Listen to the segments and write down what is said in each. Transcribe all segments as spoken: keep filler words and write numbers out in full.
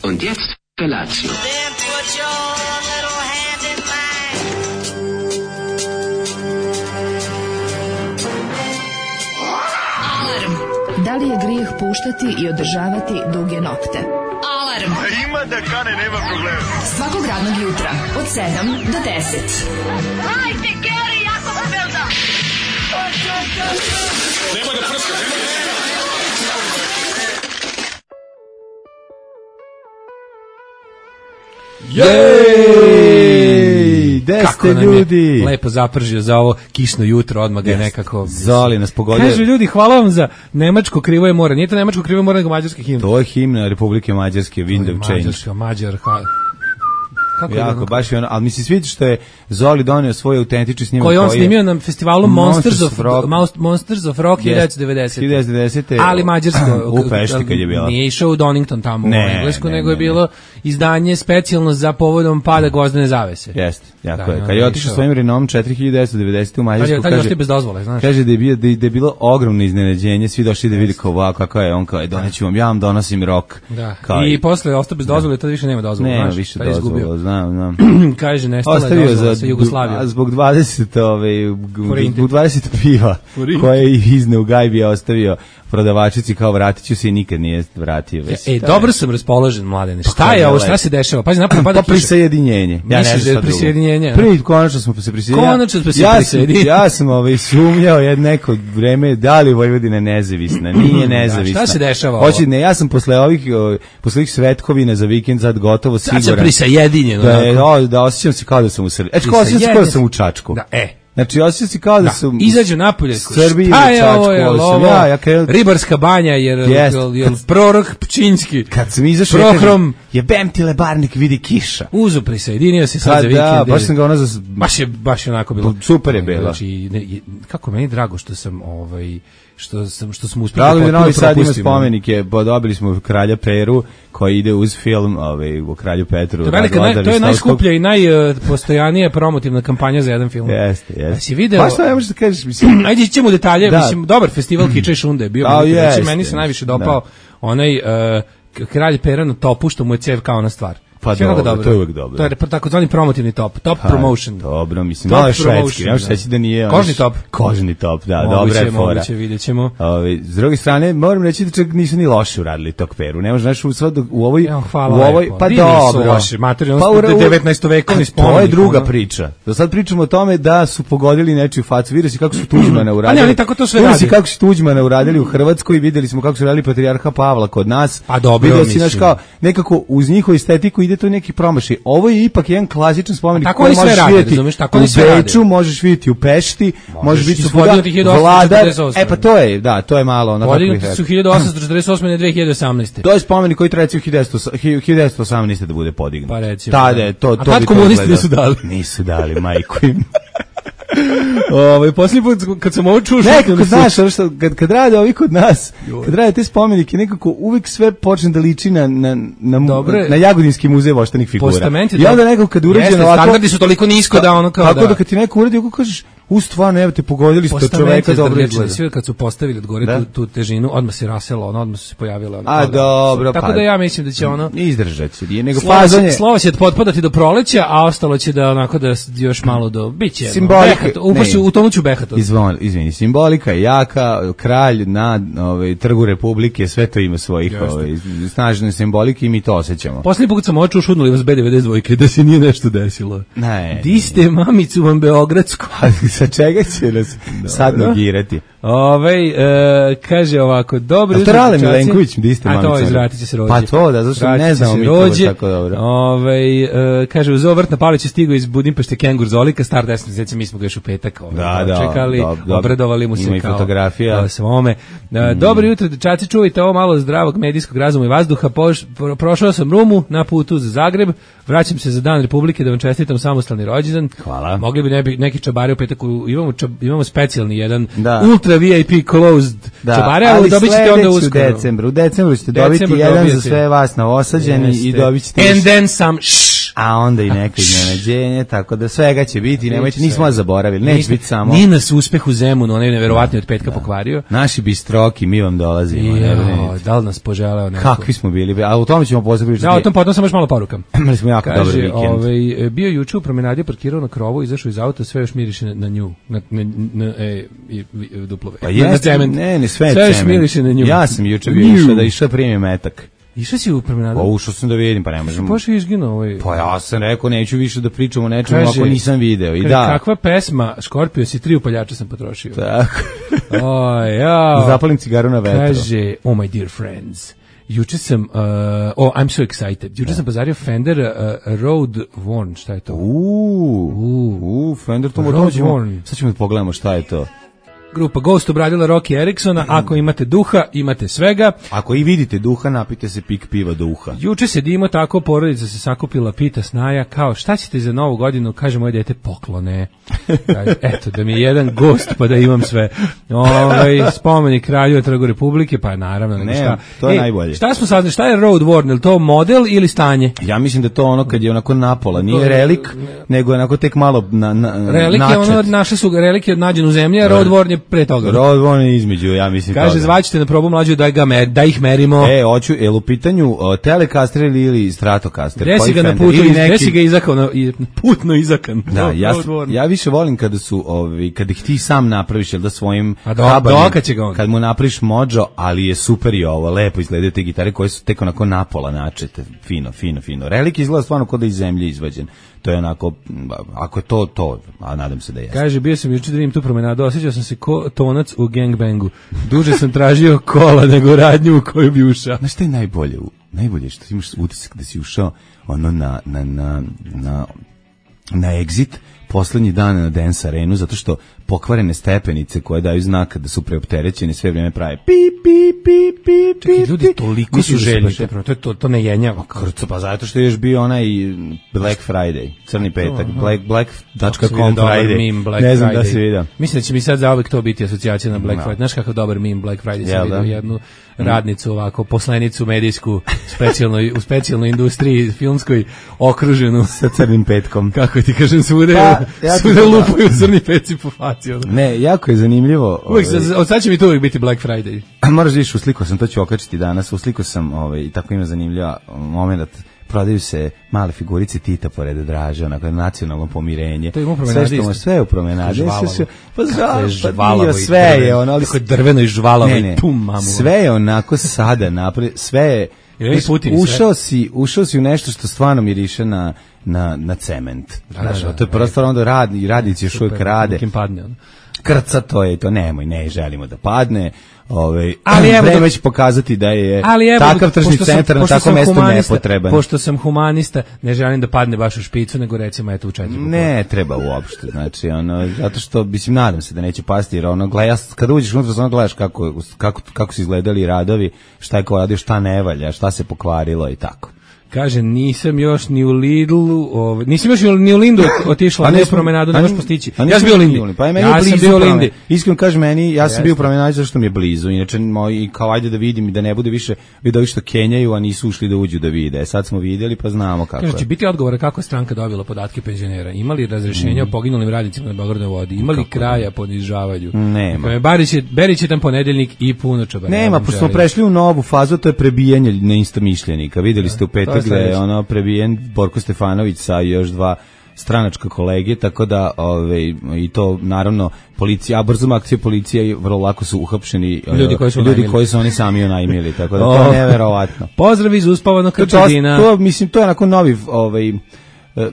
Und jetzt Felatio. Then put your little hand in mine. Alarm. Da li je grijeh puštati i održavati duge nokte? Alarm. Ima da kane, nema problema. Svakog radnog jutra od sedam do deset. Hajde, Geri, jako se velda. Nema da prska, nema da prska. Jej! Gde ste ljudi? Lepo zapržio za ovo kišno jutro, odmah ga je nekako... Zoli nas pogodio. Kažu ljudi, hvala vam za Nemačko krivo je more. Nije to Nemačko krivo je more, nego mađarski himn. To je himna Republike Mađarske, Wind of Change. Mađarska, Mađar, ha... Kako jako, baš je ono, ali mi se sviđa što je Zoli donio svoj autentični snimak koji on snimio na festivalu Monsters, Monsters of Rock, Monsters of Rock hiljadu devetdeset. devedeset. Ali mađarsko. U Pešti kad je bila. Nije išao u Donington tamo ne, u Englesku, ne, nego ne, je bilo ne. izdanje specijalno za povodom pada Gvozdene zavese. Jeste, jako da, je. Kad je otišao svojim Renaultom četiri hiljade devetsto devedeset. u Mađarsku, kaže, kaže, bez dozvole, znaš. kaže da je, bio, da, je, da je bilo ogromno iznenađenje, svi došli da vidi kao, wow, kako je, on kao, je, doneću vam, ja vam donosim rok. Da. Kao, I, i posle ostao bez dozvole, to više nema dozvole. Nema znaš, više dozvole, znam, znam. Kaže, nestala je ostavio dozvola za sa Jugoslavijom. Zbog dvadeset, ove, zbog dvadeset piva koje je izne u gajbi je ostavio prodavačici kao vratit ću se i nikad nije vratio. E, e dobro sam raspoložen, Mladene. Šta pa je ovo, šta se dešava? Pazi, napad pada kiša. Prisajedinjenje. Ja ne znam prisajedinjenje. Prvi, konačno smo se prisajedinjeni. Konačno smo se ja prisajedinjeni. Sam, ja sam ovaj, sumnjao jedno neko vreme da li Vojvodina nezavisna. Nije nezavisna. Da, šta se dešava? Hoće, ne, ja sam posle ovih, posle ovih svetkovina za vikend sad gotovo siguran. Sad sam prisajedinjen. Da, je, o, da osjećam se kao da sam u Srbiji. Eč, kao osjećam se kao da sam u Čačku. Da, e. Znači, osjećam se kao da, da sam... Izađu napolje. Srbiji šta je ovo, je ovo? Ja, ja kaj... Ribarska banja, jer, yes. jer prorok Pčinjski. Kad sam izašao, Prohrom, jebem ti lebarnik, vidi kiša. Uzu prisajedinio se sad ha, za vikend. Da, baš sam ga ono za... Baš je, baš je onako bilo. Super je bilo. Znači, ne, kako meni drago što sam, ovaj... što sam što smo uspeli potpuno propustiti. Novi Sad ima spomenike, dobili smo Kralja Peru koji ide uz film, ovaj u Kralju Petru. To, velika, naj, to je najskuplja i najpostojanija promotivna kampanja za jedan film. Jeste, jeste. Si video? Pa šta ne možeš da kažeš, mislim. Ajde ćemo u detalje, da. Mislim dobar festival Kiča i Šunde je bio, da, znači meni se najviše dopao da. onaj uh, Kralj Pera na topu što mu je cev kao na stvar. Pa dobro, dobro, to je uvijek dobro. To je takozvani promotivni top, top ha, promotion. Dobro, mislim, malo je švedski, nemaš reći da nije... Kožni top. Kožni top, da, dobra je fora. Moguće, vidjet ćemo. Ovi, s druge strane, moram reći da čak nisu ni loše uradili tog Peru. Ne možeš, znaš, u, sad, u ovoj... Ja, hvala u ovoj lepo. Pa Di dobro. Loše, materijalno, pa u devetnaestovekovni spomenik. To je druga priča. Do sad pričamo o tome da su pogodili nečiju facu. Vidjeli si kako su Tuđmana uradili. A ne, oni tako to sve radi. Vidjeli si kako su Tuđmana uradili u Hrvatskoj, vidjeli smo kako su radili patrijarha Pavla kod nas. A dobro, vidjeli si, znaš, kao, nekako uz njihovu estetiku ide to neki promašaj. Ovo je ipak jedan klasičan spomenik koji možeš vidjeti u Beču, možeš vidjeti u Pešti, možeš vidjeti u Vladar. E pa to je, da, to je malo onako. Podignuti su hiljadu osamsto četrdeset osme na dve hiljade osamnaeste. To je spomenik koji treba u hiljadu devetsto osamnaeste da bude podignut. Pa recimo. Tada, to, to a tad komunisti nisu dali. Nisu dali, majku im. Ovaj posljednji put kad sam ovo čuo, nekako znaš, što kad kad rade ovi kod nas, kad rade te spomenike, nekako uvek sve počne da liči na na na, na Jagodinski muzej voštanih figura. I onda nekako kad urađeno ovako, standardi su toliko nisko da ono kao da. Tako da kad ti neko uradi, kako kažeš, u stvarno, evo te pogodili ste čoveka dobro izgleda. Sve kad su postavili od gore tu, tu težinu, odmah se raselo, ono, odmah su se pojavile ono. A dobro, tako pa, da ja mislim da će ono izdržati, nije nego fazanje. Slovo će potpadati do proleća, a ostalo će da onako da još malo do biće. Simbolika, upašću u tonuću behata. Izvon, izvini, simbolika je jaka, kralj na ovaj trgu Republike, sve to ima svojih ovaj snažne simbolike i mi to osjećamo. Poslednji put sam očuo šudnuli vas be devedeset dva da se nije nešto desilo. Ne. Di ste mamicu vam beogradsku? Sa čega će nas sad nogirati? Ove, e, kaže ovako, dobro. A to Rale Milenković, di ste mamica? A to izvratit će se rođe. Pa to, da, zašto ne znamo mi to tako dobro. Ove, e, kaže, uz ovo Vrtna Pavlić je stigao iz Budimpešte Kengur Zolika, star deset mjeseci, mi smo ga još u petak ovaj, da, da, čekali, da, obradovali mu se ima kao fotografija. svome. E, mm. Dobro jutro, dečaci, čuvajte ovo malo zdravog medijskog razuma i vazduha. Poš, pro, prošao sam Rumu na putu za Zagreb, vraćam se za Dan Republike da vam čestitam samostalni rođendan. Hvala. Mogli bi nebi, neki čabari u petak, imamo, čab, imamo specijalni jedan da. ultra V I P closed da, čabare, ali dobit ćete onda uskoro. U decembru, u decembru ćete dobiti jedan za sve vas na osađeni i dobit ćete... And then some shh. a onda i neka iznenađenje, tako da svega će biti, nemojte, nismo vas zaboravili, neće biti samo. Nije nas uspeh u Zemunu, onaj neverovatni od petka da. pokvario. Naši bistroki, mi vam dolazimo. Jo, da li nas poželeo neko? Kakvi smo bili, a u tome ćemo posle pričati. Da, o tom potom sam još malo poruka. Imali smo jako dobar vikend. Ovaj, bio juče u promenadi, parkirao na krovu, izašao iz auta, sve još miriše na, na nju, na, na, na e, i, i, duplove. Pa jeste, ne, ne, sve je sve još miriše na nju. Ja sam juče bio išao da išao primim metak. Išao si u promenadu? Pa ušao sam da vidim, pa ne možemo. Pošto je izginuo ovaj. Pa ja sam rekao neću više da pričam o nečemu ako nisam video. I da. Kakva pesma, Skorpio si tri upaljača sam potrošio. Tako. O, ja. Zapalim cigaru na vetru. Kaže, oh my dear friends. Juče sam, uh, oh, I'm so excited. Juče sam pozario Fender uh, Road Worn, šta je to? Uuu, uu, Fender to Road Worn. Sad ćemo da pogledamo šta je to. Grupa Ghost obradila Rocky Ericksona, ako imate duha, imate svega. Ako i vidite duha, napite se pik piva do uha. Juče sedimo tako, porodica se sakupila, pita Snaja, kao šta ćete za novu godinu, kaže moje dete, poklone. Kaže, eto, da mi je jedan gost, pa da imam sve. Ovaj spomenik kralju Trgu Republike, pa naravno, nego šta. To je e, najbolje. Šta smo saznali, šta je Road Worn, je to model ili stanje? Ja mislim da to ono kad je onako napola, nije relik, nego je onako tek malo na, na, relik je ono, naše su relike od nađenu zemlje, Road Worn je pre toga. Road Worn je između, ja mislim. Kaže, zvaćete na probu mlađu da, ga mer, da ih merimo. E, hoću, jel u pitanju uh, Telecaster ili, ili Stratocaster? Gde si ga na putu, gde si ga izakao, na, putno izakan. Da, ja, ja više volim kada su, ovi, kada ih ti sam napraviš, jel da svojim kabanim, kad mu napraviš mođo, ali je super i ovo, lepo izgledaju te gitare koje su tek onako napola načete, fino, fino, fino. Relik izgleda stvarno kod da iz zemlje izvađen. To je onako, ako je to, to, a nadam se da jeste. Kaže, bio sam juče da vidim tu promenadu, osjećao sam se ko tonac u gangbangu. Duže sam tražio kola nego radnju u koju bi ušao. Znaš šta je najbolje? Najbolje što imaš utisak da si ušao ono na, na, na, na, na exit poslednji dan na Dance Arenu, zato što pokvarene stepenice koje daju znak da su preopterećene sve vrijeme prave pip, pip, pip, pip, Čekaj, ljudi toliko su željni, to, to, to ne jenjava. Krco, pa zato što je još bio onaj Black Friday, crni petak, black, black dot com Friday, meme, Black ne znam Friday. Da se vidio. Mislim da će mi sad zauvek to biti asocijacija na Black no. Friday. Znaš kakav dobar meme Black Friday, sam vidio jednu radnicu ovako, poslanicu medijsku, specijalno, u specijalnoj industriji filmskoj, okruženu sa crnim petkom. Kako ti kažem, svude, pa, ja svude lupaju crni peci po faci. Ono. Ne, jako je zanimljivo. Uvijek, ovaj, od sad će mi to uvijek biti Black Friday. Moraš da iš, usliko sam, to ću okačiti danas, usliko sam, ovaj, i tako ima zanimljiva moment, prodaju se male figurice Tita pored Draže, onako nacionalno pomirenje. To je u promenadi. Sve što sve je u promenadi. Pa žvalavo, sve je ono, ali kako je drveno i žvalavo i pum mamu. Sve je onako sada napred, sve je ušao si, ušao si u nešto što stvarno miriše na na na cement. Da, znaš, da, da, to je prosto onda radni, radnici još uvijek rade. Padne, krca to je to, nemoj, ne želimo da padne. Ovaj, ali evo vreme će pokazati da je evo, takav tržni centar na takvom mestu nepotreban. Pošto sam humanista, ne želim da padne baš u špicu, nego recimo eto u četiri. Ne treba uopšte, znači ono, zato što mislim, nadam se da neće pasti, jer ono, gledaš, kada uđeš unutra, samo gledaš kako, kako, kako su izgledali radovi, šta je ko radio, šta ne valja, šta se pokvarilo i tako. Kaže, nisam još ni u Lidlu, ovaj, nisam još ni u Lindu otišla, ne u promenadu, ne možeš postići. Ja sam bio u Lindi. Pa meni ja sam bio u Lindi. Iskreno kažem, meni, ja sam bio u promenadu zato što mi je blizu. Inače, moj, kao ajde da vidim i da ne bude više vidovi što kenjaju, a nisu ušli da uđu da vide. Sad smo vidjeli, pa znamo kako je. Kaže, će biti odgovor kako je stranka dobila podatke penzionera. Imali razrešenja mm. o poginulim radnicima na Beogradnoj vodi? Imali kako kraja ponižavanju? Nema. Barić je, Berić je tam ponedeljnik i puno čaba. Nema, pošto smo prešli u novu fazu, to je prebijanje neistomišljenika. Videli ste u petak da je ono prebijen Borko Stefanović sa još dva stranačka kolege, tako da ove, i to naravno policija, a brzom akcija policije vrlo lako su uhapšeni ljudi koji su, ljudi koji su oni sami unajmili, tako da to je neverovatno. Pozdrav iz uspavanog Krčedina. To, to, mislim, to je onako novi, ovaj,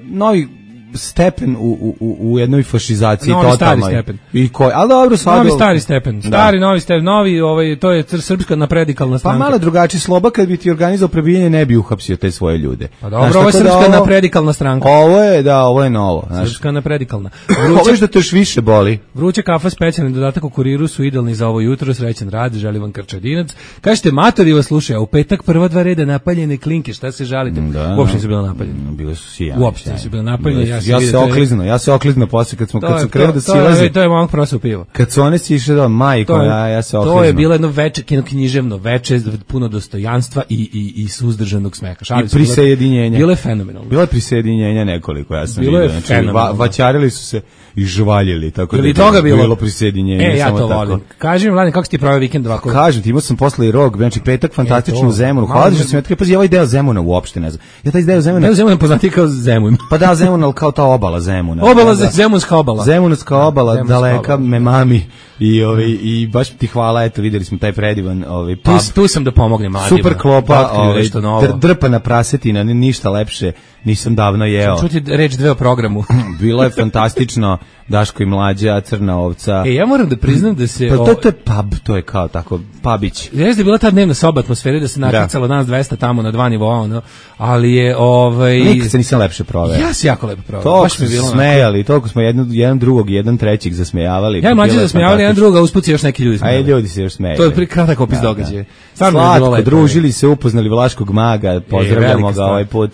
novi stepen u, u, u jednoj fašizaciji novi totalnoj. Stari stepen. I koji, ali dobro, sad novi stari stepen. Stari da. Novi stepen, novi, ovaj to je srpska napredikalna stranka. Pa malo drugačiji Sloba kad bi ti organizovao prebijanje ne bi uhapsio te svoje ljude. Pa dobro, znaš, ovo je srpska da ovo, napredikalna stranka. Ovo je, da, ovo je novo, znaš. Srpska napredikalna. Vruće da to još više boli. Vruća kafa, specijalni dodatak u kuriru su idealni za ovo jutro, srećan rad, želim vam Krčedinac. Kažete, matori vas slušaju, a u petak prva dva reda napaljene klinke, šta se žalite? Da, uopšte se bilo napaljeno. bile su sjajne. Uopšte nisu bile napaljene. Ja, ja se okliznuo, ja se okliznuo posle kad smo kad sam krenuo da silazi. To je momak prosao pivo. Kad su one sišle do majko, ja ja se okliznuo. To je bilo jedno veče književno veče, puno dostojanstva i i i suzdržanog smeha. Šalim se. I prisajedinjenja. Bilo je fenomenalno. Bilo je prisajedinjenja nekoliko, ja sam vidio. Znači, va, vaćarili su se i žvaljili, tako da je toga bilo, bilo prisajedinjenje. E, ja to tako. Volim. Kaži mi, Mladen, kako si ti proveo vikend ovako? Kažem ti, imao sam posle i rog, znači petak fantastično u Zemunu. Hvala što sam ja tako, pazi, ovaj deo Zemuna uopšte ne znam. Ja taj deo Zemuna. Deo Zemuna poznati kao Zemun. Pa da, Zemun, al kao ta obala Zemuna. Obala da, Zemunska obala. Zemunska obala, Zemunska daleka obala. Me mami i ovaj i baš ti hvala, eto videli smo taj predivan ovaj pub. Tu, tu sam da pomognem mladima. Super klopa, ovaj dr, drpana prasetina, ništa lepše nisam davno jeo. Čuti reč dve o programu. Bilo je fantastično. Daško i Mlađa, Crna ovca. E, ja moram da priznam da se... Pa to, to je pub, to je kao tako, pubić. Jeste je bila ta dnevna soba atmosfere da se nakrcalo da. Nas dvesta tamo na dva nivoa, ono, ali je... Ovaj... Nikad se nisam lepše proveo. Ja se jako lepo proveo. Toliko smo smejali, toliko smo jedan, jedan drugog, jedan trećeg zasmejavali. Ja i Mlađa zasmejavali, jedan drugoga, usput se još neki ljudi smejali. A ljudi se još smejali. To je prikratak opis da, događaja. Slatko, družili se, upoznali Vlaškog maga, pozdravljamo ga ovaj put.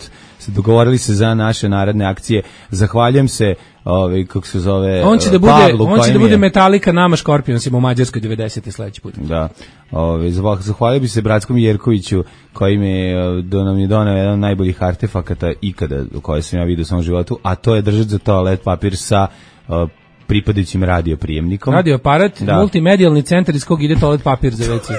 Dogovorili se za naše naredne akcije. Zahvaljujem se, ovaj kako se zove, on će da bude, Pavlu, on će da bude Metallica nama Scorpionsima u Mađarskoj devedesete sledeći put. Da. Ovaj zahvalio bi se bratskom Jerkoviću koji mi do nam je doneo jedan od najboljih artefakata ikada koje sam ja vidio u svom životu, a to je držati za toalet papir sa uh, pripadajućim radio prijemnikom. Radio aparat, da. Multimedijalni centar iz kog ide toalet papir za ve ce.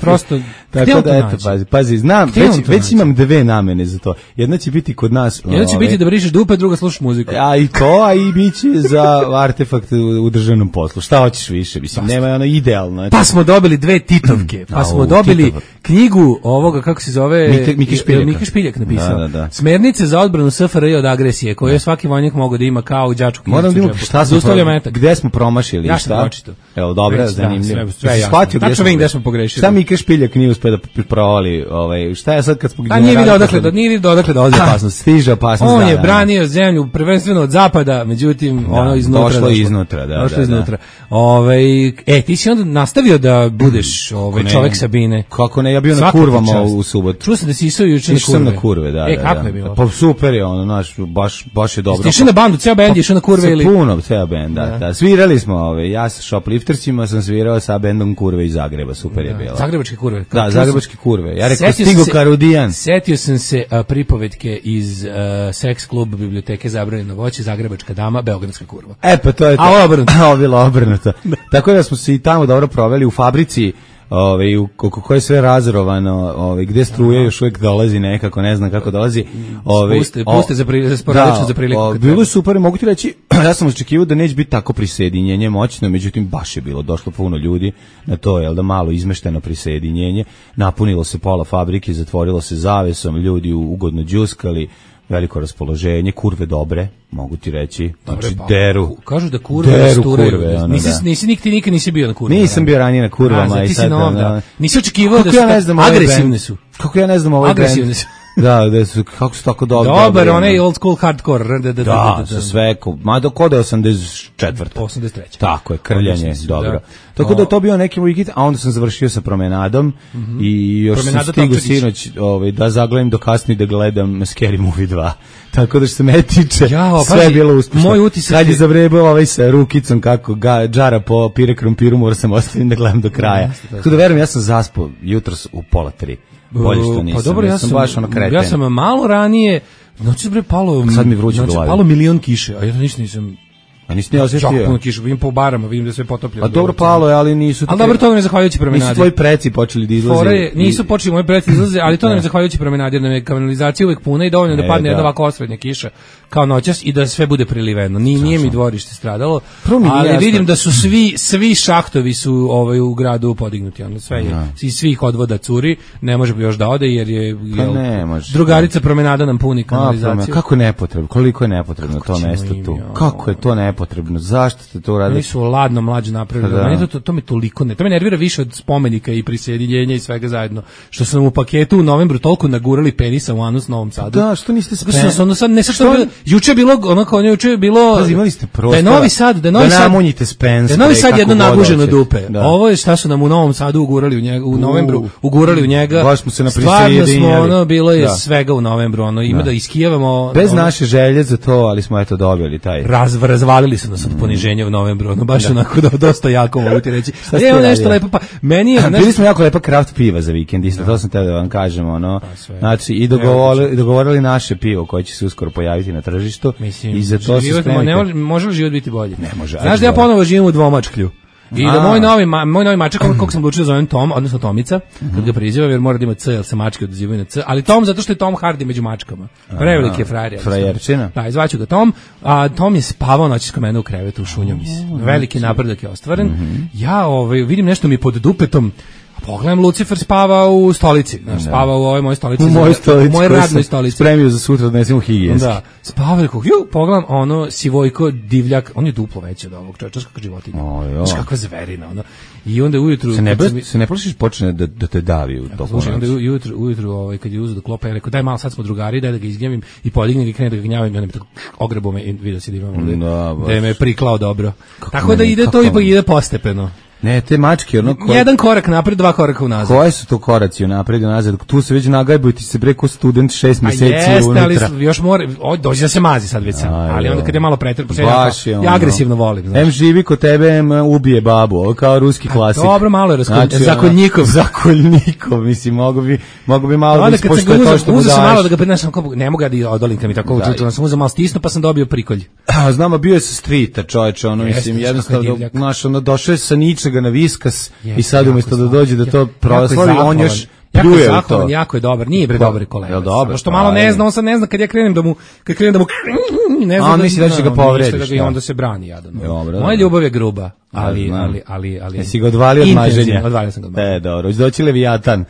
Prosto, tako da eto, pazi, pazi, znam, već, već imam dve namene za to. Jedna će biti kod nas. Jedna će ove, biti da brišeš dupe, druga slušaš muziku. A i to, a i biće za artefakt u državnom poslu. Šta hoćeš više? Mislim, pa nema ono idealno. Eto. Pa smo dobili dve titovke, pa smo dobili Titov. knjigu ovoga, kako se zove, Mike, Mike Špiljak. Mike Špiljak napisao. Da, da, da. Smernice za odbranu es fe er i od agresije, koje je svaki vojnik mogao da ima kao u đačku knjižicu. Moram da imam šta smo gde smo promašili, ja šta? Evo, dobro, Već, zanimljivo. Da, sve, sve jasno. Tačno vidim gde smo pogrešili. Šta Mika Špiljak nije uspeo da provali, ovaj, šta je sad kad smo... A nije vidio odakle, da, nije vidio odakle dolazi opasnost. Stiže opasnost, on da, je da, branio zemlju prvenstveno od zapada, međutim, da, ono iznutra. Došlo iznutra, da, došlo da, iznutra. Da. Ovaj, e, ti si onda nastavio da budeš ovaj, čovek Sabine. Kako ne, ja bio na kurvama u subotu. Čuo sam da si išao juče na kurve. Išao na kurve, da, e, da. kako je bilo? Pa super je ono, naš, baš, baš je dobro. Ti išao na bandu, ceo bend je išao na kurve ili? Puno, ceo bend, da, da. Svirali smo, ove, ja sa Shopliftersima sam svirao sa bendom Kurve iz Zagreba, super je bilo. Zagrebačke kurve. Da, zagrebačke kurve. Ja rekao Stigo Karudijan. Setio sam se a, pripovetke iz uh, seks klub biblioteke Zabranjeno voće, Zagrebačka dama, Beogradska kurva. E pa to je to. A obrnuto. A bilo obrnuto. Tako da smo se i tamo dobro proveli u fabrici. Ovaj u kako je sve razrovano, ovaj gde struje još uvijek dolazi nekako, ne znam kako dolazi. Ovaj puste, puste za pri, sporadično za priliku. O, bilo je super, mogu ti reći, ja sam očekivao da neće biti tako prisjedinjenje moćno, međutim baš je bilo, došlo puno ljudi na to, jel da malo izmešteno prisjedinjenje, napunilo se pola fabrike, zatvorilo se zavesom, ljudi ugodno đuskali. Veliko raspoloženje, kurve dobre, mogu ti reći. Znači, pa, deru. Kažu da kurve deru kurve. Ono, nisi, da. nisi nikti nikad nisi bio na kurvama. Nisam bio ranije na kurvama. A, i sad, nov, da. Da. Nisi očekivao da su ja ne znam, agresivne su. Kako ja ne znam ovaj agresivne su. Da, da su, kako su tako dobro. Dobar, onaj old school hardcore. Da, da, da, da sa sve, mada kod je osamdeset četvrta. osamdeset treća. Tako je, krljanje, dobro. Da. Tako da je to bio neki weekend, a onda sam završio sa promenadom mm -hmm. i još Promenada sam stigao sinoć ovaj, da zagledam do kasni da gledam Scary Movie dva. Tako da što se me tiče, Jao, sve je bilo uspješno. Moj utisak kad je zavrebao ovaj sa rukicom kako ga džara po pire krompiru, morao sam ostaviti da gledam do kraja. Tako da verujem, ja sam zaspao jutros u pola tri. Bolje što nisam. Pa dobro, ja, ja sam, baš ono kreten. Ja sam malo ranije, noći bre palo, sad mi vruće noći palo milion kiše, a ja to ništa nisam. A nisi ne osjetio? Čak puno kiše, vidim po barama, vidim da sve potopljeno. A dobro palo je, ali nisu... Ali dobro, to nam je zahvaljujući promenadi. Nisu tvoji preci počeli da izlaze. Fore, nisu počeli moji preci izlaze, ali to nam je zahvaljujući promenadi, jer nam je kanalizacija uvek puna i dovoljno da padne jedna ovako osrednja kiša kao noćas i da sve bude priliveno. Nije, nije mi dvorište stradalo, ali vidim da su svi svi šahtovi su ovaj u gradu podignuti, ono sve je iz svih odvoda curi, ne može još da ode jer je jel, drugarica promenada nam puni kanalizaciju. Kako je nepotrebno, koliko je nepotrebno to mesto tu. Kako je to nepotrebno? nepotrebno. Zašto ste to uradili? Oni su ladno mlađe napravili. Da. Meni to, to, to mi toliko ne. To me nervira više od spomenika i prisjedinjenja i svega zajedno. Što su nam u paketu u novembru toliko nagurali penisa u anus Novom Sadu. Da, što niste spremni? Što ono sad ne sad što juče je bilo ono kao juče je bilo. Pa imali ste prostora. Da je Novi Sad, da je Novi da Sad. namunjite Spence. Da je Novi Sad jedno nabuženo dupe. Da. Ovo je šta su nam u Novom Sadu ugurali u njega u novembru, uh, ugurali u njega. Baš smo se na stvarno smo ono bilo je da. Svega u novembru, ono ima da, da iskijevamo bez ono, naše želje za to, ali smo eto dobili taj. Raz, razvalili su nas od poniženja u novembru, ono baš da. Onako da, dosta jako mogu ti reći. Je ono nešto lepo, pa meni je nešto... Bili smo jako lepa kraft piva za vikend, isto da. To sam teo da vam kažem, ono. Pa, znači i dogovorili, dogovorili naše pivo koje će se uskoro pojaviti na tržištu. Mislim, i za to se ne može, može li život biti bolji? Ne može. Znaš da ja ponovo živim u dvomačklju. I da moj novi moj novi mačak kako sam odlučio da zovem Tom, odnosno Tomica, kad ga prizivam jer mora da ima C, jer se mačke odazivaju na C, ali Tom zato što je Tom Hardy među mačkama. Preveliki je frajer. Frajerčina. Da, izvaću ga Tom, a Tom je spavao noći kod mene u krevetu, šunjao mi se. Veliki napredak je ostvaren. Ja ovaj vidim nešto mi pod dupetom. Pogledam, Lucifer spava u stolici. Znaš, spava u ovoj mojoj stolici. U mojoj stolici. U mojoj radnoj stolici. Spremio za sutra da nesemo higijenski. Da. Spava, rekao, ju, pogledam, ono, sivojko, divljak, on je duplo veći od ovog čovječa, kakva životinja. Znaš, kakva zverina, ono. I onda ujutru... Se ne, mi... se ne plašiš počne da, da te davi u toku. Slušaj, onda ujutru, ujutru ovaj, kad je uzeo do klopa, ja rekao, daj malo, sad smo drugari, daj da ga izgnjavim i podigne ga i krene da ga gnjavim, i onda mi tako ogrebo me i vidio si da imam ovde, da, da je me priklao dobro. Kako tako da ide to ipak ide postepeno. Ne, te mačke, ono koje... Jedan korak napred, dva koraka unazad. Koje su to koraci unapred i unazad? Tu se već nagajbuju, ti se preko student šest mjeseci unutra. A jeste, ali još mora, o, dođe da se mazi sad već sam, aj, ali onda kad je malo pretrp, ja, ja agresivno volim. Znaš. Em živi kod tebe, em ubije babu, ovo kao ruski klasik. A, dobro, malo je raskoj, znači, zakoljnikov. Zakoljnikov, mislim, mogu bi, mogu bi malo da ispoštuje to što mu daš. Uzeo sam malo da ga prenašam, ne mogu da odolim kad mi tako učutilo, sam uzeo malo stisnu pa sam dobio prikolj. Znamo, bio je sa streeta, čoveče, ono, mislim, jednostavno, znaš, ono, došao je sa ničega na Viskas i sad umjesto da dođe da to proslavi, on još pljuje u to. Jako je dobar, nije bre dobar kolega. Jel dobro? Što malo ne zna, on sad ne zna kad ja krenem da mu, kad krenem da mu, ne zna. A on misli da će ga povrediš. I onda se brani jadan. Moja ljubav je gruba, ali, ali, ali, ali. Jesi ga odvalio od maženja? Odvalio sam ga od maženja. E, dobro, hoće doći Leviatan.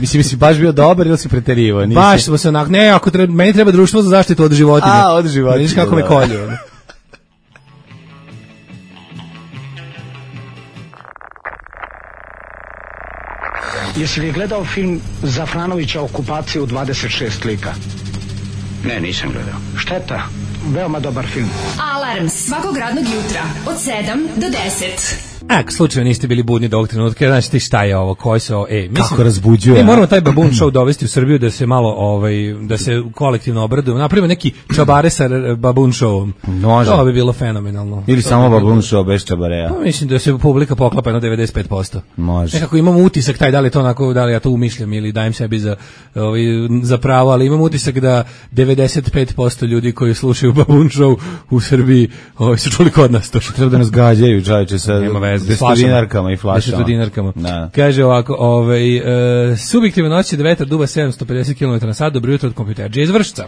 Mislim, si baš bio dobar ili si preterivao? Baš smo se onak, ne, ako treba, meni treba društvo za zaštitu od životinja. A, od životinja. Vidiš kako me kolju. Jesi li gledao film Zafranovića Okupacija u dvadeset šest lika? Ne, nisam gledao. Šteta, veoma dobar film. Alarm svakog radnog jutra od sedam do deset. Ako slučajno niste bili budni do ovog trenutka, znači ti šta je ovo, koji se ovo, e, mislim, kako razbuđuje. Mi moramo taj Baboon Show dovesti u Srbiju da se malo, ovaj, da se kolektivno obradujemo, napravimo neki čabare sa Baboon Showom. Može. To bi bilo fenomenalno. Ili to samo Baboon Show bez čabareja. Pa mislim da se publika poklapa na devedeset pet posto. Može. Nekako imamo utisak taj, da li to onako, da li ja to umišljam ili dajem sebi za, ovaj, za pravo, ali imam utisak da devedeset pet posto ljudi koji slušaju Baboon Show u Srbiji, ovaj, su čuli kod nas to. Treba da nas gađaju, čaječe, sa desetodinarkama i flašama. Desetodinarkama. Kaže ovako, ovaj, e, subjektivna noć je da vetar duva sedamsto pedeset kilometara na sat, dobro jutro od kompjuterđe iz Vršca.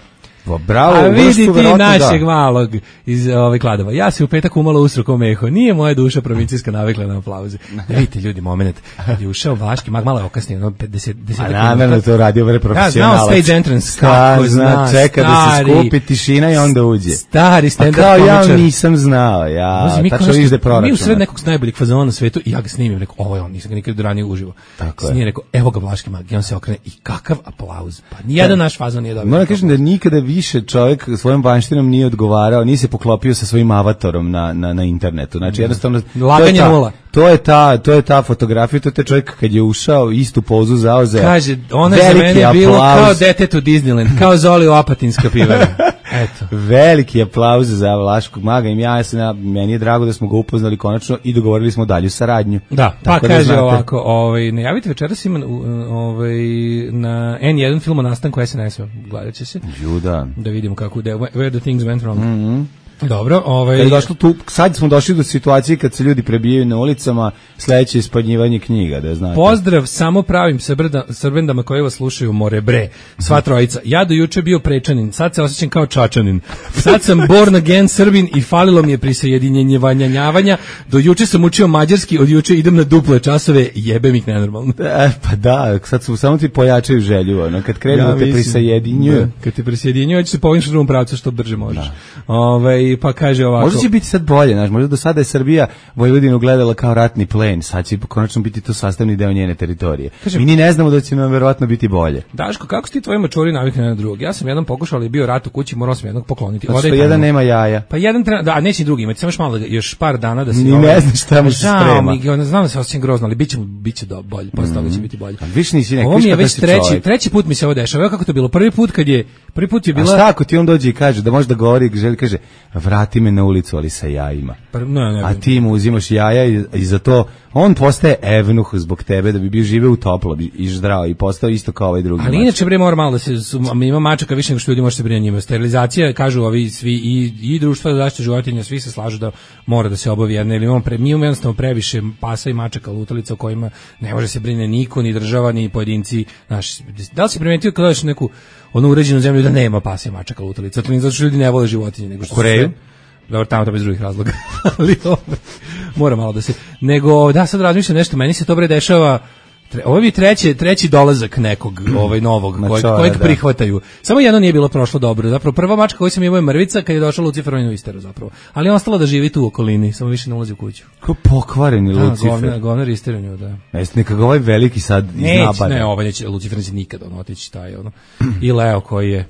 Bravo, a vidi ti našeg da. Malog iz ovaj Kladova. Ja se u petak umalo usro ko meho. Nije moja duša provincijska navikla na aplauze. Da vidite ljudi, moment. Kad je ušao Vaški mag, malo je okasnije, ono pedeset deset. A namjerno to radio vrlo profesionalac. Ja, znao stage entrance. Kako zna, čeka da se skupi tišina i onda uđe. Stari stand-up komičar. Kao ja nisam znao, ja. Tačno izde proračun. Mi u sred nekog najboljih fazona na svetu i ja ga snimim, rekao, ovo je on, nisam ga nikad ranije uživo. Snimim, rekao, evo ga Vaški mag, i on se okrene i kakav aplauz. Pa nijedan naš fazon nije dobio. Moram kažem da nikada više čovjek svojom vanštinom nije odgovarao, nije se poklopio sa svojim avatarom na, na, na internetu. Znači, jednostavno, laganje nula. To je ta, to je ta fotografija, to je taj čovjek kad je ušao, istu pozu zauzeo. Kaže, ona je za mene bilo kao detet u Disneyland, kao Zoli u Apatinska pivara. Eto. Veliki aplauz za Vlaškog maga i ja sam, meni je drago da smo ga upoznali konačno i dogovorili smo dalju saradnju. Da, pa kaže da ovako, ovaj, najavite večeras ima ovaj, na en jedan film o nastanku es en es-a, gledat će se. Juda. Da vidimo kako, da, where the things went wrong. Mhm. Dobro, ovaj kad je došlo tu, sad smo došli do situacije kad se ljudi prebijaju na ulicama, sledeće je ispadnjivanje knjiga, da znate. Pozdrav samo pravim srbendama koji vas slušaju, more bre, sva trojica. Ja do juče bio prečanin, sad se osjećam kao čačanin. Sad sam born again Srbin i falilo mi je prisjedinjenjavanja. Do juče sam učio mađarski, od juče idem na duple časove, jebem ih nenormalno. E, pa da, sad su samo ti pojačaju želju, ono, kad krenu ja, da te prisjedinjuju. Da, kad te prisjedinjuju, će se povinš u drugom pravcu što brže možeš. Ovaj ovaj, pa kaže ovako. Možda će biti sad bolje, znaš, možda do sada je Srbija Vojvodinu gledala kao ratni plen, sad će konačno biti to sastavni deo njene teritorije. Kažem, mi ni ne znamo da će nam verovatno biti bolje. Daško, kako si ti tvoji mačori navikli na drugog? Ja sam jedan pokušao, ali je bio rat u kući, morao sam jednog pokloniti. Zato što jedan nema jaja. Pa jedan treba, da, a neće drugi imati, samo još malo, još par dana da se... Ni ne znaš šta mu se sprema. Mi, znam da se osjećam grozno, ali biće, biće do, bolje, posle toga će biti bolje. Viš nisi nek, ovo mi je već treći, treći put mi se ovo dešava. Evo kako to bilo. Prvi put kad je, prvi put je bila... A šta ako ti on dođe i kaže, da može da govori, želi kaže, vrati me na ulicu, ali sa jajima. Pa, ne, ne, a ti mu uzimaš jaja i, i za to on postaje evnuh zbog tebe da bi bio žive u toplo i zdravo i postao isto kao ovaj drugi. Ali mačak. Inače bre mora malo da se ima mačaka više nego što ljudi može se brinuti njima. Sterilizacija kažu ovi svi i i društva za zaštitu životinja svi se slažu da mora da se obavi jedna ili imamo pre, mi imamo jednostavno previše pasa i mačaka lutalica o kojima ne može se brine niko ni država ni pojedinci naši. Da li si primetio kada dođeš neku onu uređenu zemlju da nema pasa i mačaka lutalica? To nije zato što ljudi ne vole životinje nego što Koreju. Dobro, tamo to bez drugih razloga. Ali ovaj, mora malo da se... Nego, da, sad razmišljam nešto, meni se to bre dešava... Tre, ovo je treći, treći dolazak nekog ovaj novog, kojeg, kojeg prihvataju. Samo jedno nije bilo prošlo dobro. Zapravo, prva mačka koju sam imao je mrvica kad je došao Lucifer, on je isterao zapravo. Ali je ostala da živi tu u okolini, samo više ne ulazi u kuću. Ko pokvareni da, Lucifer. Govnar, govnar isterao nju, da. Jeste nekako ovaj veliki sad iznabada. Ne, ovaj neće, Lucifer neće nikada on otići taj, ono. I Leo koji je...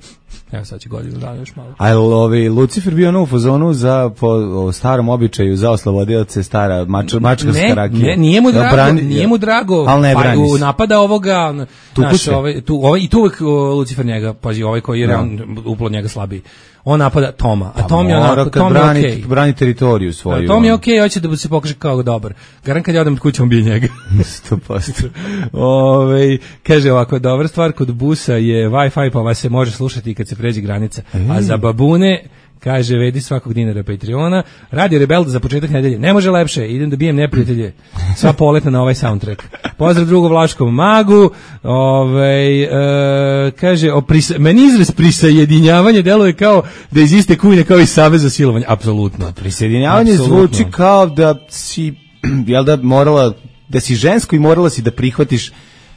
Evo sad će godinu dana još malo. A je ovi Lucifer bio ono u fazonu za po o starom običaju za oslobodioce stara mač, mačkarska rakija. Ne, nije mu drago, brani, nije mu drago. Al ne brani pa, napada ovoga, naš, ovaj, tu, ovaj, i tu uvek Lucifer njega, pazi, ovaj koji je no. uplod njega slabiji. On napada Toma, a Tom je onako, Tom je okej. Okay. Brani teritoriju svoju. A Tom je okej, okay, hoće da se pokaže kao dobar. Garan kad ja odem od kuće, on bije njega. sto posto. Ove, kaže ovako, dobra stvar kod busa je Wi-Fi, pa vas se može slušati kad se pređe granica. E. A za babune... Kaže, vedi svakog dinara Patreona. Radio Rebel za početak nedelje. Ne može lepše, idem da bijem neprijatelje. Sva poletna na ovaj soundtrack. Pozdrav drugu Vlaškom magu. Ove, e, kaže, o prisa, meni izraz prisajedinjavanje deluje kao da iz iste kujne kao i savez za silovanje. Apsolutno. Prisajedinjavanje zvuči kao da si, jel da morala, da si žensko i morala si da prihvatiš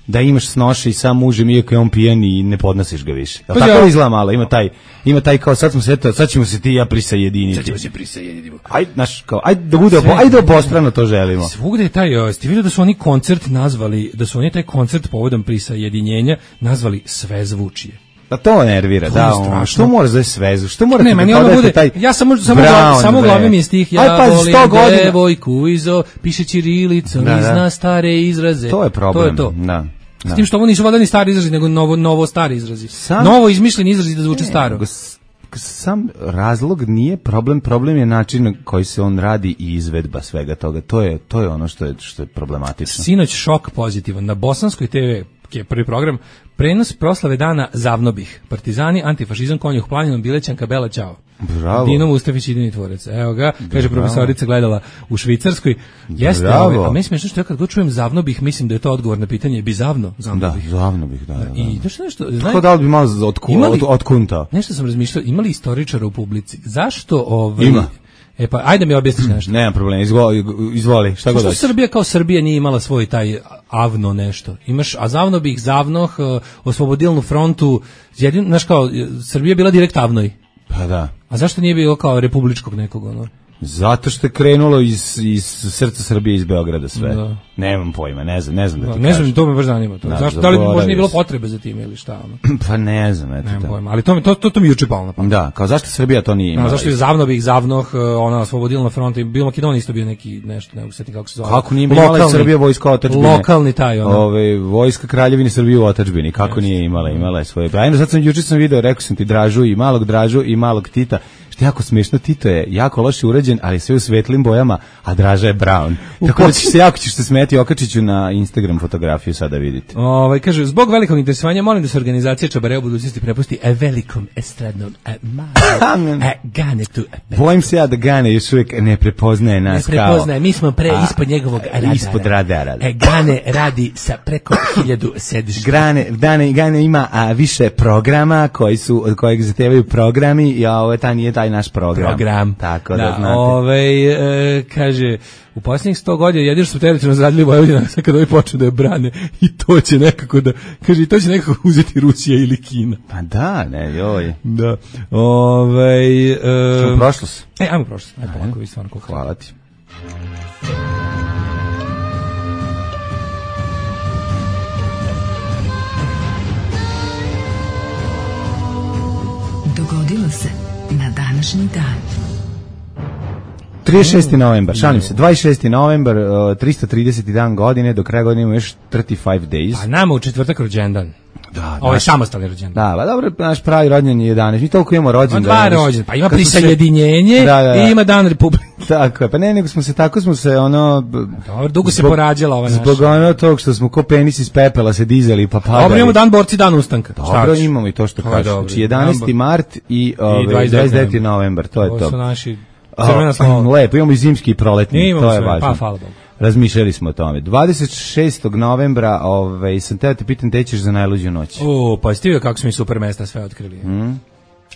da imaš snoše i sam mužem iako je on pijan i ne podnosiš ga više. Pa tako ja. Izgleda malo, ima taj, ima taj kao sad smo se eto, sad ćemo se ti i ja prisajediniti. Sad ćemo se prisajediniti. Ajde, naš, kao, ajde da bude, Sve, ajde obostrano to želimo. Svugde je taj, ste vidio da su oni koncert nazvali, da su oni taj koncert povodom prisajedinjenja nazvali Svezvučije. Da to nervira, to da, on, što mora za svezu, što mora ne, meni da bude, taj ja samo samo Brown, samo glavim je stih, ja Aj, pa, volim devojku izo, piše ćirilicom, da, zna stare izraze. To je problem, to je to. Da. S tim što ovo nisu valjda ni stari izrazi, nego novo, novo stari izrazi. Sam, novo izmišljeni izrazi da zvuče staro. Sam razlog nije problem, problem je način na koji se on radi i izvedba svega toga. To je, to je ono što je, što je problematično. Sinoć šok pozitivan. Na Bosanskoj te ve, je prvi program, prenos proslave dana Zavnobih. Partizani, antifašizam, konjuh planinom, Bilećanka, Bela Ćao. Bravo. Dino Mustafić, idini tvorac. Evo ga, kaže Bravo. Profesorica gledala u Švicarskoj. Jeste, ovaj, a meni smiješno što ja kad god čujem Zavnobih, mislim da je to odgovor na pitanje bizavno. Zavnobih. Da, Zavnobih, da. da, da. I to što nešto, znaj, tako da li bi malo od, od, od kunta? Nešto sam razmišljao, imali istoričara u publici. Zašto ovaj... Ima. E pa, ajde mi objasniš nešto. Nema problema, izvoli, izvoli šta god hoćeš. Što Srbija kao Srbija nije imala svoj taj avno nešto? Imaš, a Zavnobih, Zavnoh, Oslobodilnu frontu, jedin, znaš kao, Srbija je bila direkt avnoj. Pa da. A zašto nije bilo kao republičkog nekog, ono? Zato što je krenulo iz, iz srca Srbije, iz Beograda sve. Da. Nemam pojma, ne znam, ne znam da ti da, ne kažem. znam, to me baš zanima. To. Da, zašto, da li možda nije bilo potrebe za tim ili šta? Ono? Pa ne znam, eto. Nemam pojma, ali to, to, to, to mi juče palo na pamet. Da, kao zašto Srbija to nije imala? No, zašto je Zavnobih, Zavnoh, ona Oslobodilna fronta i bilo Makedonija isto bio neki nešto, ne mogu se kako se zove. Kako nije imala Srbija vojska otadžbine? Lokalni taj, ono. Ove, vojska Kraljevine Srbije u otadžbini, kako yes. nije imala, imala je svoje. Ajde, sad sam juče sam video, rekao sam ti Dražu i malog Dražu i malog Tita. Što je jako smiješno, Tito je jako loše urađen, ali sve u svetlim bojama, a Draža je brown. Tako da ćeš se jako ćeš se smeti, okačiću na Instagram fotografiju sada vidite. Ovaj kaže zbog velikog interesovanja molim da se organizacija Čabareo u budućnosti prepusti a velikom estradnom a malo a Ganetu. Bojim se ja da Gane još uvijek ne prepoznaje nas kao. Ne prepoznaje, mi smo pre a, ispod njegovog radara. Ispod radara. E, Gane radi sa preko hiljadu sedišta. Gane, Gane, Gane ima a, više programa koji su od kojeg zahtevaju programi i ovo ta nije taj naš program. Program. Tako da, da znaš. Ove, e, kaže, u posljednjih sto godina jedino što su teritorijalno zradili Vojvodina, sad kad ovi počnu da je brane, i to će nekako da, kaže, i to će nekako uzeti Rusija ili Kina. Pa da, ne, joj. Da. Ove, e, Čemo prošlost? E, ajmo prošlost. Ajmo polako, vi stvarno koliko. Hvala ti. Dogodilo se na današnji dan. trideset šesti novembar, šalim se, dvadeset šesti novembar, uh, tristo trideseti dan godine, do kraja godine imamo još trideset pet days. Pa nama u četvrtak rođendan. Da, ovo je samostalni rođendan. Da, ba dobro, naš pravi rođendan je jedanaest. Mi toliko imamo rođendan. Dva rođendan, pa ima prisajedinjenje se... da, da, da. I ima dan Republike. Tako je, pa ne, nego smo se tako smo se ono... Dobro, dugo se zbog, porađala ova naša. Zbog ono tog što smo ko penis iz pepela se dizali pa padali. Dobro, imamo dan borci, dan ustanka. Dobro, imamo i to što kažeš. Znači jedanaesti mart i, ove, dvadeset deveti novembar, to je to. Ovo su naši crvena slova. Lepo, imamo i zimski i proletni, imamo to je sve, važno. Pa, hvala Bogu. Razmišljali smo o tome. dvadeset šestog novembra, ovaj, sam teo te pitam, te ćeš za najluđu noć. O, pa stivio kako smo i super mesta sve otkrili. Mm.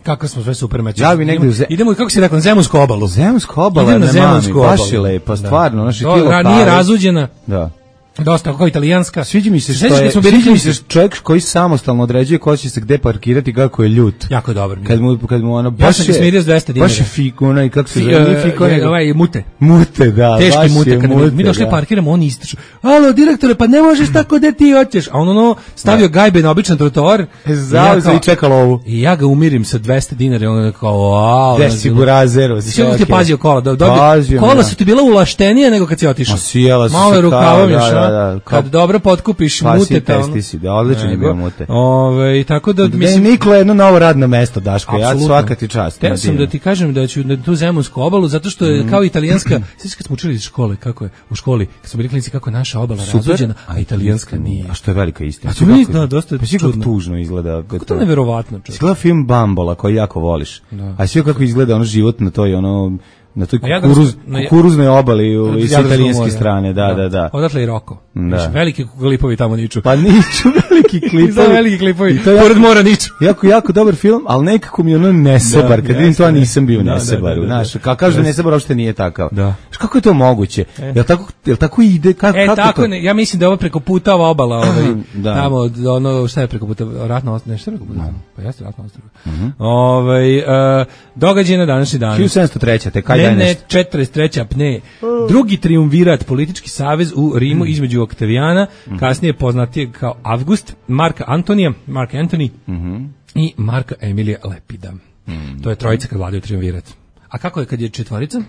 Kako smo sve super mesta. Ja bi negde idemo, ze... idemo, kako si rekao, na Zemunsku obalu. Zemunsku obalu, idemo na Zemunsku obalu. Baš je lepo, stvarno. Naši to, ra, nije razuđena. Da. Dosta kao italijanska. Sviđa mi se što je, sviđa mi se čovjek koji samostalno određuje ko će se gde parkirati, kako je ljut. Jako dobar. Kad mu kad mu ono baš ja sam smirio s dvesta dinara. Baš je fikuna i kako se zove, fikuna. Ovaj mute. Mute, da. Teški mute kad mute, mi došli da. Parkiramo, on ističu. Alo, direktore, pa ne možeš tako da ti hoćeš. A on ono stavio gajbe na običan trotoar. Zauzeo i čekalo ovu. I ja ga umirim sa dvesta dinara, on kao wow. Desi burazero. Sve ti pazio kola, da dobio. Kola su ti bila ulaštenije nego kad si otišao. Malo rukavom još, kad dobro potkupiš pa mute tamo. Pa si da, odličan je bio mute. Ove, tako da, da mislim... Nikola jedno novo radno mesto, Daško, ja svaka ti čast. Te sam da ti kažem da ću na tu Zemunsku obalu, zato što je mm. kao italijanska, sve kad smo učili iz škole, kako je, u školi, kad smo bili klinici, kako je naša obala razuđena, a italijanska nije. A što je velika istina. A to mi da, dosta pa čudno. Tužno izgleda. Kako to neverovatno. Izgleda film Bambola, koji jako voliš. Da. A sve kako izgleda ono život na toj, ono... na toj kukuruz, ja kukuruznoj obali iz italijanske strane, da, da, da. Odatle i Roko. Da. Veliki klipovi tamo niču. Pa niču veliki klipovi. Za veliki klipovi, pored mora niču. Jako, jako dobar film, ali nekako mi ono nesebar. Kad vidim to, ja nisam bio nesebar. Znaš, kao kažu nesebar, uopšte nije takav. Da. Kako je to moguće? Jel tako, jel tako ide? Kako, e, kako tako, to? Ne, ja mislim da je ovo preko puta ova obala. Ovaj, tamo, ono, šta je preko puta? Ratno ostrvo, nešto preko puta? Pa jeste ratno ostrvo. Ovaj, događaj na današnji dan. hiljadu sedamsto treća, te kaj daj nešto? četrdeset treća apne. Drugi triumvirat, politički savez u Rimu mm. između Oktavijana, mm. kasnije poznatije kao Avgust, Marka Antonija, Mark Antony mm-hmm. i Marka Emilija Lepida. Mm. To je trojica kad vladaju triumvirat. A kako je kad je četvorica?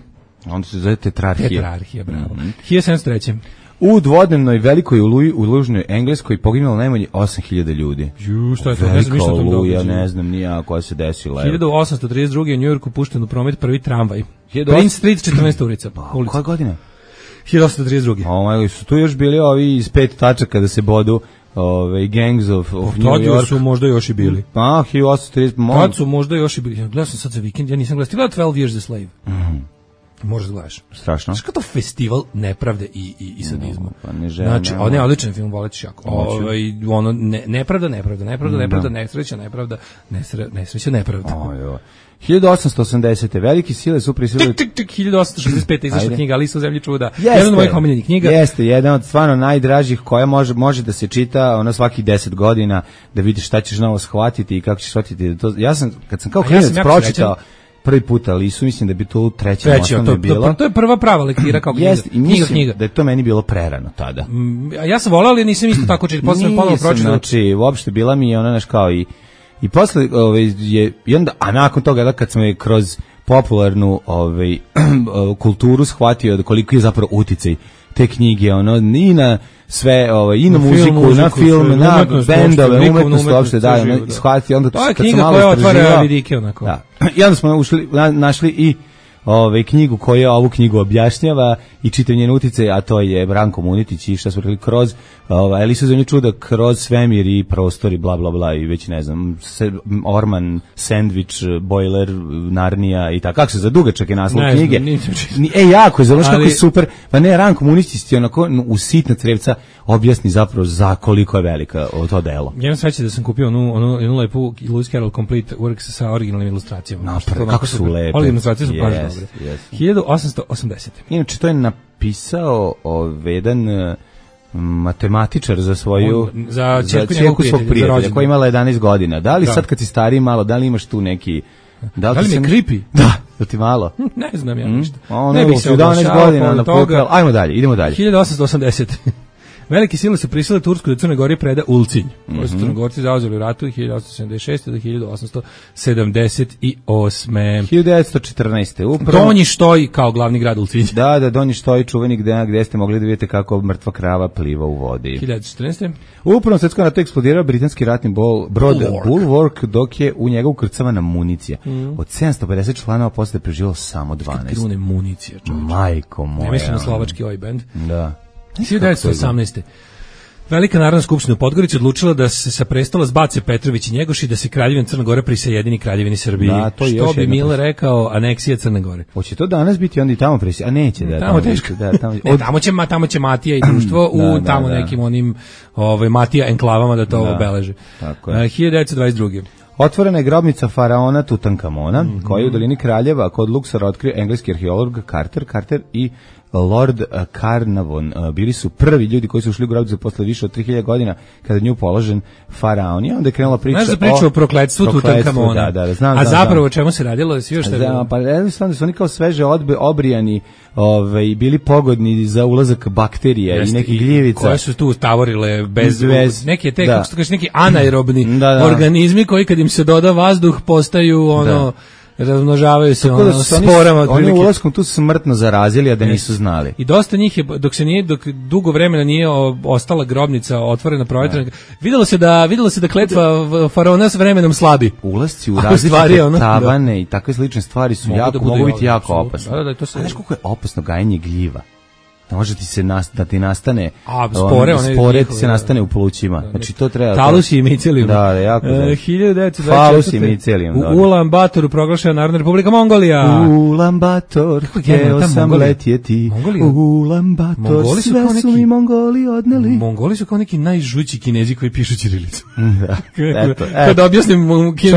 Onda se zove tetrarhija. Tetrarhija, bravo. Mm-hmm. hiljadu sedamsto treća. U dvodnevnoj velikoj oluji u Lužnoj Engleskoj poginulo najmanje osam hiljada ljudi. Ju, šta je to? Ne znam ništa o tom događaju. Ja ne znam nija koja se desila. hiljadu osamsto trideset druge. u Njujorku pušten u promet prvi tramvaj. Prince Street, četrnaesta ulica. Koja godina? hiljadu osamsto trideset druge. O moj, su tu još bili ovi iz pet tačaka da se bodu ove Gangs of, of New York. Tad su možda još i bili. Pa, hiljadu osamsto trideset. Tad su možda još i bili. Gledao sam sad za vikend, ja nisam gledao. Ti gledao twelve Years a Slave? Mhm. Možeš da gledaš. Strašno. Znaš kao to festival nepravde i, i, i sadizma. No, pa ne želim. Znači, on je odličan film, volećeš jako. Ovaj, ono, ne, nepravda, nepravda, nepravda, nepravda, nesreća, nepravda, nesre, nesreća, nepravda. Oj, oj. hiljadu osamsto osamdesete. Velike sile su prisilile... Tik, tik, tik, hiljadu osamsto šezdeset pete. izašla knjiga Alisa u zemlji čuda. Jeste, jedan od mojih omiljenih knjiga. Jeste, jedan od stvarno najdražih koja može, može da se čita ono svakih deset godina, da vidiš šta ćeš novo shvatiti i kako ćeš shvatiti. To, ja sam, kad sam kao klinac ja pročitao prvi put Alisu, mislim da bi to u trećem osnovnoj bilo. To, to je prva prava lektira kao knjiga. Jest, i mislim knjiga. Da je to meni bilo prerano tada. Mm, ja sam volao, ali nisam isto tako čitao. Posle sam ponovo pročitao. Znači, uopšte bila mi je ona naš kao i i posle ovaj je i onda a nakon toga da kad smo je kroz popularnu ovaj kulturu shvatio da koliko je zapravo uticaj te knjige, ono i na sve, ovaj i na, na muziku, film, muziku, na film, na bendove, umetnost uopšte da, ono shvatio onda to je knjiga koja otvara vidike onako. Da. I onda smo ušli, na, našli i Ove knjigu koja ovu knjigu objašnjava i čitav njen uticaj, a to je Branko Munitić i šta smo rekli kroz ovaj Alisu u zemlji čuda, kroz svemir i prostor i bla bla bla i već ne znam se, Orman, Sandvič, Bojler, Narnija i tako. Kako se za dugačak je naslov ne, knjige. Ne, e jako je zato što je super. Pa ne, Branko Munitić onako u sitna crevca objasni zapravo za koliko je velika to delo. Ja sam srećan da sam kupio onu onu jednu lepu Lewis Carroll Complete Works sa originalnim ilustracijama. No, pre, kako su lepe. Ove ilustracije su baš yes, yes. hiljadu osamsto osamdesete. Inače, to je napisao ovaj, jedan matematičar za svoju On, za ćerku svog prijatelja koja imala jedanaest godina. Da li da. Sad kad si stariji malo, da li imaš tu neki... Da li, da li mi je creepy? Da, da ti malo. Ne znam ja ništa. Mm? Ono, ne bih se jedanaest godina na toga. Ajmo dalje, idemo dalje. hiljadu osamsto osamdesete. Velike sile su prisile Tursku da Crnoj Gori preda Ulcinj, koji su Crnogorci zauzeli u ratu hiljadu osamsto sedamdeset šeste do hiljadu osamsto sedamdeset osme. hiljadu devetsto četrnaeste. Upravo... Donji Štoj kao glavni grad Ulcinj. Da, da, Donji Štoj, čuveni gde, gde ste mogli da vidite kako mrtva krava pliva u vodi. hiljadu četrnaeste. U Prvom svetskom ratu eksplodirao britanski ratni bol, brod Bulwark. Bulwark, dok je u njega ukrcavana municija. Mm. Od sedamsto pedeset članova posle preživelo samo dvanaest. Krune municija, čovječe. Majko moja. Ne mislim na slovački oj band. Da. hiljadu devetsto osamnaeste. Velika narodna skupština u Podgorici odlučila da se sa prestola zbace Petrović i Njegoš i da se kraljevina Crne Gore prisajedini kraljevini Srbiji. Da, to što bi Mile rekao, aneksija Crne Gore. Hoće to danas biti onda i tamo prisaj, a neće da. Tamo teško. Da, tamo, od... ne, tamo će tamo će Matija i društvo u da, tamo da, da. nekim onim ovaj Matija enklavama da to da, obeleže. Tako je. hiljadu devetsto dvadeset druge. Otvorena je grobnica faraona Tutankamona, mm-hmm. koja je u dolini Kraljeva kod Luksora otkrio engleski arheolog Carter, Carter i Lord Carnarvon. Bili su prvi ljudi koji su ušli u grobnicu posle više od tri hiljade godina kada nju položen faraon. I onda je krenula priča, znaš da priča o, o prokletstvu Tutankamona. Da, da, da, znam, a znam, zapravo o znam. čemu se radilo? Da si još da, pa jednostavno su oni kao sveže odbe, obrijani ovaj, bili pogodni za ulazak bakterija Jeste, i nekih gljivica. Koje su tu tavorile bez, bez neke te, kako se kaže, neki anaerobni da, da. organizmi koji kad im se doda vazduh postaju ono... Da. Razmnožavaju se ono, da sporama. Oni ulaskom tu smrtno zarazili, a da nisu znali. I dosta njih je, dok se nije, dok dugo vremena nije ostala grobnica otvorena, provetrena, videlo se da, videlo se da kletva faraona s vremenom slabi. Ulasci u različite ono, tavane da. i takve slične stvari su mogu, jako, da mogu biti jako opasne. Da, da, to se... A znaš koliko je opasno gajenje gljiva? Može ti se nas, da ti nastane a spore, on, spore ti se nastane u plućima. Znači to treba. Talus i micelium. Da, da, jako. E, hiljadu devetsto dvadeset četvrte. Talus i micelium. U Ulan Batoru proglašena Narodna Republika Mongolija. Ulan Bator. Hteo sam letjeti. Ulan Bator. Sve neki, su mi Mongoli odneli. Mongoli su kao neki najžući Kinezi koji pišu ćirilicom. Da. Eto. Kad objasnim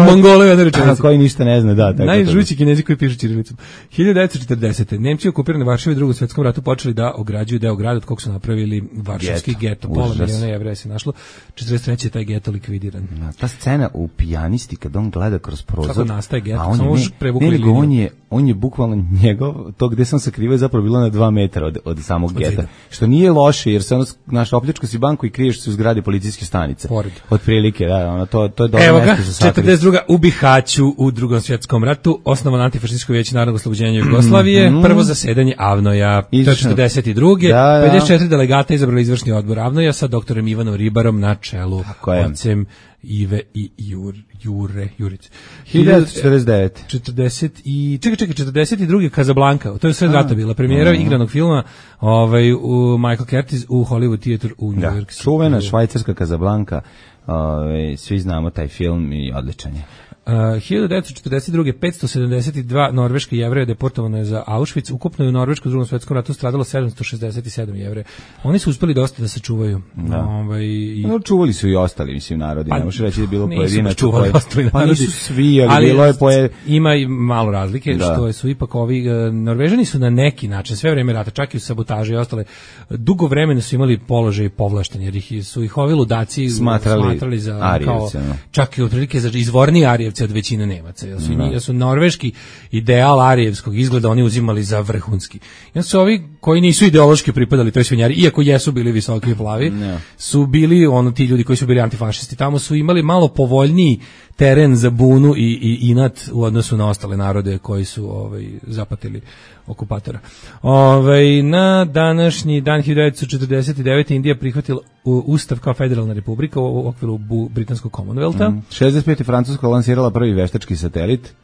Mongole jednu rečenicu. Koji ništa ne zna, da, tako. Najžući Kinezi koji pišu ćirilicom. hiljadu devetsto četrdesete. Nemci okupirani Varšavi u Drugom svetskom ratu počeli da ograđuju deo grada od kog su napravili varšavski geto. Pola miliona Jevreja se našlo. četrdeset treće je taj geto likvidiran. No, ta scena u Pijanisti kad on gleda kroz prozor. Kako nastaje geto? A on, Samo ne, prevukli ne, liniju. On je, on je bukvalno njegov, to gde sam sakrivao je zapravo bilo na dva metra od, od samog od geta. Što nije loše jer se ono, naš opljačka si banku i kriješ se u zgradi policijske stanice. Pored. Od prilike, da, ono, to, to je dobro Evo mesto za sakriti. četrdeset druga u Bihaću u Drugom svjetskom ratu osnovano antifašističko vijeće narodnog oslobođenja Jugoslavije, mm-hmm. prvo zasedanje Avnoja, četrdeset druge. Da, da. pedeset četiri delegata izabrali izvršni odbor Avnoja sa doktorom Ivanom Ribarom na čelu, ocem Ive i Jur, Jure, Jurić. hiljadu četrdeset devete. četrdeset i čekaj, čekaj, četrdeset druge Casablanca. To je sve rata bila premijera uh-huh. igranog filma, ovaj u Michael Curtis u Hollywood Theatre u New da, York. Čuvena švajcarska Casablanca. Ovaj svi znamo taj film i odličan je. Uh, hiljadu devetsto četrdeset druge. petsto sedamdeset dva norveški Jevreja deportovano je za Auschwitz. Ukupno je u Norveškom Drugom svjetskom ratu stradalo sedamsto šezdeset sedam Jevreja. Oni su uspeli dosta da se čuvaju. Da. Ovaj i no, čuvali su i ostali, mislim, narodi. Pa, ne možeš reći da je bilo pojedinačno. Čuvali koje... ostali narodi. Pa nisu svi, ali, ali bilo je poje... ima i malo razlike, da. Što su ipak ovi uh, Norvežani su na neki način sve vreme rata, čak i u sabotaži i ostale, dugo vremena su imali položaj povlašteni, jer ih su ih ovi ludaci smatrali, smatrali za Arijevce, kao, no. čak i otprilike za izvorni Arijevci od većine Nemaca. Jer su, jer su norveški ideal arijevskog izgleda oni uzimali za vrhunski. Jer su ovi koji nisu ideološki pripadali toj svinjari, iako jesu bili visoki i plavi, no. su bili ono ti ljudi koji su bili antifašisti. Tamo su imali malo povoljniji teren za bunu i, i inat u odnosu na ostale narode koji su ovaj, zapatili okupatora. Ovaj, na današnji dan hiljadu devetsto četrdeset devete. Indija prihvatila ustav kao federalna republika u okviru britanskog Commonwealtha. Mm. šezdeset pete. Francuska lansirala prvi veštački satelit.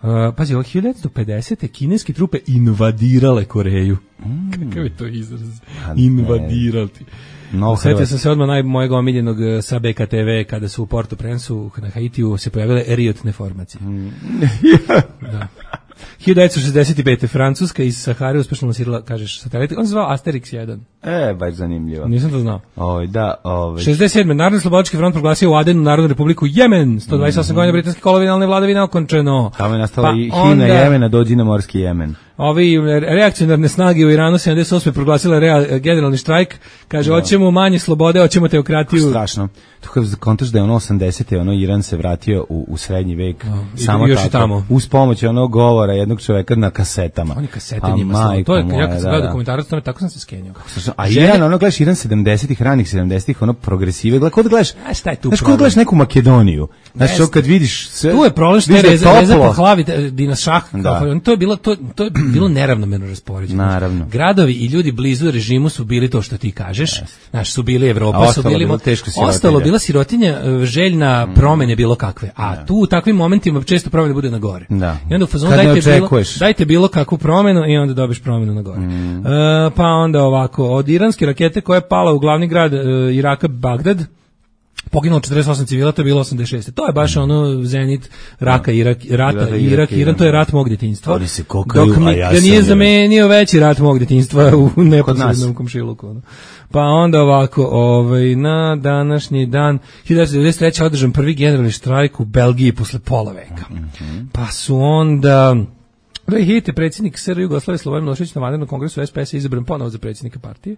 Uh, pazi, ovo hiljadu devetsto pedesete. kineske trupe invadirale Koreju. Mm. Kakav je to izraz? Invadirati. No, Sjetio sam se odmah naj, mojeg omiljenog sa B K T V kada su u Porto Prensu na Haitiju se pojavile eriotne formacije. Mm. Da. hiljadu devetsto šezdeset pete. Francuska iz Sahare uspešno lansirala, kažeš, satelit. On se zvao Asterix jedan. E, baš zanimljivo. Nisam to znao. Oj, da, ovaj. šezdeset sedme. Narodni slobodački front proglasio u Adenu Narodnu republiku Jemen. sto dvadeset osam mm-hmm. godina britanske kolonijalne vladavine okončeno. Tamo je nastala pa i himna onda... Jemena, dođi na morski Jemen. Ovi reakcionarne snage u Iranu sedamdeset osme proglasile rea, generalni štrajk. Kaže, hoćemo manje slobode, hoćemo teokratiju. Strašno. To kad kontaš da je ono osamdesete ono Iran se vratio u, u srednji vek. No, samo još tako. I tamo. Uz pomoć onog govora jednog čoveka na kasetama. Oni kasete njima slavo. To je, moja, ja kad sam gledao dokumentarac, tome tako sam se skenio. A Žene... Iran, ono gledaš Iran sedamdesetih, ranih sedamdesetih, ono progresive. Gleda, kod gledaš, a šta je tu znaš, kod gledaš neku Makedoniju. Znaš, što kad vidiš sve... Tu je problem što je reza, reza po hlavi, Dina Šah, kao, to je bilo, to, to je bilo neravnomerno raspoređeno. Naravno. Gradovi i ljudi blizu režimu su bili to što ti kažeš. Znaš, su bili Evropa, su bili... Ostalo bila sirotinja željna promene bilo kakve. A tu u takvim momentima često promene bude na gore. Da. I onda u fazonu dajte bilo, dajte bilo kakvu promenu i onda dobiš promenu na gore. Mm. Uh, pa onda ovako, od iranske rakete koja je pala u glavni grad uh, Iraka, Bagdad, poginulo četrdeset osam civila, to je bilo osamdeset šeste. To je baš ono zenit raka, Irak, rata, Irak, Irak, Iran, to je rat mog djetinjstva. Oni se kokaju, dok mi ja ga nije zamenio veći rat mog djetinjstva u neposrednom komšiluku. Pa onda ovako, ovaj, na današnji dan hiljadu devetsto devedeset treće. održan prvi generalni štrajk u Belgiji posle pola veka. Mm-hmm. Pa su onda... dve hiljade sedmog. predsjednik S R Jugoslavije Slobodan Milošević na vanrednom kongresu S P S izabran ponovo za predsjednika partije.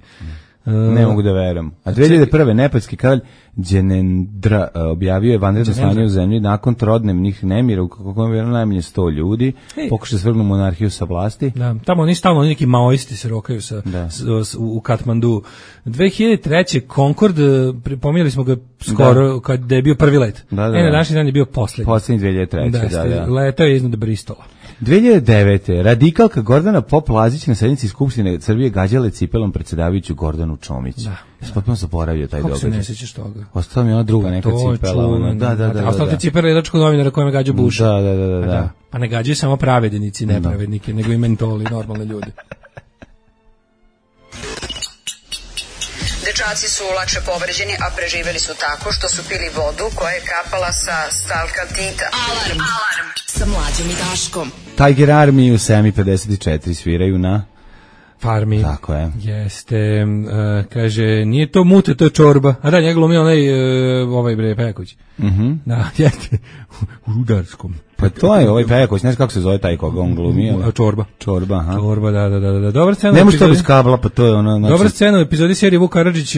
Ne mogu da verujem. A dve hiljade prve. nepalski kralj Đenendra objavio je vanredno stanje u zemlji nakon trodnevnih nemira u kojem je najmanje sto ljudi. Hey. Pokušao svrgnu monarhiju sa vlasti. Da, tamo oni stalno neki maoisti se rokaju sa, s, s, u Katmandu. dve hiljade treće. Concorde, pominjali smo ga skoro da. Kad je bio prvi let. Da, da, e, na današnji dan je bio poslednji. Poslednji dve hiljade treće. Da, da, da. Letao je iznad Bristola. dve hiljade devete. Radikalka Gordana Pop-Lazić na sednici Skupštine Srbije gađale cipelom predsjedavajuću Gordanu Čomić. Da. Ja sam potpuno zaboravio taj događaj. Kako se ne sjećaš toga? Ostala mi ona druga neka to cipela. Ona. Da, da, da. A ostala ti cipela redačkog novinara kojima gađa Buša. Da, da, da, da. da. Pa ne gađaju samo pravednici, nepravednike, nego i mentoli, normalne ljude. Dečaci su lakše povređeni, a preživeli su tako što su pili vodu koja je kapala sa stalkatita. Alarm! Alarm! Sa Mlađom i Daškom. Tiger Army u sedam i pedeset četiri sviraju na... Farmi. Tako je. Jeste, uh, kaže, nije to mute, to je čorba. A da, njega glumi onaj, uh, ovaj bre, Pejaković. Mhm. Da, jeste, u Rudarskom. Pa to je ovaj Pejaković, ne znam kako se zove taj koga on glumi. A čorba. Čorba, aha. Čorba, da, da, da, da. Dobra scena. Ne može to bez kabla, pa to je ono... Znači... Dobra scena u epizodi serije Vuk Karadžić,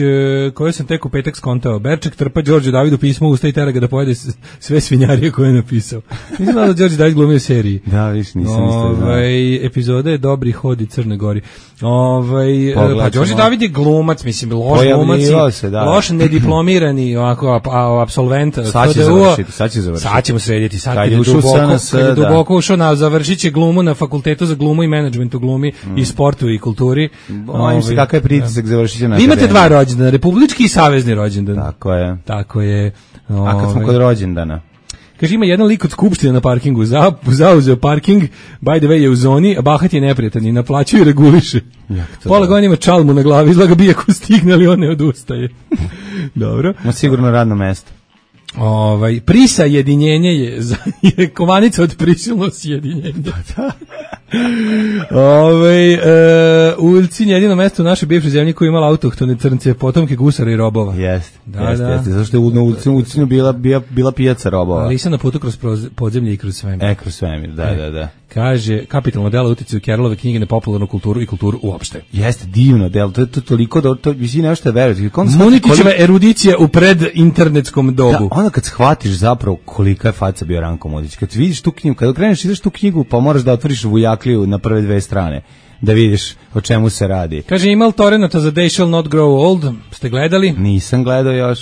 koju sam tek u petak skontao. Berček trpa Đorđe Davidu pismo usta i tera ga da pojede sve svinjarije koje je napisao. Nisam da Đorđe David glumio u seriji. Da, viš, nisam isto znao. Ovaj, epizoda je Dobri hod i Crne Gori. Ovaj, pa Đorđe David je glumac, mislim, loš glumac, se, da. loš nediplomirani ovako apsolvent. Sad će završiti, sad će završiti. Sad ćemo srediti, sad kad je duboko, kad je duboko ušao na završit će glumu na fakultetu za glumu i menadžmentu glumi mm. i sportu i kulturi. Bojim se kakav je pritisak, završit će na akademiji. Imate dva rođendana, republički i savezni rođendan. Tako je. Tako je. A kad smo kod rođendana? Kaže, ima jedan lik od skupštine na parkingu, za, zauzeo parking, by the way je u zoni, a bahat je neprijatan i naplaćuje i reguliše. Pola godina ima čalmu na glavi, izlaga bije ko stigne, ali on ne odustaje. Dobro. Ma sigurno radno mesto. Ovaj, prisajedinjenje je, za, je kovanica od prisilno sjedinjenja. Da. Ove, e, Uljci jedino mesto u našoj bivšoj zemlji koja je imala autohtone crnce, potomke gusara i robova. Jeste, da, jeste, da. jeste, zašto je na Uljcinu, Uljcinu bila, bila, bila pijaca robova. Ali sam na putu kroz podzemlje i kroz svemir. E, kroz svemir, da, e. da, da. Kaže, kapitalno delo utjecaju Kerolove knjige na popularnu kulturu i kulturu uopšte. Jeste, divno delo, to je to toliko da to visi nešto verujete. Munikićeva erudicija u predinternetskom dobu. Da, onda kad shvatiš zapravo kolika je faca bio Ranko Modić, kad vidiš tu knjigu, kad okreneš ideš tu knjigu, pa moraš da otvoriš Vujakliju na prve dve strane, da vidiš o čemu se radi. Kaže, imal Torenata za They Shall Not Grow Old, ste gledali? Nisam gledao još.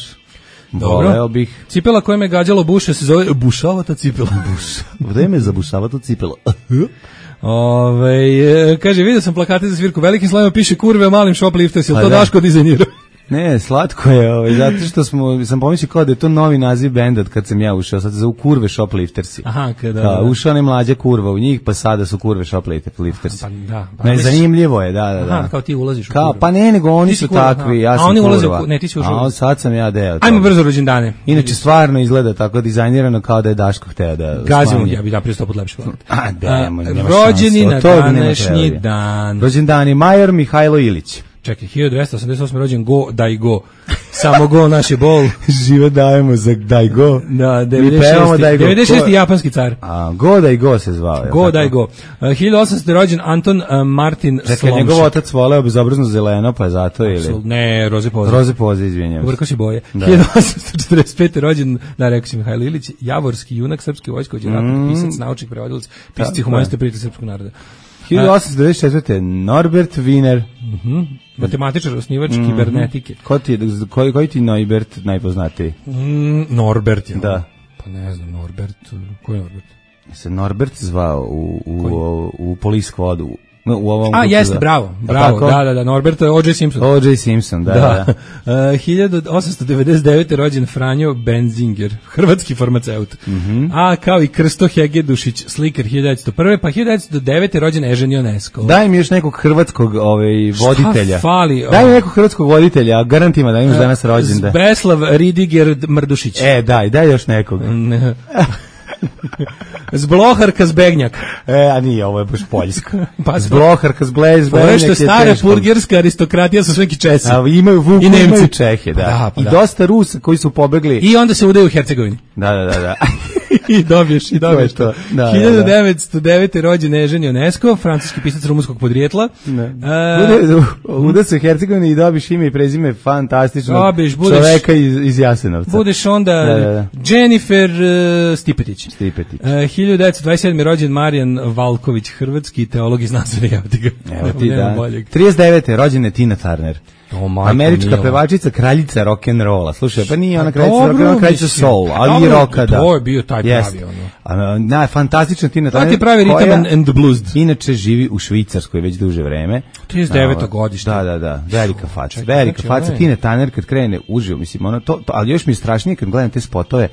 Voleo bih. Cipela koja me gađalo buše se zove bušavata cipela. Buš. Vreme za bušavatu cipelu. Ove, kaže, vidio sam plakate za svirku velikim slovima piše kurve, malim shoplifters, je li to Daško dizajnirao? Ne, slatko je, ovaj, zato što smo, sam pomislio kao da je to novi naziv benda kad sam ja ušao, sad se zovu Kurve Shopliftersi. Aha, kada... Da, ušao ne mlađa kurva u njih, pa sada su Kurve Shopliftersi. Pa da. Pa, ne, zanimljivo je, da, da, da. Aha, kao ti ulaziš u kao, kurvu. Pa ne, nego oni su kurva, takvi, ja sam a oni ulaze kurva. U, ne, ti si ušao. A sad sam ja deo. Ajmo brzo rođendane. Inače, stvarno izgleda tako dizajnirano kao da je Daško hteo da... Gazimo, ja bi da prije sto put lepši hvala. A, demo, nema rođeni na današnji današnji dan. Rođendani Major Mihajlo Ilić. Čekaj, hiljadu dvesta osamdeset osme rođen Go, daj go. Samo go, naš je bol. Živo dajemo za daj go. Da, devedeset šesti japanski car. A, Go, daj go se zvao. Go, tako? Daj go. Uh, hiljadu osamsto rođen Anton uh, Martin Slomšek. Čekaj, njegov otac voleo bezobrazno zeleno, pa je zato ili... Absolut, ne, roze poze. Roze poze, izvinjam. Uvrko si boje. Da. hiljadu osamsto četrdeset pete rođen, da, rekao si Mihajlo Ilić, javorski junak srpske vojskovođe, mm. pisac, naučnik, prevodilac, pisac i humanista prijatelj srpskog naroda. hiljadu osamsto devedeset četvrte Norbert Wiener. Mhm. Matematičar, osnivač mm-hmm. kibernetike. Ko ti, koji, koji ti Norbert najpoznatiji? Mm, Norbert, ja. Da. Pa ne znam, Norbert, ko je Norbert? Se Norbert zvao u, u, u, u Police Squadu. U ovom A, jeste, za... bravo, bravo, da, da, da, Norbert, O J Simpson. O J Simpson, da, da. da. Uh, hiljadu osamsto devedeset devete rođen Franjo Benzinger, hrvatski farmaceut. Mm-hmm. A, kao i Krsto Hegedušić, slikar hiljadu devetsto prve, pa hiljadu devetsto devete rođen Ežen Ionesco. Daj mi još nekog hrvatskog ovaj, voditelja. Šta fali? Daj mi nekog hrvatskog voditelja, garantima da imaš uh, danas rođendan. Beslav Ridiger Mrdušić. E, daj, daj još nekog. Zbloharka Zbegnjak. E, a nije, ovo je baš poljsko. Pa Zbloharka Zbegnjak. Ovo što stara burgerska aristokratija su sveki Česi. A imaju Vuku, i Nemci. Imaju Čehe, da. da pa I da. dosta Rusa koji su pobegli. I onda se udaju u Hercegovini. Da, da, da, da. I dobiješ, i dobiješ to. Da, hiljadu devetsto devete rođen Ežen Ionesco, francuski pisac rumunskog podrijetla. Uh, Uda se Hercegovini i dobiš ime i prezime fantastičnog čoveka iz, iz Jasenovca. Budeš onda da, da, da. Jennifer uh, Stipetić. Stipetić. Uh, hiljadu devetsto dvadeset sedme rođen Marijan Valković, hrvatski teolog iz Nazare. Evo ti da. trideset devete rođen je Tina Turner. Oh, majko, američka milo. Pevačica, kraljica rock'n'rolla. Slušaj, pa nije ona kraljica rock'n'rolla, kraljica soul, ali dobro, i rocka, da. To je bio taj pravi, ono. Na, fantastična Tina Turner. To ti pravi ritam and the blues. Inače živi u Švicarskoj već duže vreme. trideset deveto godište. Da, da, da, velika faca, velika faca. Tina Turner kad krene uživo, mislim, ono, to, to, ali još mi je strašnije kad gledam te spotove,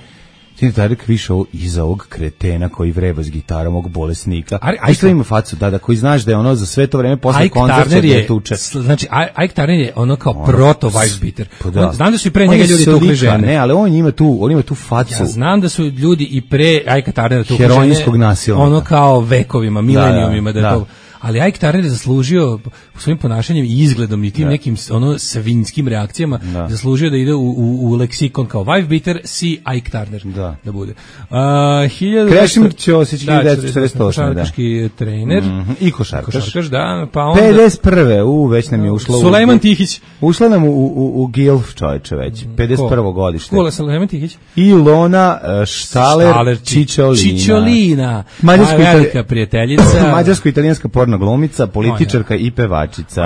Tina Turner više ovo iza ovog kretena koji vreba s gitarom, ovog bolesnika. A što ima facu, da, da, koji znaš da je ono za sve to vreme posle koncerta je tuče. Znači, Ike Turner je ono kao proto wife beater. Da. Znam da su i pre njega ljudi tukli žene. Ne, ali on ima tu, on ima tu facu. Ja znam da su ljudi i pre Ike Turnera tukli žene. Heroinskog nasilnika. Ono kao vekovima, milenijumima, da, da, da to... Ali Ike Turner je zaslužio svojim ponašanjem i izgledom i tim da. nekim ono svinjskim reakcijama da. zaslužio da ide u, u, u leksikon kao wife beater, si Ike Turner da, da bude. Uh, hiljadu Krešimir Ćosić, hiljadu devetsto četrdeset osme, da. Košarkaški trener. Mm-hmm. I košarkaš. Košarkaš, da. Pa onda... pedeset prve, u, već nam je ušlo... Sulejman Tihić. Ušla nam u, u, u Gilf, čovječe, već. pedeset prvo godište. Kula, Sulejman Tihić. Ilona uh, Štaler, Štaler Čičolina. Čičolina. Mađarsko-velika prijateljica. Mađarsko-italijanska porno glumica, političarka i pevačica.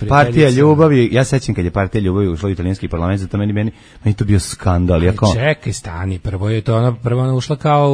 Partija ljubavi, ja sećam kad je Partija ljubavi ušla u italijanski parlament, zato meni meni meni to bio skandal. Ja kao čekaj, stani, prvo je to ona prvo ona ušla kao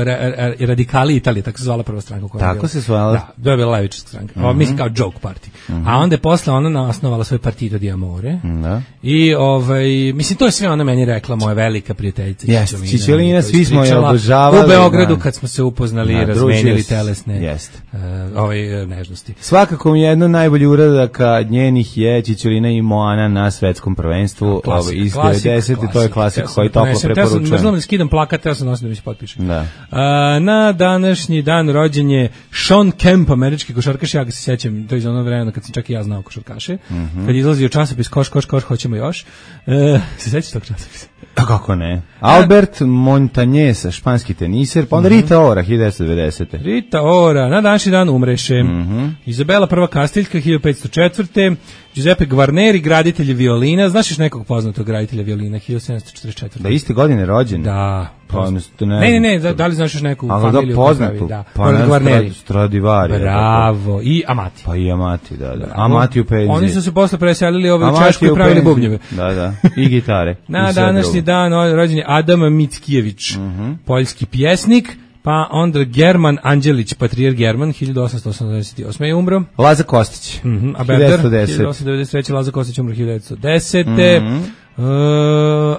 ra, ra, radikali Italije, tako se zvala prva stranka koja tako bila. se zvala. Da, to je bila levičarska stranka. Mm-hmm. Mislim kao joke party. Mm-hmm. A onda je posle ona osnovala svoj Partito di Amore. Da. I ovaj mislim to je sve ona meni rekla, moja velika prijateljica yes, Čičolina. Svi smo je obožavali u Beogradu kad smo se upoznali i razmenili telesne yes. uh, ovaj nežnosti. Svakako mi je jedno najbolji uradaka njenih je Čičolina i Moana na svetskom prvenstvu klasik, iz klasik, devedesete to je klasik koji toplo preporučujem. Ne znam da skidam plakat, teo sam nosim da mi se potpišem. Da. A, na današnji dan rođen je Sean Kemp, američki košarkaš, ja ga se sjećam, to je iz ono vremena kad sam čak i ja znao košarkaše, mm-hmm. kad je izlazio časopis Koš, Koš, Koš, hoćemo još. E, se sjećaš tog časopisa? A kako ne? Albert Montañez, španski teniser, pa onda mm-hmm. Rita Ora, hiljadu devetsto devedesete. Rita Ora, na današnji dan umreše. Mm-hmm. Izabela prva Kastiljka, hiljadu petsto četvrte. Giuseppe Guarneri, graditelj violina. Znaš još nekog poznatog graditelja violina, hiljadu sedamsto četrdeset četvrte. Da iste godine rođen? Da. Pa, ne, ne, ne, ne da, da li znaš još neku ali familiju? Da poznatu, da. pa ne Stradivari. Bravo, i Amati. Pa i Amati, da, da. Amati u penziji. Oni su se posle preselili ove u Češku i pravili bubnjeve. Da, da, i gitare. Na današnji dan rođen je Adam Mickiewicz, uh-huh. poljski pjesnik, Pa onda German Anđelić, patrijar German, hiljadu osamsto osamdeset osme je umro. Laza Kostić, mm-hmm. A Berder, hiljadu osamsto devedeset treće Laza Kostić umro hiljadu devetsto desete Mm-hmm. Uh,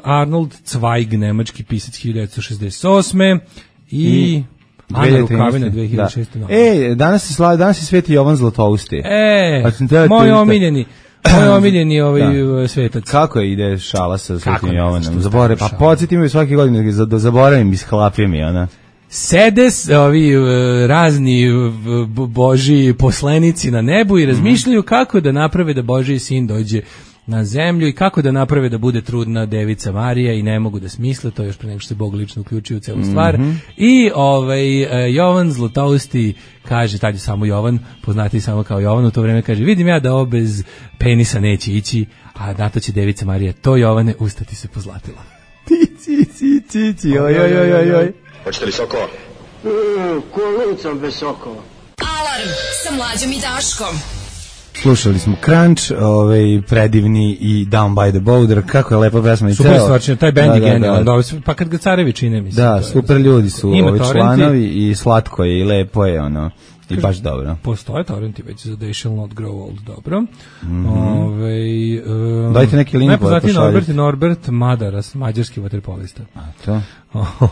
Arnold Zweig, nemački pisac, hiljadu devetsto šezdeset osme I... I... Ana Rukavina, dve hiljade šeste Da. E, danas se slavi, danas se sveti Jovan Zlatousti. E, moj omiljeni. Moj omiljeni ovaj svetac. Kako je ide šala sa Svetim Jovanom? Zaboravim, pa podsjetim me svake godine da zaboravim iz hlapije mi ona. Sede ovi razni božji poslanici na nebu i razmišljaju kako da naprave da Božji sin dođe na zemlju i kako da naprave da bude trudna devica Marija i ne mogu da smisle, to još pre nego što se Bog lično uključio u celu stvar. Mm-hmm. I ovaj, Jovan Zlatousti kaže, tad je samo Jovan, poznati samo kao Jovan, u to vreme kaže, vidim ja da ovo bez penisa neće ići, a na to će devica Marija, to Jovane, ustati se pozlatila. Ti, ti, ti, ti, ti, oj, oj, oj, oj, oj. Hoćete li sokova? Mm, ko lucam bez sokova. Alarm sa Mlađom i Daškom. Slušali smo Crunch, ovaj predivni i Down by the Border, kako je lepa pesma i ceo. Super stvarčno, taj bend je genijalan, da, da. Pa kad ga carevi čine, mislim. Da, super ljudi su ovi članovi i slatko je i lepo je, ono, i baš dobro. Postoje torrenti već za They Shall Not Grow Old, dobro. Mm-hmm. Ove, um, dajte neki link. Najpoznatiji Norbert Norbert Madaras, mađarski vaterpolista. A to?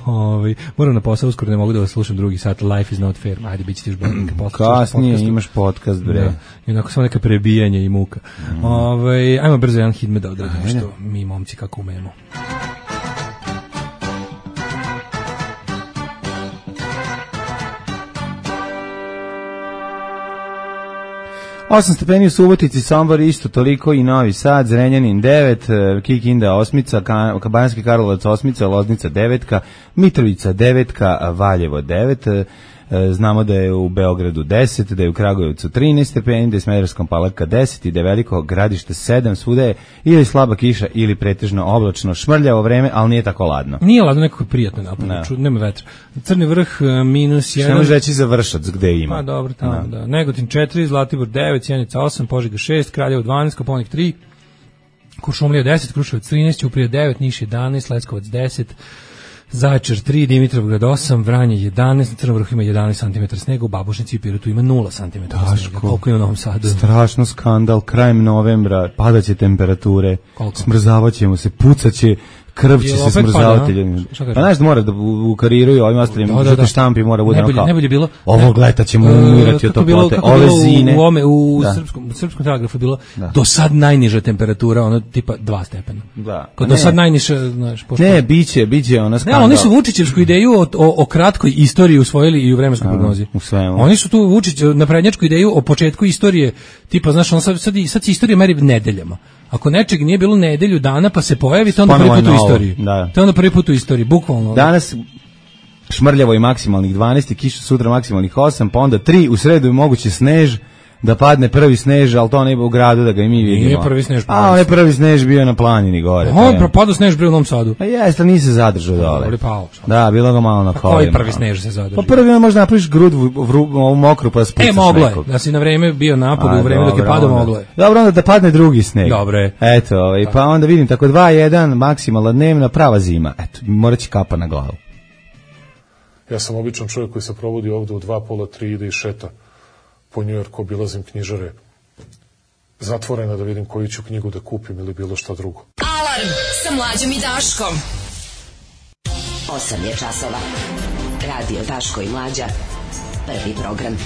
Ove, moram na posao, uskoro ne mogu da vas slušam drugi sat, Life is not fair, ajde, bit će ti još bolje. Kasnije imaš podcast, bre. Da. I onako samo neka prebijanja i muka. Mm. Ove, ajmo brzo jedan hit me da odradimo, što mi momci kako umemo. osam stepeni u Subotici, Sombor isto toliko i Novi Sad, Zrenjanin devet, Kikinda osmica, Banjski Karlovac osmica, Loznica devetka, Mitrovica devetka, Valjevo devet, znamo da je u Beogradu deset, da je u Kragujevcu trinaest stepeni, da je Smederevskom Palanka deset i da je Veliko Gradište sedam, svuda je ili slaba kiša ili pretežno oblačno, šmrljavo vreme, ali nije tako ladno. Nije ladno, nekako prijatno napolje, no. Nema vetra. Crni vrh minus jedan. Što možeš reći za Vršac, gde ima? Pa dobro, tamo, no. Da. Negotin četiri, Zlatibor devet, Sjenica osam, Požega šest, Kraljevo dvanaest, Kopaonik tri, Kuršumlija deset, Kruševac trinaest, Ćuprija devet, Niš jedanaest, Leskovac deset, Zaječar tri, Dimitrovgrad osam, Vranje jedanaest, na Crnom vrhu ima jedanaest santimetara snega, u Babušnici i Pirotu ima nula santimetara snega. Koliko je u Novom Sadu? Strašno skandal, krajem novembra padaće temperature, smrzavaćemo se, pucaće, krv će se smrzavati. Pa znaš da mora da ukariruju ovim ostalim da, da, da. štampi, mora bude najbolje, najbolje bilo, ovog leta ćemo umirati od toplote, ove zine. U, ome, u, da. srpskom, u srpskom telegrafu je bilo da. Do sad najniža temperatura, ono tipa dva stepena. Da. Kod do sad najniža, znaš, pošto... Ne, biće, biće ona skandal. Ne, oni su Vučićevsku ideju o, o, o kratkoj istoriji usvojili i u vremenskoj prognozi. U svemu. Oni su tu Vučić naprednjačku ideju o početku istorije, tipa, znaš, on sad, sad, sad se istorija meri nedeljama. Ako nečeg nije bilo nedelju dana pa se pojavi, to onda prvi put u istoriji. Da. To onda prvi put u istoriji, bukvalno. Danas šmrljavo i maksimalnih dvanaest, i kiša sutra maksimalnih osam, pa onda tri, u sredu je moguće snež, da padne prvi snež, ali to ne u gradu da ga i mi vidimo. Nije prvi snež. A, on je prvi snež bio na planini gore. On propadao snež bio u Novom Sadu. Pa jeste, ali nisi zadržao dole. Pao, da, bilo ga malo na kolima. Koji prvi snež se zadržao? Pa prvi on možda napraviš grud u mokru pa spucaš nekog. E, moglo je, da si na vreme bio napolju, u vreme dok je padao, moglo je. Dobro, onda da padne drugi sneg. Dobro je. Eto, ovaj, pa onda vidim, tako dva jedan, maksimalna dnevna, prava zima. Eto, morat će kapa na glavu. Ja sam običan čovjek koji se provodi ovde u dva, pola, tri, ide i šeta po Njujorku, obilazim knjižare zatvorena da vidim koju ću knjigu da kupim ili bilo šta drugo. Alarm sa Mlađom i Daškom. osam je časova. Radio Daško i Mlađa. Prvi program.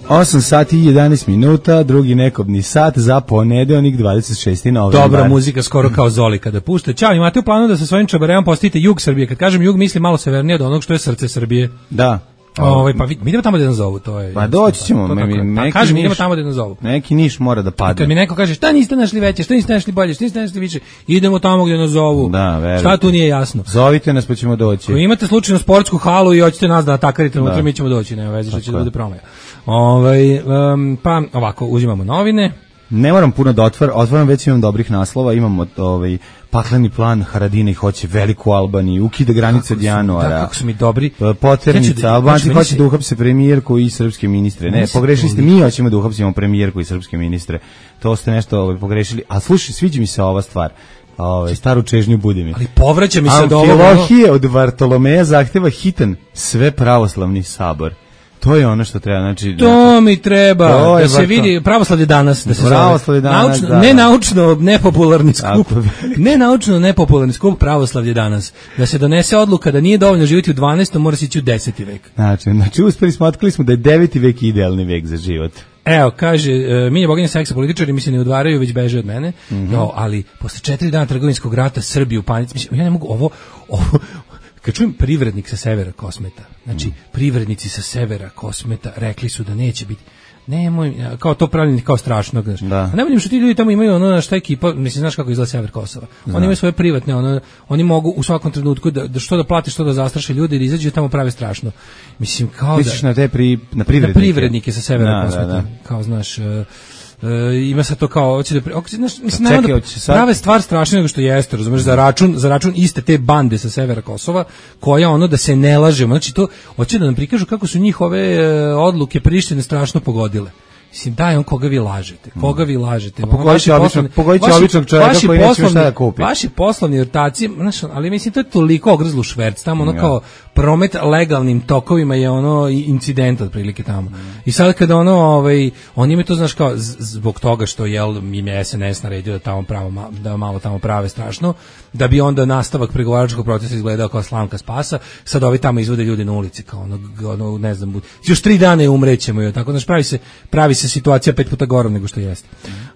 osam sati i jedanaest minuta, drugi nekobni sat za ponedeljak dvadeset šesti novembar. Dobra muzika, skoro kao Zoli kada pušta. Ćao, imate u planu da sa svojim čabareom postavite jug Srbije. Kad kažem jug, mislim malo severnije od onog što je srce Srbije. Da. Ovaj pa mi idemo tamo da nas zovu, to je. Pa doći ćemo, to, to, mi, to, neki kažem, niš, idemo tamo da nas zovu. Neki Niš mora da padne. Kad mi neko kaže šta niste našli veće, šta niste našli bolje, šta niste našli više, idemo tamo gde nas zovu. Da, verujte. Šta tu nije jasno? Zovite nas pa ćemo doći. Ako imate slučajno sportsku halu i hoćete nas da atakarite, unutra mi ćemo doći, nema veze što će da bude promaja. Ovaj um, pa ovako uzimamo novine. Ne moram puno da otvaram, otvaram već imam dobrih naslova, imamo ovaj pakleni plan Haradinaj hoće veliku Albaniju, ukida granice od januara. Da, kako su mi dobri. Poternica, ja Albanci znači, hoće da uhapse premijerku i srpske ministre. Ne, pogrešili ste, mi hoćemo da uhapsimo premijerku i srpske ministre. To ste nešto ovaj, pogrešili. A slušaj, sviđa mi se ova stvar. ovaj, staru čežnju Budimi. Ali povraća mi se od ovoga. Amfilohije od Vartolomeja zahteva hitan sve pravoslavni sabor. To je ono što treba, znači... To mi treba, da se vidi, pravoslavlje danas, da se pravoslavlje danas, naučno, da, ne naučno nepopularni skup, ne naučno nepopularni skup pravoslavlje danas, da se donese odluka da nije dovoljno živjeti u dvanaestom, mora se ići u deseti vek. Znači, znači uspeli smo, otkrili smo da je deveti vek idealni vek za život. Evo, kaže, uh, mi je boginja seksa, političari mi se ne udvaraju, već beže od mene, mm-hmm. no, ali posle četiri dana trgovinskog rata Srbiju u panici, mislim, ja ne mogu ovo, ovo, kad čujem privrednik sa severa Kosmeta, znači mm. privrednici sa severa Kosmeta rekli su da neće biti, nemoj, kao to pravljeni kao strašno, znaš. Da. A ne vidim što ti ljudi tamo imaju ono šta ekipa, mislim, znaš kako izgleda sever Kosova. Da. Oni imaju svoje privatne, ono, oni mogu u svakom trenutku da, da što da plati, što da zastraše ljudi i da izađu tamo prave strašno. Mislim, kao Misliš da... na te pri, na privrednike? Na privrednike sa severa da, Kosmeta, da, da. kao, znaš... Uh, Uh, ima se to kao hoće da hoće znaš mislim pa čekaj, hoće sad... prave stvar strašnije nego što jeste, razumeš, za račun za račun iste te bande sa severa Kosova koja ono da se ne lažemo, znači to hoće da nam prikažu kako su njihove uh, odluke Prištine strašno pogodile. Mislim, daj on koga vi lažete, koga vi lažete. Pogodite običnog, pogodite običnog čovjeka koji neće šta da kupi. Vaši poslovni ortaci, znaš, ali mislim to je toliko ogrzlo šverc, tamo ono ja. kao promet legalnim tokovima je ono incident otprilike tamo. Mm. I sad kada ono, ovaj, oni imaju to, znaš, kao zbog toga što jel im je S N S naredio da tamo pravo, da malo tamo prave strašno, da bi onda nastavak pregovaračkog procesa izgledao kao slamka spasa, sad ovi tamo izvode ljudi na ulici, kao ono, ono ne znam, još tri dana je umrećemo i tako, znaš, pravi se, pravi se situacija pet puta gorom nego što jeste.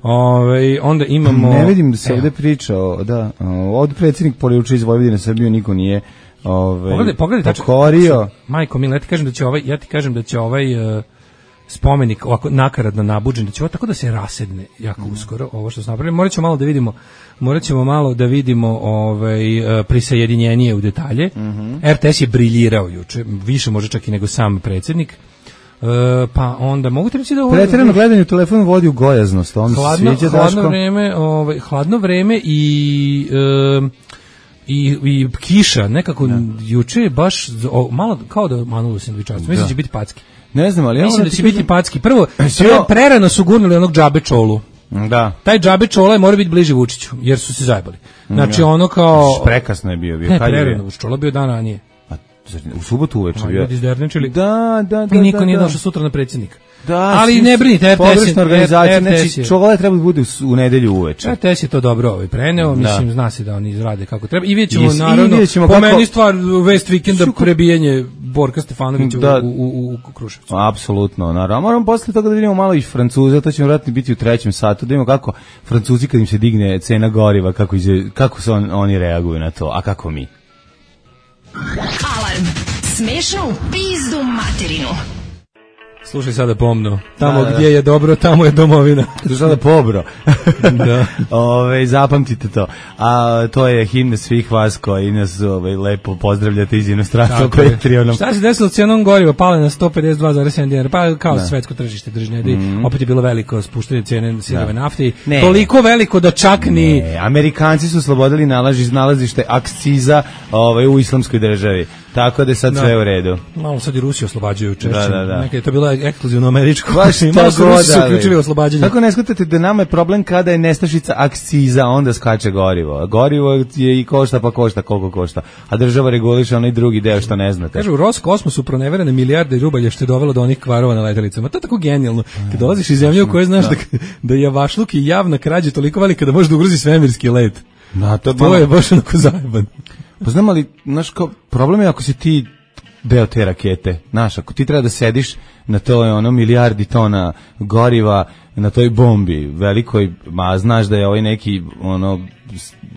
Ove, onda imamo... Ne vidim da se ovde priča, o, da, ovde predsjednik poliuči iz Vojvodine Srbiju, niko nije ove, pogledaj, pogledaj, pokorio. Tačno, majko, mil, ja ti kažem da će ovaj, ja ti kažem da će ovaj uh, spomenik ovako nakaradno nabuđen, da će ovo tako da se rasedne jako mm. uskoro, ovo što smo napravili. Morat ćemo malo da vidimo, morat ćemo malo da vidimo ovaj, uh, prisajedinjenije u detalje. Mm-hmm. R T S je briljirao juče, više može čak i nego sam predsjednik. Uh, pa onda mogu ti reći da ovo pretjerano gledanje u telefonu vodi u gojaznost, on hladno, se sviđa hladno vreme, ovaj hladno vreme i uh, i i kiša nekako da. Juče je baš o, malo kao da manulo sendvičarstvo. Mislim da će biti packi. Ne znam, ali ja mislim da će biti packi. Prvo, prvo prerano su gurnuli onog džabe čolu. Da. Taj džabe čola mora biti bliži Vučiću, jer su se zajebali. Znači ja. ono kao prekasno je bio, bio ne, kad je prerano, čola bio dan ranije. U subotu uveče bio. Ljudi izdernečili. Da, da, da. I niko da, nije da. došao sutra na predsjednika. Da, ali ne brinite, R T S je organizacija, znači čovjek treba da bude u, u nedelju uveče. R T S je to dobro ovaj preneo, mislim da. Zna se da oni izrade kako treba. I vidjet ćemo I, naravno, i ćemo po kako... meni stvar West Vikenda prebijanje Borka Stefanovića da. u, u, u Kruševcu. Apsolutno, naravno. Moramo posle toga da vidimo malo i Francuza, to ćemo vratiti biti u trećem satu, da vidimo kako Francuzi kad im se digne cena goriva, kako, ize, kako se on, oni reaguju na to, a kako mi. Alarm! Smešno u pizdu materinu. Slušaj sada pomno. Tamo da, da, gdje je dobro, tamo je domovina. Slušaj sada pobro. Da. Ove, zapamtite to. A to je himna svih vas koji nas ove, lepo pozdravljate iz inostranstva Patreonom. Šta se desilo s cijenom goriva? Pala na sto pedeset dva zarez sedam dinara. Pa kao da. Svetsko tržište držne. Mm-hmm. Opet je bilo veliko spuštanje cijene sirove nafte. Ne. Toliko veliko da čak ni... Ne. Amerikanci su oslobodili nalaži, nalazište akciza ove, u islamskoj državi. Tako da je sad da. Sve u redu. Malo sad i Rusiju oslobađaju češće. Da, da, da. Nekaj je to bilo ekskluzivno američko. Baš malo su Rusi su uključili oslobađanje. Tako ne shvatate da nama je problem kada je nestašica akciza, onda skače gorivo. Gorivo je i košta pa košta koliko košta. A država reguliše onaj drugi deo što ne znate. Kažu, u Roskosmosu proneverene milijarde rubalja što je dovelo do onih kvarova na letjelicama. To je tako genijalno. Kad dolaziš iz zemlje u kojoj znaš da, da je javašluk i javna krađa toliko velika da može da ugrozi svemirski let. Da, to, to je baš onako zajeban. Pa znam, ali, znaš, kao, problem je ako si ti deo te rakete, znaš, ako ti treba da sediš na toj ono milijardi tona goriva, na toj bombi velikoj, ma znaš da je ovaj neki, ono,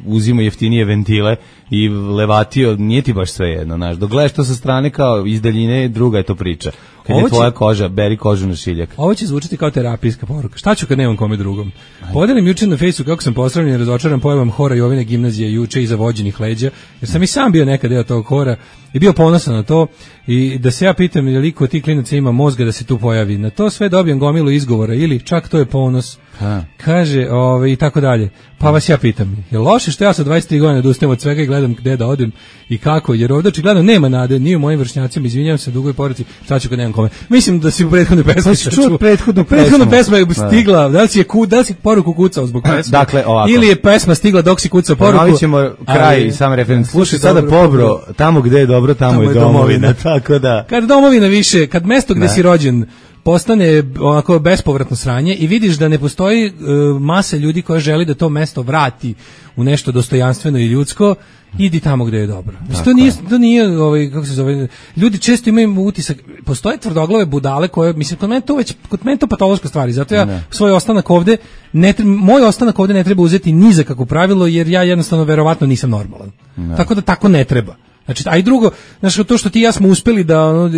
uzimo jeftinije ventile i levatio, nije ti baš sve jedno, znaš, dok gledaš to sa strane kao iz daljine, druga je to priča. Kad ovo je tvoja će, koža, beri kožu na šiljak. Ovo će zvučiti kao terapijska poruka. Šta ću kad nemam kome drugom? Podelim juče na Facebooku kako sam posravljen i razočaran pojavom hora Jovine gimnazije juče iza vođenih leđa, jer sam i sam bio nekad deo tog hora i bio ponosan na to i da se ja pitam je li ko ti klinaca ima mozga da se tu pojavi. Na to sve dobijem gomilu izgovora ili čak to je ponos. Ha. Kaže, ovaj, i tako dalje. Pa vas ja pitam, je loše što ja sa dvadeset tri godine odustajem od svega i gledam gde da odem i kako, jer ovdje očigledno nema nade, ni u mojim vršnjacima, izvinjavam se dugoj poruci, šta ću kad nemam kome. Mislim da si u prethodnoj pesmi pa čuo prethodnu pesmu. Prethodna pesma je stigla, da li si je ku, da li si poruku kucao zbog pesme? Dakle, ovako. Ili je pesma stigla dok si kucao poruku. Ponovit ćemo kraj i sam referent. Slušaj sada Pobro, tamo gde je dobro, tamo, tamo je domovina. domovina. Tako da. Kad domovina više, kad mesto gde ne. si rođen postane onako bespovratno sranje i vidiš da ne postoji uh, masa ljudi koja želi da to mesto vrati u nešto dostojanstveno i ljudsko, idi tamo gde je dobro. Mislim, to nije, to nije ovaj, kako se zove, ljudi često imaju utisak, postoje tvrdoglave budale koje, mislim, kod mene to već, kod mene to patološka stvar, zato ja ne. svoj ostanak ovde, ne treba, moj ostanak ovde ne treba uzeti ni za kako pravilo, jer ja jednostavno verovatno nisam normalan. Ne. Tako da tako ne treba. Znači, a i drugo, znači, to što ti i ja smo uspeli da, ono,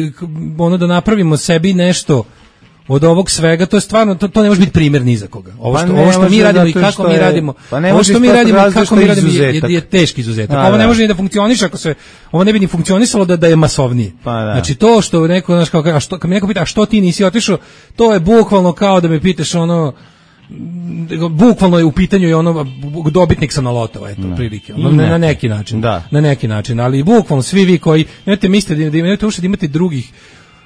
ono da napravimo sebi nešto od ovog svega, to je stvarno, to, to ne može biti primjer ni za koga. Ovo što, pa ovo što mi radimo i kako mi je, radimo, pa ovo što mi radimo i kako mi radimo je, je, je teški izuzetak. A, ovo ne može ni da funkcioniše ako se, ovo ne bi ni funkcionisalo da, da je masovnije. Pa, da. Znači, to što neko, znaš, kao, a što, kad mi neko pita, a što ti nisi otišao, to je bukvalno kao da me pitaš ono, bukvalno je u pitanju i ono dobitnik sam na loto, eto, no. prilike, ono, ne. na neki način, da. na neki način, ali bukvalno svi vi koji, nemojte mislite da imate ušte da imate drugih,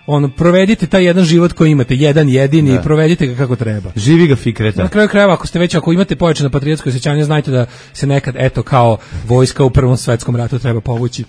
ono, provedite taj jedan život koji imate, jedan jedini, da. i provedite ga kako treba. Živi ga Fikreta. Na kraju krajeva, ako ste već, ako imate pojačano patriotsko osjećanje, znajte da se nekad, eto, kao vojska u Prvom svetskom ratu treba povući,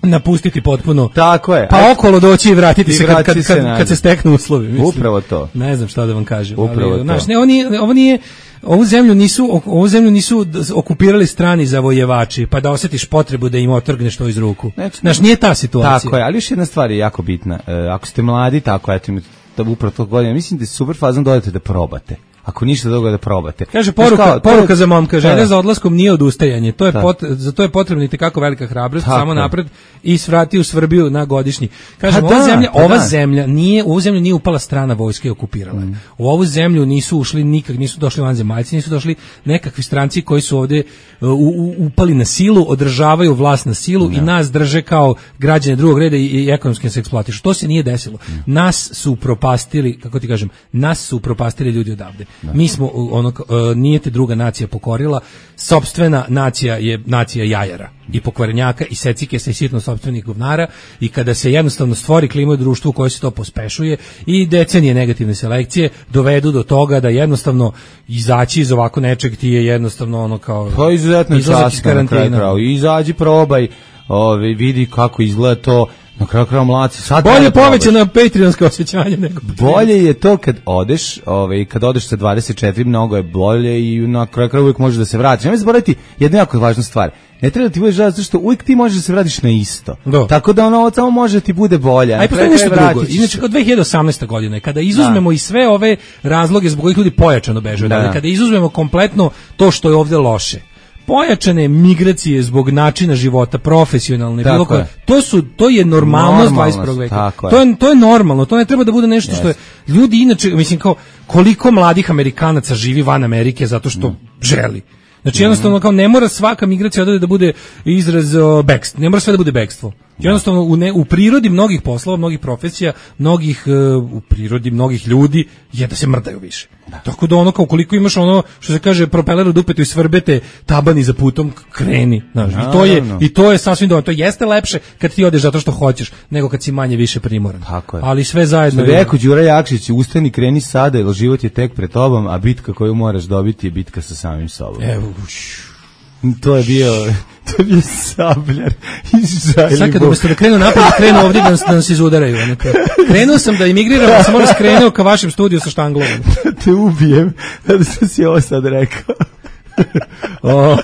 napustiti potpuno. Tako je. Pa okolo doći i vratiti I se kad, kad, kad, kad se steknu uslovi. Mislim. Upravo to. Ne znam šta da vam kažem. Upravo ali, to. Znaš, ne, ovo nije, ovo nije, ovu zemlju nisu, ovu zemlju nisu okupirali strani zavojevači, pa da osjetiš potrebu da im otrgneš to iz ruku. Znaš, nije ta situacija. Tako je, ali još jedna stvar je jako bitna. E, ako ste mladi, tako, eto, imate upravo tog godina, mislim da je super fazom dodate da probate. Ako ništa drugo da probate. Kaže poruka, kao, poruka je, za momka, želja za odlaskom nije odustajanje. To je pot, za to je potrebna i tekako velika hrabrost, samo napred i svrati u Srbiju na godišnji. Kaže ova da, zemlja, ova da. zemlja nije, u ovu zemlju nije upala strana vojska i okupirala. Mm. U ovu zemlju nisu ušli nikak, nisu došli vanzemaljci, nisu došli nekakvi stranci koji su ovde uh, u, upali na silu, održavaju vlast na silu no. i nas drže kao građane drugog reda i, i ekonomski se eksploatišu. To se nije desilo. Mm. Nas su upropastili, kako ti kažem, nas su upropastili ljudi odavde. Da. Mi smo ono uh, nije te druga nacija pokorila, sopstvena nacija je nacija jajara i pokvarenjaka i secike se sitno sopstvenih govnara i kada se jednostavno stvori klima u društvu koje se to pospešuje i decenije negativne selekcije dovedu do toga da jednostavno izaći iz ovako nečeg ti je jednostavno ono kao to je izuzetno časno na kraju kraju. Izađi, probaj, ove, vidi kako izgleda to. Na kraju kraju mlaci. Sad bolje povećano Patreonsko osjećanje nego bolje je to kad odeš, ovaj kad odeš sa dvadeset četiri mnogo je bolje i na kraju kraju uvijek možeš da se vratiš. Nemoj zaboraviti jednu jako važnu stvar. Ne treba da ti budeš žao zato što uvijek ti možeš da se vratiš na isto. Do. Tako da ono samo može ti bude bolje. Aj postoji nešto drugo. Inače od dve hiljade osamnaeste. godine kada izuzmemo da. i sve ove razloge zbog kojih ljudi pojačano beže, da. kada izuzmemo kompletno to što je ovde loše. Pojačane migracije zbog načina života, profesionalne, bilo koje, to su to je normalnost dvadeset prvog veka. To je to je normalno, to ne treba da bude nešto yes. što je ljudi inače, mislim kao koliko mladih Amerikanaca živi van Amerike zato što mm. želi. Znači jednostavno kao ne mora svaka migracija odavde da bude izraz uh, bekst, ne mora sve da bude bekstvo. Jednostavno u, ne, u prirodi mnogih poslova, mnogih profesija, mnogih uh, u prirodi mnogih ljudi je da se mrdaju više. Da. Tako da ono kao koliko imaš ono što se kaže propeler u dupetu i svrbete tabani za putom kreni, znaš. I to je i to je sasvim dovoljno. To jeste lepše kad ti odeš zato što hoćeš nego kad si manje više primoran. Ali sve zajedno je. Rekao Đura Jakšić, ustani, kreni sada, jer život je tek pred tobom, a bitka koju moraš dobiti je bitka sa samim sobom. Evo, to je bio to je bio Sabljar iz Žajlibog. Sad kad umesto da krenu napad, krenu ovdje da nas, da nas izudaraju. Krenuo sam da imigriram, da sam možda skrenuo ka vašem studiju sa štanglom. Te ubijem, da sam si ovo sad rekao. O,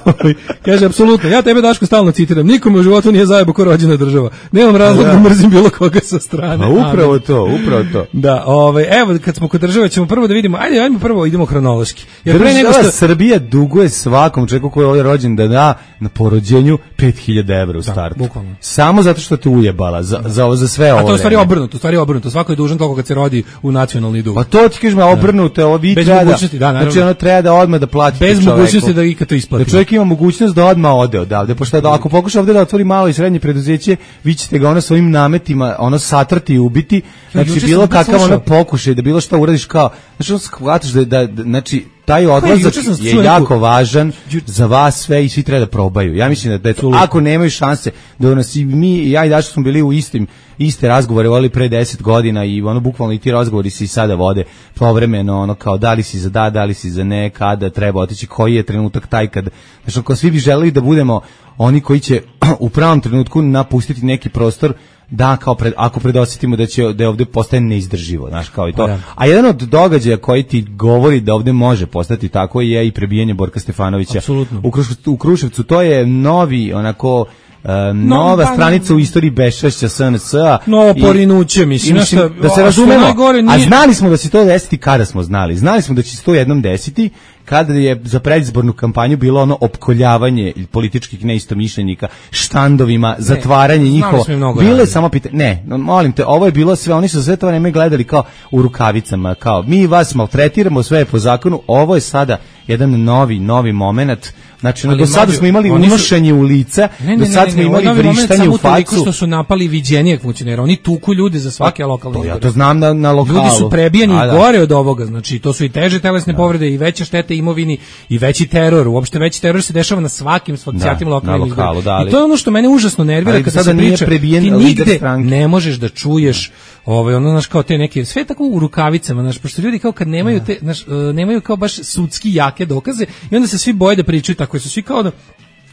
kaže, apsolutno, ja tebe Daško stalno citiram, nikome u životu nije zajebo ko rođena država, nemam razlog da mrzim bilo koga sa strane. A upravo to, upravo to. Da, ovaj, evo, kad smo kod države ćemo prvo da vidimo, ajde, ajmo prvo idemo hronološki. Jer pre nego što Srbija duguje svakom čovjeku koji je ovdje rođen da da na porođenju pet hiljada evra u startu. Da, bukvalno. Samo zato što te ujebala za, za, za sve ovo. A to je u stvari obrnuto, u stvari obrnuto, svako je dužan toliko kad se rodi u nacionalni dug. A to ti kažeš me obrnuto, ovo vi treba da, znači ono treba da odmah da plati bez mogućnosti da ikad to isplati. Da čovjek ima mogućnost da odmah ode odavde, pošto da ako pokuša ovdje da otvori malo i srednje preduzeće, vi ćete ga ono svojim nametima ono satrti i ubiti. Znači bilo kakav ono pokušaj da bilo šta uradiš kao, znači on shvataš da, da, da znači taj odlazak je jako važan za vas sve i svi treba da probaju. Ja mislim da, da ako nemaju šanse da nas i mi i ja i Daško smo bili u istim iste razgovore vodili pre deset godina i ono bukvalno i ti razgovori se i sada vode povremeno, ono kao da li si za da, da li si za ne, kada treba otići, koji je trenutak taj kad, znači ako svi bi želeli da budemo oni koji će u pravom trenutku napustiti neki prostor, da kao pred, ako predosjetimo da će da je ovdje postaje neizdrživo, znaš, kao i to. Ja. A jedan od događaja koji ti govori da ovdje može postati tako je i prebijanje Borka Stefanovića u Kruševcu, u Kruševcu. To je novi onako Uh, nova no, stranica u istoriji bešćašća S N S-a. Novo porinuće, mislim, mislim da se razumemo. A znali smo da će to desiti kada smo znali. Znali smo da će se to jednom desiti kada je za predizbornu kampanju bilo ono opkoljavanje političkih neistomišljenika štandovima, ne, zatvaranje njihovo. Bile samo pitanje. Ne, no, molim te, ovo je bilo sve, oni su sve to vreme gledali kao u rukavicama, kao mi vas maltretiramo, sve je po zakonu. Ovo je sada jedan novi, novi moment. Znači, do sada smo imali unošenje u lica, ne, do sada smo imali vrištanje u facu. Što su napali viđenijeg funkcionera, oni tuku ljude za svake lokalne izbore. Ja to znam na, na lokalu. Ljudi su prebijeni i gore od ovoga, znači to su i teže telesne da. povrede i veće štete imovini i veći teror, uopšte veći teror se dešava na svakim svakim lokalnim izborima. I to je ono što mene užasno nervira kada se priča, ti nigde ne možeš da čuješ ovaj ono naš kao te neke sve tako u rukavicama, znaš, pošto ljudi kao kad nemaju te naš, nemaju kao baš sudski jake dokaze i onda se svi boje da pričaju tako, su svi kao da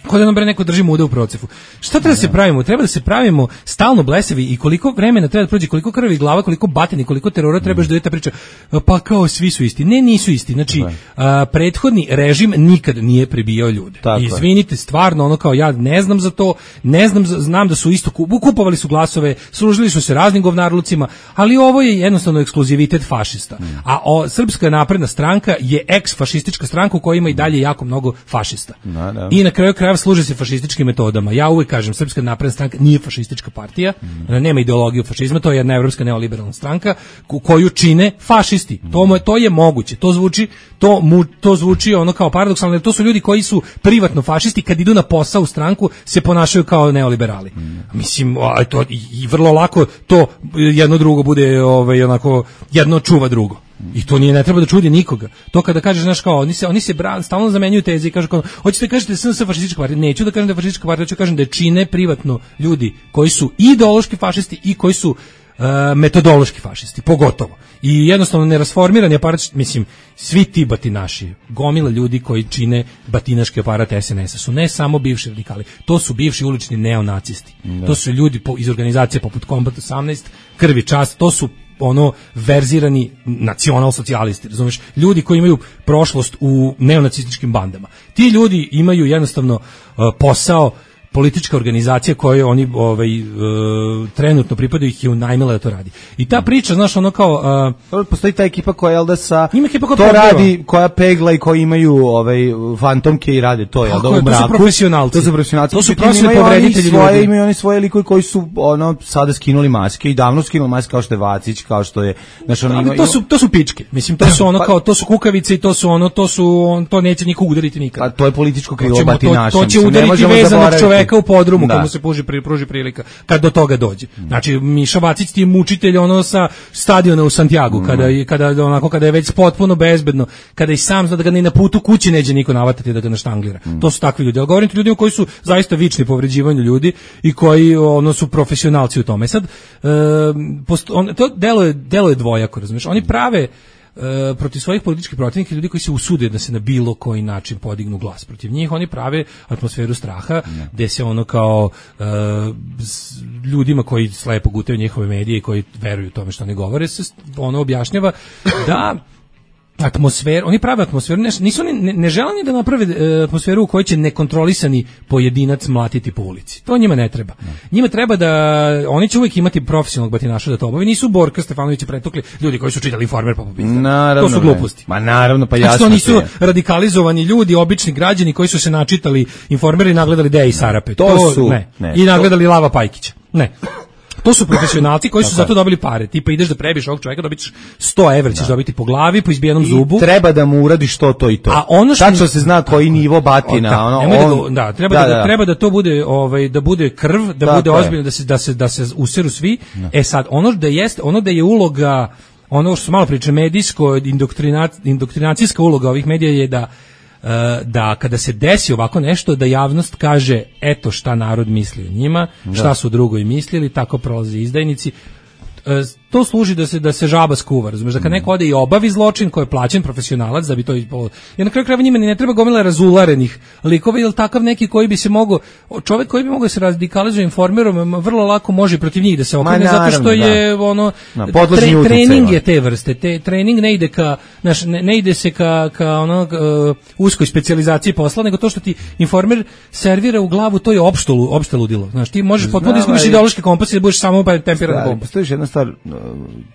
Kod da nam bre neko drži muda u procepu. Šta treba da se pravimo? Treba da se pravimo stalno blesavi i koliko vremena treba da prođe, koliko krvi glava, koliko batine, koliko terora trebaš da je ta priča. Pa kao svi su isti. Ne, nisu isti. Znači, a, prethodni režim nikad nije prebijao ljude. Tako izvinite, stvarno, ono kao ja ne znam za to, ne znam, znam da su isto kupovali su glasove, služili su se raznim govnarlucima, ali ovo je jednostavno ekskluzivitet fašista. A o, Srpska napredna stranka je eks-fašistička stranka u kojoj ima i dalje jako mnogo fašista. Da, da. I na kraju kraja služe se fašističkim metodama. Ja uvek kažem, Srpska napredna stranka nije fašistička partija, mm. nema ideologiju fašizma, to je jedna evropska neoliberalna stranka koju čine fašisti. Mm. To, to je moguće. To zvuči, to, mu, to zvuči ono kao paradoksalno, jer to su ljudi koji su privatno fašisti, kad idu na posao u stranku se ponašaju kao neoliberali. Mm. Mislim, a, to, i, i vrlo lako to jedno drugo bude ovaj, onako, jedno čuva drugo. I to nije, ne treba da čudi nikoga. To kada kažeš, znaš, kao, oni se, oni se bran, stalno zamenjuju teze i kažu kao, hoćete da kažete S N S fašistička partija? Neću da kažem da je fašistička partija, hoću da kažem da je čine privatno ljudi koji su ideološki fašisti i koji su uh, metodološki fašisti, pogotovo. I jednostavno nerasformirani aparat, mislim, svi ti batinaši, gomila ljudi koji čine batinaški aparat S N S-a su ne samo bivši radikali, to su bivši ulični neonacisti. Da. To su ljudi po, iz organizacije poput Kombat osamnaest, Krvi čast, to su ono verzirani nacional-socijalisti, razumiješ, ljudi koji imaju prošlost u neonacističkim bandama. Ti ljudi imaju jednostavno uh, posao, politička organizacija kojoj oni ovaj, uh, trenutno pripadaju ih je unajmila da to radi. I ta priča, znaš, ono kao... Uh, postoji ta ekipa koja, jel da, sa... Ima ekipa koja to pogledava. Radi, koja pegla i koji imaju ovaj, fantomke i rade to, jel da, u mraku. To su profesionalci. To su profesionalci. To su profesionalni povreditelji ljudi. Imaju oni svoje likovi koji su ono, sada skinuli maske i davno skinuli maske, kao što je Vacić, kao što je... Znaš, ono, ima, to, su, to su pičke. Mislim, to su ono kao, to su kukavice i to su ono, to su, on, to neće niko udariti nikad. A to je političko krilo batinaša. To, to će udariti vezanog čoveka u podrumu, da. Komu se pruži, pruži prilika kad do toga dođe. Znači Miša Vacić ti je mučitelj ono sa stadiona u Santiagu, mm. kada kada onako kada je već potpuno bezbedno, kada i sam zna da ga ni na putu kući neće niko navatati da ga naštanglira. Mm. To su takvi ljudi. Ja govorim ti ljudima koji su zaista vični povređivanju ljudi i koji ono su profesionalci u tome. Sad e, posto, on, to delo je delo je dvojako, razumiješ? Oni prave Uh, protiv svojih političkih protivnika, ljudi koji se usude da se na bilo koji način podignu glas protiv njih, oni prave atmosferu straha, ne. Gde se ono kao uh, ljudima koji slepo gutaju njihove medije i koji veruju tome što oni govore, se ono objašnjava da atmosfer, oni prave atmosferu, ne, nisu oni, ne, ne žele ni da naprave e, atmosferu u kojoj će nekontrolisani pojedinac mlatiti po ulici. To njima ne treba. Ne. Njima treba da, oni će uvijek imati profesionalnog batinaša da to obavi. Nisu Borka Stefanovića pretukli ljudi koji su čitali Informer pa popisali. To su gluposti. Ma naravno, pa jasno. Znači, to nisu radikalizovani ljudi, obični građani koji su se načitali Informer i nagledali Deja i Sarape. To, to su, ne. Ne. I nagledali Lava Pajkića. Ne. To su profesionalci koji su zato dobili pare. Tipa ideš da prebiješ ovog čovjeka, dobićeš sto evra, ćeš dobiti po glavi, po izbijenom zubu. I treba da mu uradiš to, to i to. A ono što tačno se zna koji nivo batina, ono, on, da, da, treba da, da, da treba da to bude, ovaj, da bude krv, da, da bude ozbiljno, da se da se da se useru svi. Da. E sad ono da jeste, ono da je uloga ono što su malo priče, medijsko, indoktrinacijska uloga ovih medija je da da kada se desi ovako nešto, da javnost kaže eto šta narod misli o njima, da. Šta su drugovi mislili, tako prolaze izdajnici. To služi da se da se žaba skuva, razumeš, da kad neko ode i obavi zločin koji je plaćen profesionalac da bi to ispalo. Ja na kraju krajeva njima ne treba gomila razularenih likova, ili takav neki koji bi se mogao, čovjek koji bi mogao se radikalizuje informerom, vrlo lako može protiv njih da se okrene, zato što je da. ono no, tre, trening je te vrste, te trening ne ide ka, znaš, ne, ne ide se ka ka ono uh, uskoj specijalizaciji posla, nego to što ti informer servira u glavu, to je opšte opšte ludilo. Znaš, ti možeš potpuno izgubiš ideološki kompas i da budeš samo pa temperan kompas. Postoji jedna stvar,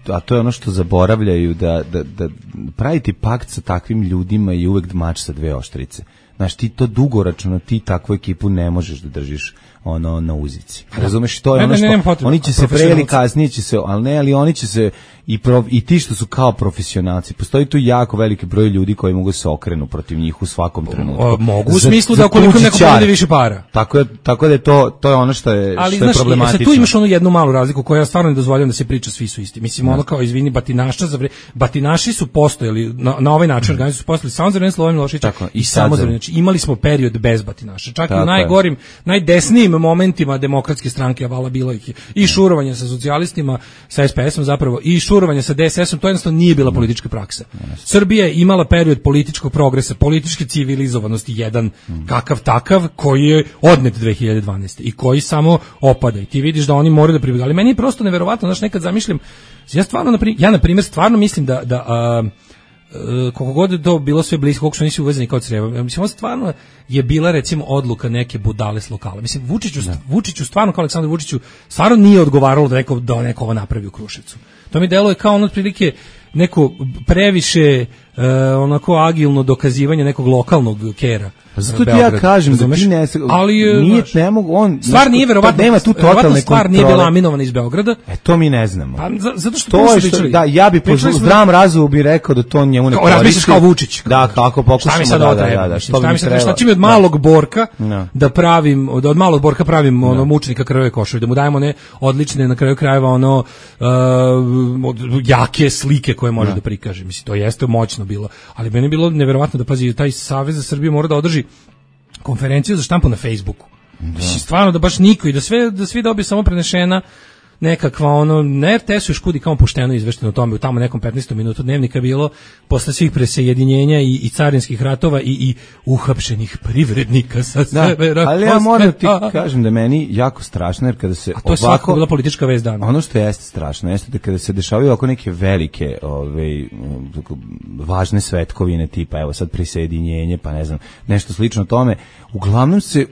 a to je ono što zaboravljaju, da, da, da praviti pakt sa takvim ljudima je uvek mač sa dve oštrice. Znaš, ti to dugoročno, ti takvu ekipu ne možeš da držiš ono na uzici. Razumeš, to je ne, ono što, ne, ne, oni će se pre ili kasnije će se, ali ne, ali oni će se i, prof, i ti što su kao profesionalci. Postoji tu jako veliki broj ljudi koji mogu se okrenu protiv njih u svakom trenutku. O, mogu u smislu da ukoliko neko bude više para. Tako je, tako da je to, to je ono što je, ali, što je znaš, problematično. Ali tu imaš onu jednu malu razliku koju ja stvarno ne dozvoljam da se priča svi su isti. Mislim, ono kao, izvini, batinaša, za vre, batinaši su postojali, na, na ovaj način organizaciju su postojali samo za vreme Slobodana Miloševića i samo za vreme. Znači, imali smo period bez batinaša. Čak tako i u najgorim, najdesnijim momentima demokratske stranke, a vala bilo ih i šurovanje sa socijalistima, sa es pe esom zapravo, i šurovanje sa de es esom, to jednostavno nije bila politička praksa. Srbija je imala period političkog progresa, političke civilizovanosti, jedan kakav takav, koji je odnet dve hiljade dvanaeste i koji samo opada. I ti vidiš da oni moraju da pribjegaju. Ali meni je prosto neverovatno, znaš, nekad zamišljam, ja stvarno, naprimjer, ja na primjer stvarno mislim da, da a, koliko god je to bilo sve blisko, koliko su nisi uvezani kao creva. Mislim, ovo stvarno je bila, recimo, odluka neke budale s lokala. Mislim, Vučiću, Vučiću stvarno, kao Aleksandar Vučiću, stvarno nije odgovaralo da neko, da neko ovo napravi u Kruševcu. To mi deluje kao ono otprilike neko previše uh, onako agilno dokazivanje nekog lokalnog kera. Zato ti ja kažem da ti ne, ali nije ne mogu on stvar nije verovatno, nema tu totalne stvar nije bila aminovana iz Beograda. E to mi ne znamo. Pa zato što to je što, da ja bi po zdravom razumu bi rekao da to njemu ne koristi. Razmišljaš kao Vučić. Da, kako pokušamo da, da, da, da, što mi treba. Šta će mi od malog Borka da pravim, od, od malog Borka pravim ono mučenika krvave košulje, da mu dajemo ne odlične na kraju krajeva ono jake slike koje može da prikaže. Mislim, to jeste moćno bilo, ali meni je bilo neverovatno da pazi taj Savez za Srbiju mora da održi konferenciju za štampu na Facebooku. Da. Stvarno da baš niko i da sve da svi dobiju samo prenešena nekakva ono, na er te esu još kudi kao pošteno izvešteno o tome, u tamo nekom petnaestom minutu dnevnika bilo, posle svih presajedinjenja i, i carinskih ratova i, i uhapšenih privrednika sa da, severa. Ali ja moram ti kažem da meni jako strašno, jer kada se a to je ovako, bila politička vest dana. Ono što jeste strašno, jeste da kada se dešavaju oko neke velike ove, važne svetkovine tipa, evo sad prisajedinjenje, pa ne znam, nešto slično tome, uglavnom se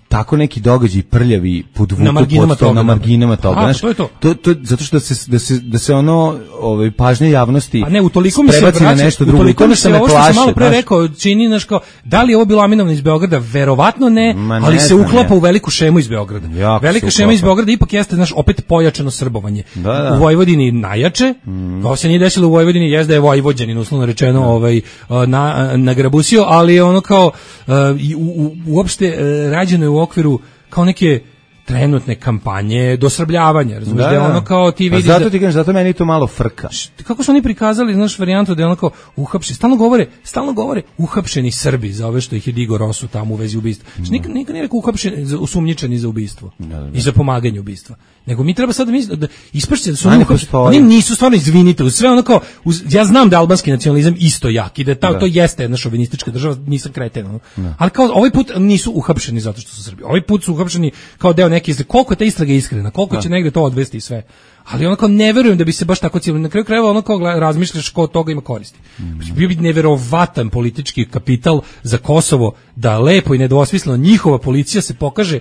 tako neki događaji prljavi podvuku na marginama toga, na marginama toga, znaš, to je to. To, to zato što se da se da se ono ovaj pažnja javnosti a ne utoliko mi se vraća na nešto drugo, utoliko mi se ne plaši. Što sam malo pre rekao, čini naš kao da li je ovo bilo aminovano iz Beograda, verovatno ne, ne ali se uklapa ne. u veliku šemu iz Beograda. Jako velika šema iz Beograda ipak jeste znaš opet pojačano srbovanje. Da, da. U Vojvodini najjače, mm. ovo se nije desilo u Vojvodini, jeste da je Vojvođanin uslovno rečeno da. ovaj na nagrabusio, ali je ono kao uh, u, u, uopšte uh, rađeno je u okviru kao neke trenutne kampanje dosrbljavanja, razumiješ, da je ono kao ti vidiš pa zato ti kažem, zato meni to malo frka. Kako su oni prikazali, znaš, varijantu da je ono kao uhapšeni, stalno govore, stalno govore uhapšeni Srbi za ove što ih je digo Rosu tamo u vezi ubistva. Znači, nikad, nikad nije rekao uhapšeni, osumnjičeni za ubistvo da, da, da. i za pomaganje ubistva. Nego mi treba sad da, misli, da ispašće da su oni, oni nisu stvarno, izvinite, sve ono kao, uz, ja znam da albanski nacionalizam isto jak i da, ta, da. to jeste jedna šovinistička država, nisam kreten, ono. Ali kao ovaj put nisu uhapšeni zato što su Srbi. Ovaj put su uhapšeni kao deo neke istrage. Koliko je ta istraga iskrena, koliko da. će negde to odvesti i sve. Ali onako ne verujem da bi se baš tako cijelo. Na kraju krajeva ono kao razmišljaš ko od toga ima koristi. Mm. Bio bi neverovatan politički kapital za Kosovo da lepo i nedvosmisleno njihova policija se pokaže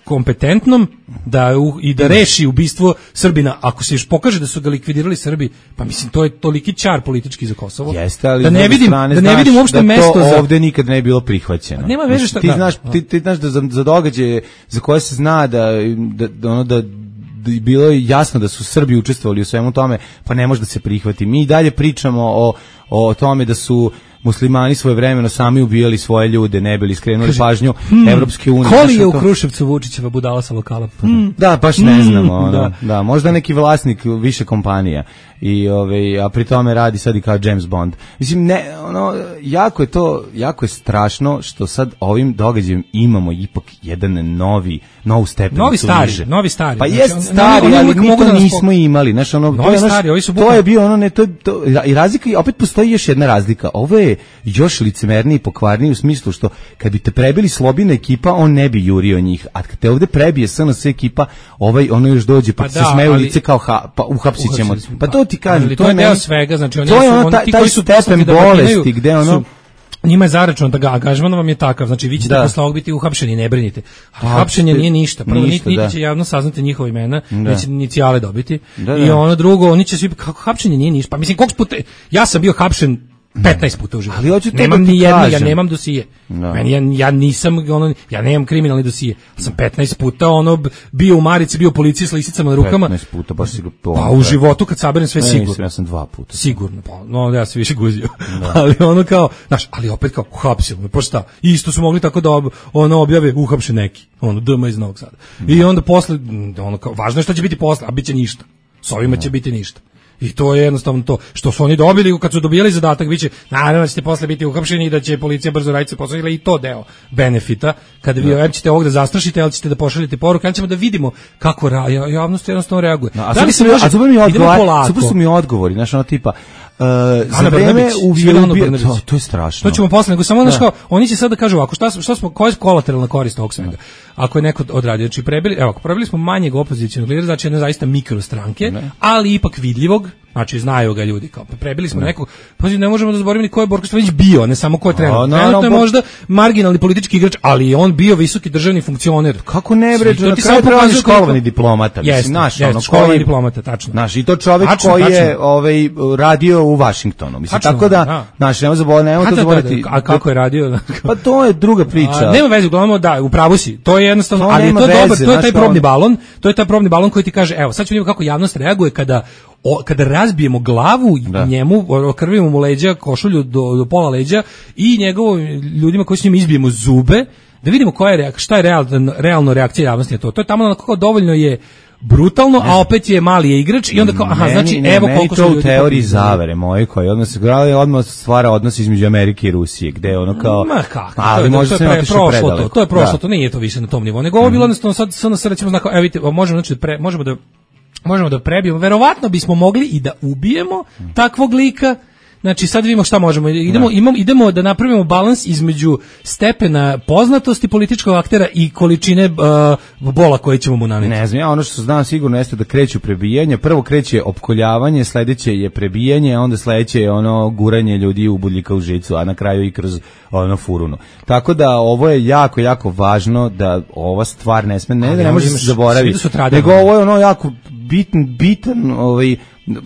kompetentnom da u, i da reši ubistvo Srbina. Ako se još pokaže da su ga likvidirali Srbi, pa mislim to je toliki čar politički za Kosovo. Jeste, ali da ne vidim, da ne vidim uopšte da mesto za ovde nikad ne je bilo prihvaćeno. Nema veze šta ti znaš, ti, ti znaš da za, za događaje za koje se zna da da, da ono da bilo je jasno da su Srbi učestvovali u svemu tome, pa ne može da se prihvati. Mi dalje pričamo o, o tome da su muslimani svojevremeno sami ubijali svoje ljude, ne bili skrenuli Kaži, pažnju hmm, Evropske unije. Koli je u Kruševcu Vučićeva budala sa lokala? Hmm. Da, baš ne znamo. Ono, da. da, možda neki vlasnik više kompanija. I ovaj a pri tome radi sad i kao James Bond. Mislim ne, ono jako je to jako je strašno što sad ovim događajem imamo ipak jedan novi novu stepenicu. Novi stari, niže. novi stari. Pa znači, jest stari, oni, oni ali mi to da nismo imali, znači ono novi to, stari, ovi su to je bio ono ne to, to i razlika i opet postoji još jedna razlika. Ovo je još licemerniji i pokvarniji u smislu što kad bi te prebili Slobina ekipa, on ne bi jurio njih. A kad te ovde prebije S N S ekipa, ovaj ono još dođe pa, pa se da, smeju ali, lice kao ha, pa uhapsićemo. Pa to ti kažem, to, to je deo meni, svega, znači oni to je su ono, oni ti koji su stepen da bolesti, gde ono... Su, njima je zaračunat da ga angažman vam je takav, znači vi ćete da. posle ovog biti uhapšeni, ne brinite. A hapšenje nije ništa, prvo ništa, niti, niti će javno saznati njihova imena, da. neće inicijale dobiti. Da, da. I ono drugo, oni će svi, kako hapšenje nije ništa. Pa mislim, koliko puta, ja sam bio hapšen petnaest puta u životu. Ali hoću nemam ni jedno, ja nemam dosije. No. Meni ja, ja nisam ono, ja nemam kriminalni dosije. Sam petnaest puta ono bio u marici, bio u policiji s lisicama na rukama. petnaest puta baš sigurno. Pa u životu kad saberem sve ne, sigurno. Nisam, ja sam dva puta. Sigurno. Pa no ja se više guzio. No. Ali ono kao, znaš, ali opet kao uhapsilo me. Pa šta? Isto su mogli tako da ob, ono objave uhapšen neki. Ono D M iz Novog Sada. No. I onda posle ono kao važno je šta će biti posle, a biće ništa. S ovima no. će biti ništa. I to je jednostavno to što su oni dobili kad su dobijali zadatak, biće naravno da ćete posle biti uhapšeni i da će policija brzo raditi posao, ili i to deo benefita kada vi da. ćete ovog da zastrašite, ali ćete da pošaljete poruku, ali ćemo da vidimo kako ra, javnost jednostavno reaguje. No, a da li se može, a super mi odgovori, super su mi odgovori, znaš ono tipa Uh, za vreme ubije, to, to je strašno. To ćemo posle, nego samo znaš kao, oni će sad da kažu ovako, šta, šta smo, koja je kolateralna korist ovog svega? Ako je neko odradio, znači prebili, evo, ako prebili smo manjeg opozicionog lidera, znači jedne zaista mikrostranke, ali ipak vidljivog, znači znaju ga ljudi, kao prebili smo ne. nekog, pa ne možemo da zaboravimo ni ko je Borko Stefanović bio, ne samo ko je trenutno. No, trenutno no, je možda marginalni politički igrač, ali je on bio visoki državni funkcioner. Kako ne bre, na kraju treba školovani diplomata, mislim, naš, ono školovani diplomata, tačno. Naš i to čovjek koji je ovaj radio u Vašingtonu, mislim, tačno, tako da, da. Naš, nema zaboraviti, nema to zaboraviti. A kako je radio? Pa to je druga priča. A, nema veze, uglavnom da, u pravu si. To je jednostavno, to ali je to veze, dobar, to je taj probni balon, to je taj probni balon koji ti kaže, evo, sad ćemo vidjeti kako javnost reaguje kada o, kada razbijemo glavu da. njemu, okrvimo mu leđa, košulju do, do pola leđa i njegovim ljudima koji s njim izbijemo zube, da vidimo koja je reak, šta je real, realno reakcija javnosti na to. To je tamo na kako dovoljno je brutalno, a opet je mali je igrač i onda kao, aha, meni, znači, ne, evo koliko su ljudi... Meni to u teoriji zavere moje, koji odmah se grali, odmah stvara odnos između Amerike i Rusije, gde ono kao... Ma kako, ali to, može to, je, to je prošlo to, to je prošlo, da. to nije to više na tom nivou, nego ovo bilo jednostavno sad, sad nas recimo znako, evo vidite, možemo, znači, pre, možemo da možemo da prebijemo, verovatno bismo mogli i da ubijemo takvog lika. Znači sad vidimo šta možemo. Idemo, imamo, idemo da napravimo balans između stepena poznatosti političkog aktera i količine uh, bola koje ćemo mu naneti. Ne znam, ja ono što znam sigurno jeste da kreću prebijanje. Prvo kreće opkoljavanje, sledeće je prebijanje, a onda sledeće je ono guranje ljudi u budljika u žicu, a na kraju i kroz ono furunu. Tako da ovo je jako, jako važno da ova stvar ne sme, ne, da ne može se zaboraviti. Nego ovo je ono jako bitan, bitan ovaj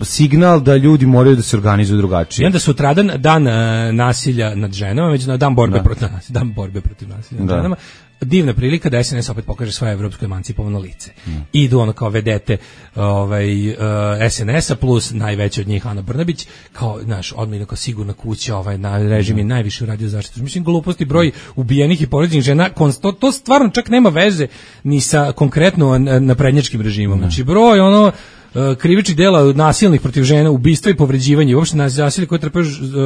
signal da ljudi moraju da se organizuju drugačije. I onda sutradan dan uh, nasilja nad ženama, međutim dan borbe da. protiv nasilja, dan borbe protiv nasilja nad da. ženama. Divna prilika da S N S opet pokaže svoje evropsko emancipovano lice. Mm. Idu ono kao vedete ovaj, uh, S N S-a plus najveća od njih Ana Brnabić, kao, znaš, odmah kao sigurna kuća, ovaj, na režim je najviše uradio zaštitu. Mislim, gluposti, broj ubijenih i povređenih žena, to, to stvarno čak nema veze ni sa konkretno naprednjačkim režimom. Mm. Znači, broj, ono, krivičnih dela nasilnih protiv žena, ubistva i povređivanja, uopšte nasilje koje trpe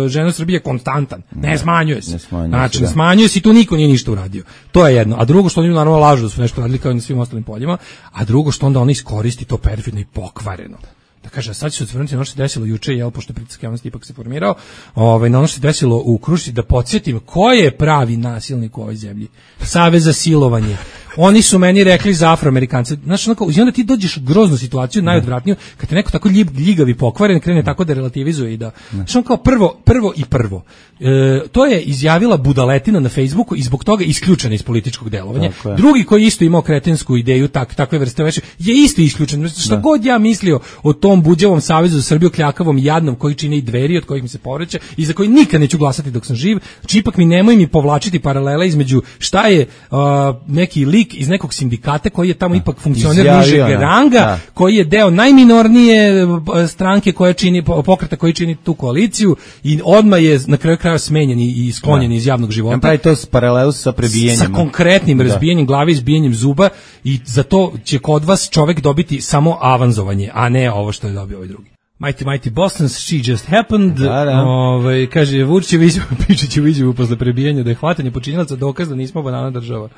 žene u Srbiji je konstantan. Ne, ne smanjuje se. Ne smanjuje znači, se, ne smanjuje se i tu niko nije ništa uradio. To je jedno. A drugo što oni naravno lažu da su nešto radili kao i na svim ostalim poljima, a drugo što onda oni iskoristi to perfidno i pokvareno. Da kaže, sad će se otvrnuti na ono što se desilo juče, jel, pošto je pritisak javnosti ipak se formirao, ovaj, na ono što se desilo u Krušci, da podsjetim ko je pravi nasilnik u ovoj zemlji. Savez za silovanje. Oni su meni rekli za Afroamerikance. Znaš, onako, i onda ti dođeš u groznu situaciju, najodvratniju, kad te neko tako ljib, ljigavi pokvaren, krene tako da relativizuje i da... Znaš, on kao prvo, prvo i prvo. E, to je izjavila budaletina na Facebooku i zbog toga isključena iz političkog delovanja. Drugi koji isto imao kretensku ideju, tak, takve vrste veše, je isto isključen. Šta god ja mislio o tom buđavom savezu za Srbiju, kljakavom, jadnom, koji čine i Dveri, od kojih mi se povreće i za koji nikad neću glasati dok sam živ. Znači, ipak mi nemoj mi povlačiti paralele između šta je uh, neki lik lik iz nekog sindikata koji je tamo ipak funkcioner nižeg ranga, da. Koji je deo najminornije stranke koja čini, pokreta koji čini tu koaliciju i odmah je na kraju kraja smenjen i sklonjen da. Iz javnog života. Pravi to s paralelu sa prebijenjem. Sa konkretnim da. Razbijenjem glave, izbijenjem zuba i za to će kod vas čovek dobiti samo avanzovanje, a ne ovo što je dobio ovaj drugi. Mighty Mighty Boston, She Just Happened, da, da. Ovaj, kaže Vučićev izjavu, Pičićev izjavu posle prebijanja da je hvatanje počinilaca dokaz da nismo banana država.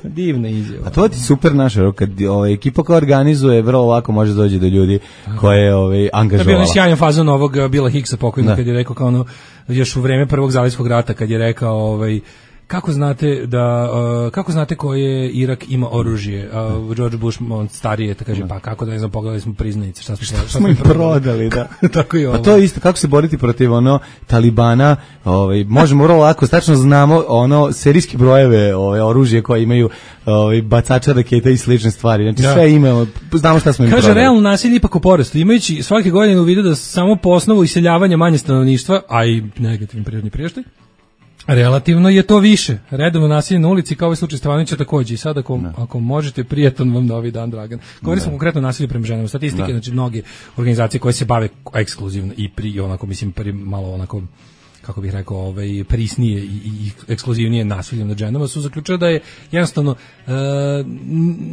Divna izjava. A to ti super naša, kad ovaj, ekipa koja organizuje, vrlo lako može doći do ljudi koje ovaj, angažovala. To je bio sjajan fazon ovog Billa Hicksa pokojnog, kad je rekao kao ono, još u vreme prvog zalivskog rata, kad je rekao ovaj, kako znate da uh, kako znate koje Irak ima oružje? Uh, George Bush on stariji je, kaže pa kako da ne znam, pogledali smo priznanice, šta smo šta smo im prodali, da. Tako je ovo. Pa to je isto kako se boriti protiv ono Talibana, ovaj možemo vrlo lako, tačno znamo ono serijske brojeve, ove oružje koje imaju ovaj bacača raketa i slične stvari. Znači ja. Sve imamo, znamo šta smo im kaže, prodali. Kaže realno nasilje ipak u porastu, imajući svake godine u vidu da samo po osnovu iseljavanja manje stanovništva, a i negativni prirodni priraštaj, relativno je to više. Redovno nasilje na ulici kao ovaj slučaj Stevanovića takođe. I sad ako, ako možete, prijatan vam novi dan, Dragan. Govorimo konkretno nasilje prema ženama. Statistike, da. Znači mnoge organizacije koje se bave ekskluzivno i pri onako mislim pri malo onako kako bih rekao, ovaj prisnije i, i ekskluzivnije nasiljem nad ženama su zaključili da je jednostavno e,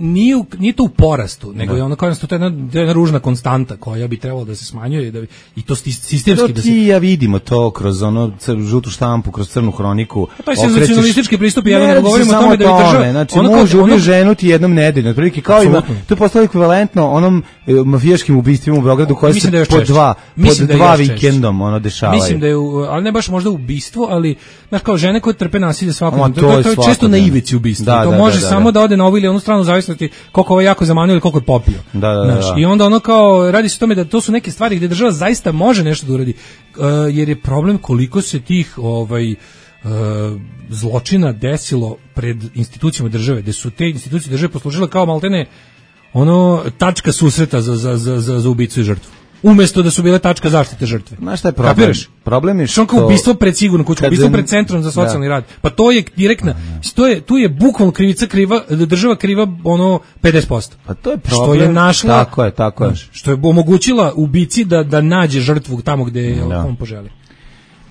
nije, u, nije to u porastu, nego da. Je ono kao to je jedna, jedna ružna konstanta koja bi trebalo da se smanjuje i, da, i to sistemski to da se... ti ja vidimo to kroz ono žutu štampu, kroz crnu hroniku. A to je senzacionalistički pristup, ja ne govorim o tome da bi država... Znači, može ubiti ženu ti jednom nedeljno, otprilike kao ima, to je postalo ekvivalentno onom e, mafijaškim ubistvima u Beogradu koje se da po dva, pod dva vikendom ono dešavaju. Mislim da je, ali ne baš možda ubistvo, ali znaš kao žene koje trpe nasilje svakodnevno, to, to, to je često na ivici ubistva. Da, to da, može da, da, samo da. Da ode na ovu ili onu stranu zavisnosti koliko ovo jako zamanio ili koliko je popio. Da, da, znaš, da. I onda ono kao radi se o tome da to su neke stvari gdje država zaista može nešto da uradi, uh, jer je problem koliko se tih ovaj uh, zločina desilo pred institucijama države, gde su te institucije države poslužile kao maltene ono tačka susreta za, za, za, za, za ubicu i žrtvu. Umesto da su bile tačka zaštite žrtve. Znaš šta je problem? Kapiraš? Problem je što... Što ubistvo pred sigurno kuću, ubistvo pred centrom za socijalni da. Rad. Pa to je direktna, to je, tu je bukvalno krivica kriva, država kriva ono pedeset posto. Pa to je problem. Što je našla... Tako je, tako je. Što je omogućila ubici da, da nađe žrtvu tamo gde da. On poželi.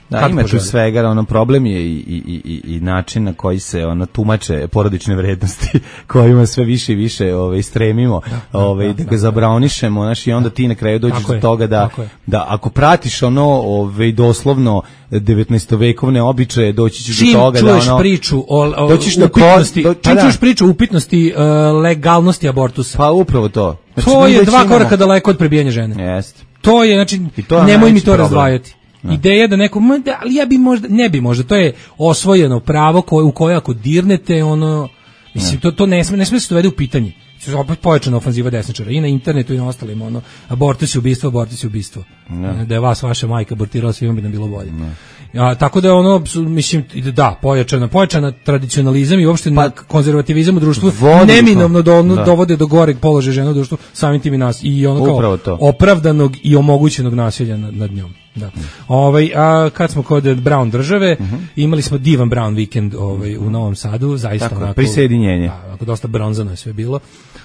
Da, kad ima tu svega, ono problem je i, i, i, i način na koji se ono tumače porodične vrednosti kojima sve više i više ovaj, stremimo da, ovaj, da, da, da ga zabraonišemo, znaš, i onda ti na kraju dođeš do toga da, da ako pratiš ono ovaj, doslovno devetnaestovekovne običaje, doći ćeš do toga da ono... priču o, o upitnosti, do, čim čuješ priču o upitnosti uh, legalnosti abortusa. Pa upravo to. Znači, to je dva koraka daleko od prebijanja žene. Jeste. To je, znači, to nemoj mi to problem. Razdvajati. No. Ideja da neko, ali ja bi možda, ne bi možda, to je osvojeno pravo koje, u koje ako dirnete, ono, mislim, no. to, to ne sme, ne sme se dovede u pitanje. Opet pojačana ofanziva desničara i na internetu i na ostalim, ono, abortus je ubistvo, abortus je ubistvo. No. Da je vas vaša majka abortirala, svima bi nam bilo bolje. No. A, tako da je ono, mislim, da, pojačana, pojačana tradicionalizam i uopšte pa, konzervativizam u društvu neminovno do, ono, da. Dovode do goreg položaja žena u društvu, samim tim i nas. I ono kao to. Opravdanog i omogućenog nasilja nad, nad njom. Da. Ovaj, a kad smo kod Brown države, uh-huh. imali smo divan Brown vikend ovaj, u Novom Sadu, zaista tako, onako... Prisjedinjenje. Da, onako dosta bronzano je sve bilo.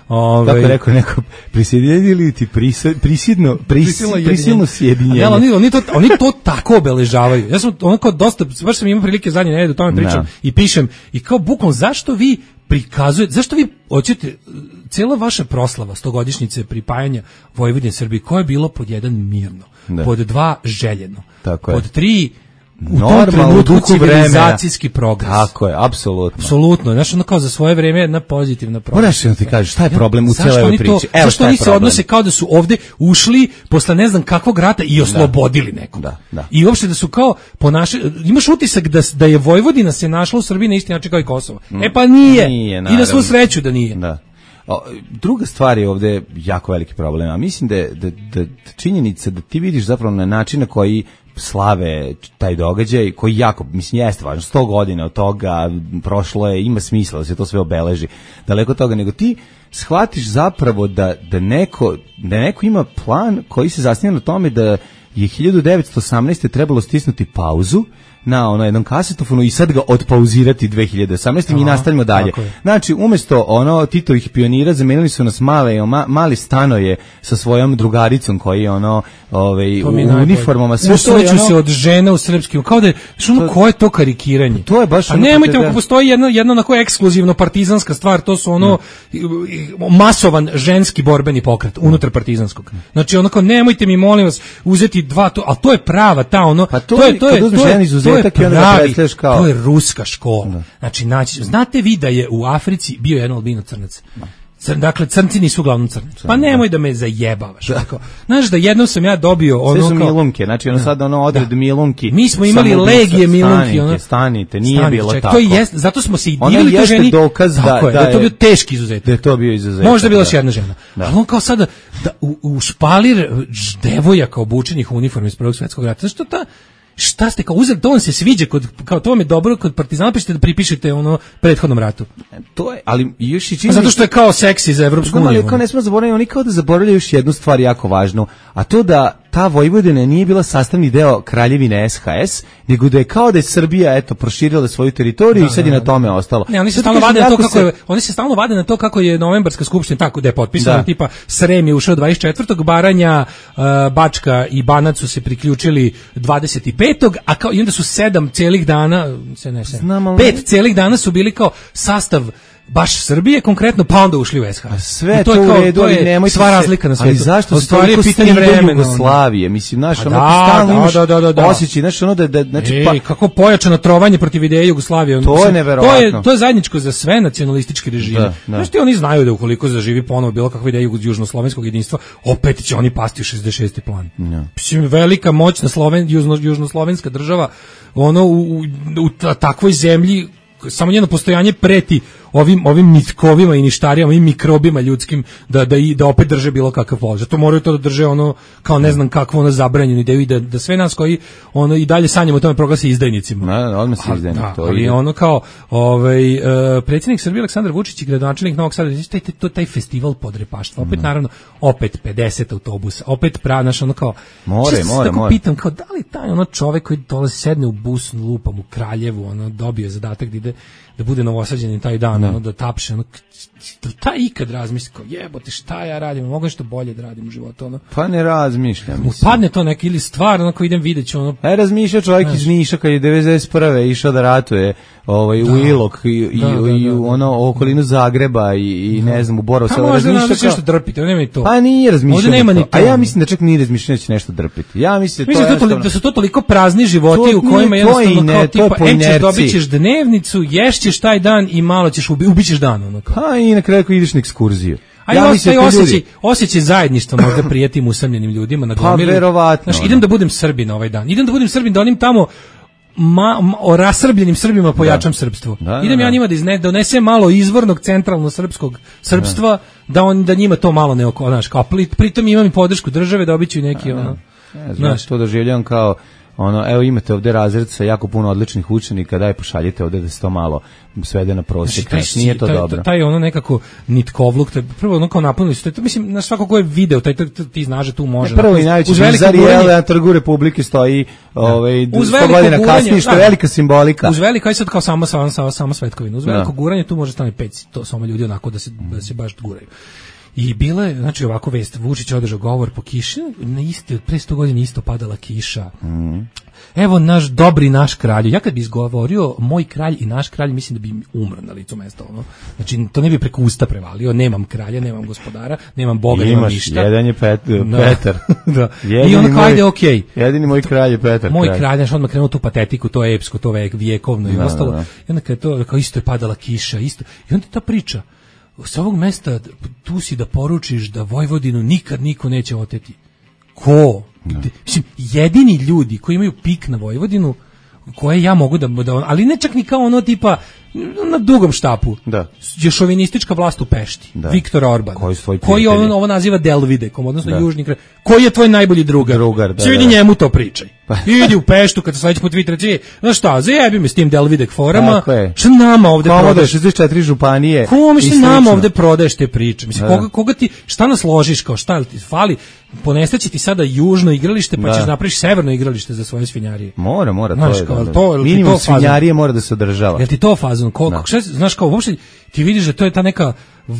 Ove, kako je rekao neko, prisjedinjenje ili ti prisjedno, prisjedno, prisilno sjedinjenje. Ja, oni, oni, to, oni to tako obeležavaju. Ja sam onako dosta, baš sam imao prilike zadnje nedelje, o tome pričam no. I pišem. I kao bukvalno, zašto vi prikazujete, zašto vi hoćete, cijela vaša proslava stogodišnjice pripajanja Vojvodine Srbiji, koje je bilo pod jedan mirno, da. Pod dva željeno, tako pod tri u tom trenutku civilizacijski progres. Tako je, apsolutno. Apsolutno, znaš, ono kao za svoje vreme jedna pozitivna progres. Moraš da ti kažeš, šta je problem u cijeloj ovoj priči? Evo zašto oni se odnose kao da su ovde ušli posle ne znam kakvog rata i oslobodili nekog. Da, da. I uopšte da su kao ponašali, imaš utisak da, da je Vojvodina se našla u Srbiji na isti način kao i Kosovo. Mm. E pa nije, nije i da smo sreću da nije. Da. O, druga stvar je ovde jako veliki problem, a mislim da je da, da, činjenica da ti vidiš zapravo na način na koji slave taj događaj, koji jako, mislim, jeste važno, sto godina od toga prošlo je, ima smisla da se to sve obeleži, daleko od toga, nego ti shvatiš zapravo da, da, neko, da neko ima plan koji se zasniva na tome da je hiljadu devetsto osamnaeste trebalo stisnuti pauzu, na ono jednom kasetofonu i sad ga odpauzirati dve hiljade osamnaeste. Mi nastavljamo dalje. Znači, umjesto ono Titovih pionira zamenili su nas male, ma, mali stanoje sa svojom drugaricom koji je ono ovaj, u uniformama. Sve to je ono... se od žena u srpskim. Kao da je, što ono, ko je to karikiranje? To je baš ono... A nemojte, ako postoji jedna, jedna onako ekskluzivno partizanska stvar, to su ono hmm. masovan ženski borbeni pokret unutar partizanskog. Znači, ono kao, nemojte mi, molim vas, uzeti dva, to, ali to je prava, ta ono, pa to, to je, to je, to je, to je pravi, kao... to je ruska škola. Da. Znači, naći, znate vi da je u Africi bio jedan albino crnac? Cr, dakle, crnci nisu uglavnom crnci. Pa nemoj da me zajebavaš. Tako. Znaš da jednom sam ja dobio ono sve su kao... milunke, znači ono sad ono odred da. milunki. Mi smo imali legije milunki. Stanite, ono... stanite, nije stanite, bilo ček, tako. To je jest, zato smo se i divili to ženi. Dokaz da, tako je, da, da je to bio teški izuzetak. Da je to bio izuzetak. Možda je bila još jedna žena. Da. Ali on kao sada, da, u, u špalir devojaka obučenih u uniformi iz Prvog svjetskog rata. Znaš što ta... Šta ste kao uzeli, to vam se sviđa kod, kao to vam je dobro kod Partizana, pišete da pripišete ono prethodnom ratu. To je, ali još i čini... Zato što je kao seksi za Evropsku uniju. Ali kao ne smemo zaboraviti, oni kao da zaboravljaju još jednu stvar jako važnu, a to da ta Vojvodina nije bila sastavni deo Kraljevine S H S, nego da je kao da je Srbija eto proširila svoju teritoriju da, i sad je na tome ostalo. Ne, oni se stalno vade na to kako je, oni se stalno vade na to kako je novembarska skupština tako da je potpisana, da. Tipa Srem je ušao dvadeset četvrtog Baranja, uh, Bačka i Banat su se priključili dvadeset petog a kao i onda su sedam celih dana, se ne sedam, pet celih dana su bili kao sastav baš Srbije konkretno, pa onda ušli u S H S. Sve to, to u redu, ali nemoj sva razlika na svetu. Ali zašto se to je pitanje vremena Jugoslavije? Mislim, znaš, ono da, da, da, da, da. osjećaj, znaš, ono da, da znači, Ej, pa... kako pojačano trovanje protiv ideje Jugoslavije. To mislim, je neverovatno. To je, to je zajedničko za sve nacionalističke režime. Da, da. Znaš ti, oni znaju da ukoliko zaživi ponovo bilo kakva ideja južnoslovenskog jedinstva, opet će oni pasti u šezdeset šesti plan. Ja. Mislim, velika moćna Sloven, južno, južnoslovenska država, ono, u, u, u takvoj zemlji, samo njeno postojanje preti ovim ovim nitkovima i ništarijama, ovim mikrobima ljudskim da da i da opet drže bilo kakav položaj. To moraju to da drže ono kao ne znam kakvo ono zabranjeno ideju i da da sve nas koji ono i dalje sanjamo o tome proglasi izdajnicima. Na, odmah se izdajnik to. Ali ono kao ovaj uh, predsjednik Srbije Aleksandar Vučić i gradonačelnik Novog Sada, taj to taj festival podrepaštva. Opet mm. naravno opet pedeset autobusa. Opet pranaš ono kao more, more, tako more. Pitam kao da li taj ono čovjek koji dolazi sedne u bus lupam u Kraljevu, ono dobio zadatak da ide da bude novosađen taj dan, ono, da tapše, ono, ta ikad razmisli, kao jebote, šta ja radim, mogu nešto bolje da radim u životu, ono. Pa ne razmišljam. Upadne to neki ili stvar, ono, ko idem vidjet ću, ono. E, razmišlja čovjek iz Niša kad je devedeset prve išao da ratuje ovaj, da. u Ilok i, i, da, da, i u ono, okolinu Zagreba i, i ne znam, u Borovu. Pa možda razmišlja nešto drpiti, nema ni to. Pa nije razmišljanje to. A ja mislim da čak nije razmišljanje da će nešto drpiti. Ja mislim da, to mislim da, to, da su to toliko prazni životi to, u kojima jednostavno kao tipa, em ćeš dobit ćeš dnevnicu, ješćeš taj dan i malo ćeš ubi, ubićeš dan. Ono kao. Pa i na kraju ako ideš na ekskurziju. A ja mislim da osjećaj, osjećaj zajedništva možda prijetim usamljenim ljudima na gomilu. Pa verovatno. Znaš, idem da budem Srbin ovaj dan. Idem da budem Srbin, da onim tamo ma, ma, o rasrbljenim Srbima pojačam da. Srpstvo. Da, idem da, ja njima da izne, da donesem malo izvornog centralno srpskog srpstva, da, da on da njima to malo ne oko, znaš, kao pritom imam i podršku države, dobiću i neki da, ono. Ne znam, to doživljavam kao ono, evo imate ovde razred sa jako puno odličnih učenika, daj pošaljite ovde da se to malo svede na prosjek, znači, nije to taj, dobro. Taj ono nekako nitkovluk, taj, prvo ono kao napunili su, taj, mislim, na svako ko je video, taj, taj, taj ti znaš da tu može. Ne, prvo i najveći bizar je na Trgu Republike stoji ovaj, sto godina kasnije, što je velika simbolika. Uz veliko, aj sad kao samo, samo, samo, samo svetkovina, uz veliko guranje tu može stane pet, to samo ljudi onako da se, da se baš guraju. I bila je, znači ovako vest, Vučić održao govor po kiši, na isti, pre sto godina isto padala kiša. Mm. Evo naš dobri naš kralj. Ja kad bi izgovorio moj kralj i naš kralj, mislim da bi umro na licu mesta. Ono. Znači, to ne bi preko usta prevalio. Nemam kralja, nemam gospodara, nemam Boga, imaš, nemam ništa. Jedan je Pet, da. Petar. Da. I ono kao, ajde, okej. Okay. Jedini moj kralj je Petar. Moj kralj, kralj znači, odmah krenuo tu patetiku, to je epsko, to vek, vjekovno i da, ostalo. Da, da. I onda kad je to, kao isto je padala kiša, isto. I onda ta priča, s ovog mesta tu si da poručiš da Vojvodinu nikad niko neće oteti. Ko? No. Mislim, jedini ljudi koji imaju pik na Vojvodinu, koje ja mogu da, da ali ne čak ni kao ono tipa na dugom štapu. Da. Je šovinistička vlast u Pešti. Da. Viktor Orban. Koji, koji ovo, ovo naziva Delvidekom, odnosno da. Južni kraj. Koji je tvoj najbolji drugar? Drugar, da. Svi vidi njemu to pričaj. Pa. Idi u Peštu kad se sledeći put Twitter, znaš šta, zajebi me s tim Delvidek forama, šta nama ovde prodaješ? šezdeset četiri županije. Kome šta nama ovde prodaješ te priče? Mislim, koga, koga ti, šta nas ložiš, kao šta ti fali? Ponestaće ti sada južno igralište, pa da. ćeš napraviš severno igralište za svoje svinjarije. Mora, mora, znaš, to je. Kao, to, minimum svinjarije mora da se održava. Jel ti to fazon? Koliko, šta, znaš, kao, uopšte ti vidiš da to je ta neka v, uh,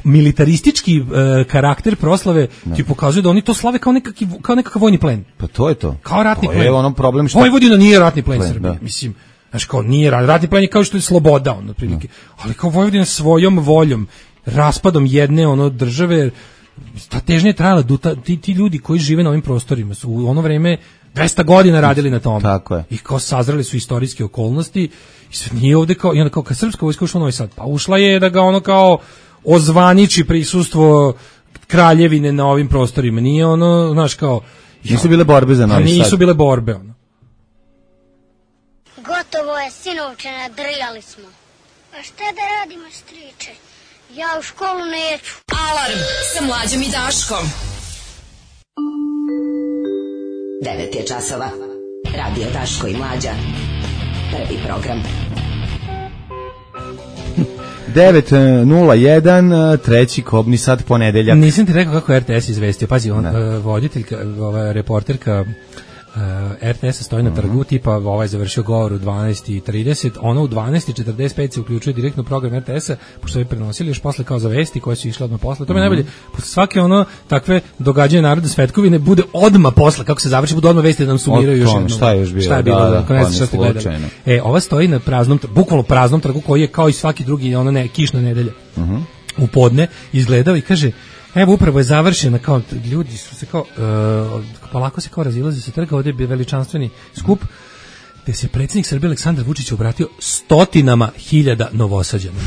militaristički uh, karakter proslave no. ti pokazuje da oni to slave kao nekakav, kao nekakav vojni plen. Pa to je to. Kao ratni to plen. Je ono problem što... Vojvodina nije ratni plen, plen Srbije, da. Mislim. Znaš, kao nije ratni plen je kao što je sloboda, ono, otprilike. No. Ali kao Vojvodina svojom voljom, raspadom jedne ono države, ta težnja je trajala, ti, ti ljudi koji žive na ovim prostorima su u ono vreme dvesta godina radili na tome. Tako je. I kao sazreli su istorijske okolnosti i sve nije ovde kao, i onda kao kad srpska vojska ušla u Novi Sad, pa ušla je da ga ono kao ozvaniči prisustvo kraljevine na ovim prostorima. Nije ono, znaš kao... Nisu bile borbe za Novi Sad. Nisu bile borbe, ono. Gotovo je, sinovče, nadrijali smo. A šta da radimo, striče? Ja u školu neću. Alarm sa Mlađom i Daškom. devet je časova. Radio Daško i Mlađa. Prvi program. devet nula jedan, treći kobni sat, ponedeljak. Nisam ti rekao kako je R T S izvestio. Pazi, on, uh, voditeljka, ova reporterka Uh, R T S stoji na trgu, tipa ovaj završio govor u dvanaest i trideset, ono u dvanaest i četrdeset pet se uključuje direktno program R T S-a, pošto je prenosili još posle kao za vesti koje su išle odmah posle. To mi je najbolje, posle svake ono takve događanja narodne svetkovine bude odmah posle, kako se završi, bude odmah vesti da nam sumiraju još jednom. Šta je još bilo? Šta je bilo, da, da, da, šta ste gledali. E, ova stoji na praznom, bukvalno praznom trgu koji je kao i svaki drugi, ono ne, kišna nedelja. Uh -huh. U podne izgledao i kaže, evo upravo je završena, kao ljudi su se kao uh, polako se kao razilaze sa trga, ovdje je bio veličanstveni skup gde se predsjednik Srbije Aleksandar Vučić obratio stotinama hiljada Novosađana.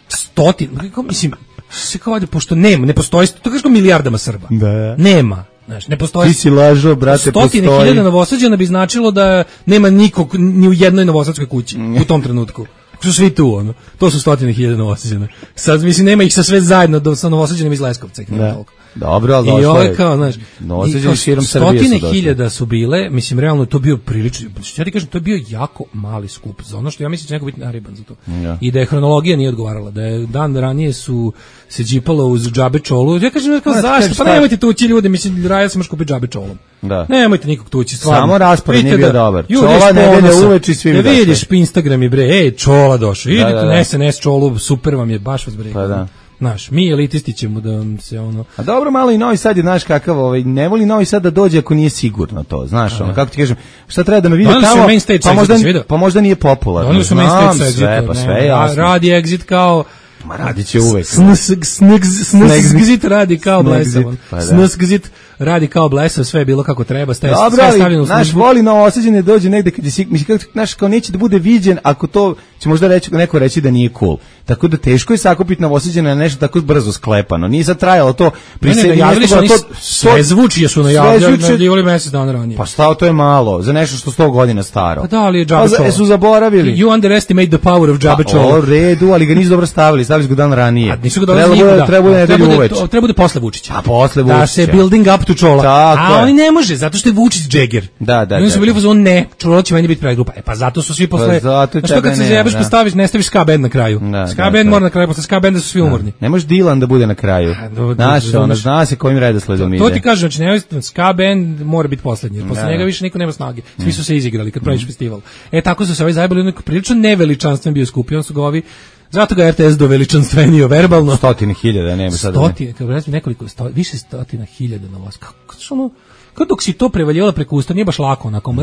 Stotin, kako mislim, se kao pošto nema, ne postoji, to kaže kao milijardama Srba. Da. Nema. Znaš, ne postoji. Ti si lažo, brate, stotine postoji. hiljada Novosađana bi značilo da nema nikog ni u jednoj novosadskoj kući u tom trenutku. Su svi tu, ono. To su stotine hiljada Novosađana. Sad, mislim, nema ih sa sve zajedno do, sa Novosađanim iz Leskovca. Da. Dobro, ali došlo je. I ovo je kao, znaš, Novosađani širom Srbije su stotine hiljada su bile, mislim, realno to bio prilično, ja ti kažem, to je bio jako mali skup za ono što ja mislim da će neko biti nariban za to. Ja. I da je hronologija nije odgovarala, da je dan ranije su se džipalo uz džabe čolu. Ja kažem, kao, zašto? Pa nemojte tući ljudi, mislim, raja se može kupiti džabe čolom. Da. Nemojte nikog tući, stvarno. Samo raspored nije bio dobar. Čola nedelja uveč i svi mi došli. Ne vidiš Instagram i bre, ej, Čola došao. Idite na S N S Čolu, super vam je, baš vas bre. Pa da. Znaš, mi elitisti ćemo da vam se ono... A dobro, malo i Novi Sad je, znaš kakav, ovaj, ne voli Novi Sad da dođe ako nije sigurno to, znaš, ono, kako ti kažem, šta treba da me vidi tamo, pa možda, pa možda nije popularno. Oni su main stage sve, pa sve jasno. Radi Exit kao... Ma radit će uvek. Snexit radi kao blesav. Snexit radi kao blesav, sve je bilo kako treba, sve je stavljeno u službu. Naš voli Novosađane dođe negde kad je sik, mislim, znaš, kao neće da bude viđen, ako to će možda reći, neko reći da nije cool. Tako da teško je sakupiti Novosađane na nešto tako brzo sklepano. Nije sad trajalo to prisjedinjavali su oni sve zvuči jesu najavljivali mesec dana ranije. Pa stao, to je malo, za nešto što sto godina staro. Pa da, ali je džabe čolo. Pa su zaboravili. You underestimate the power of džabe čolo. Pa o redu, ali ga nisu dobro stavili, stavili su ga dan ranije. A nisu ga dobro stavili, treba bude nedelju uveč. Treba bude posle Vučića. A posle Vučića. Da se building up to Čola. A oni ne može, zato što je Vučić džeger. Da, da, oni su bili fazon, ne, Čola će meni biti predgrupa. E pa zato su svi posle. Što kad se zajebeš pa staviš, ne staviš ska band na kraju. Ska band mora na kraju, posle ska banda su svi umorni. Ne može Dilan da bude na kraju. Znaš, ono, zna se kojim redosledom ide. To ti kažem, znači ne, ska band mora biti poslednji, jer posle njega više niko nema snage. Svi su se izigrali kad praviš festival. E tako su se ovaj zajebali, onako prilično neveličanstven bio skup, on su ga ovi. Zato ga R T S do veličanstvenio verbalno. Stotine hiljada, nema sad. Stotine, kako recimo nekoliko, sto, više stotina hiljada na vas. Kako što ono, kako dok si to prevaljivala preko usta, nije baš lako onako.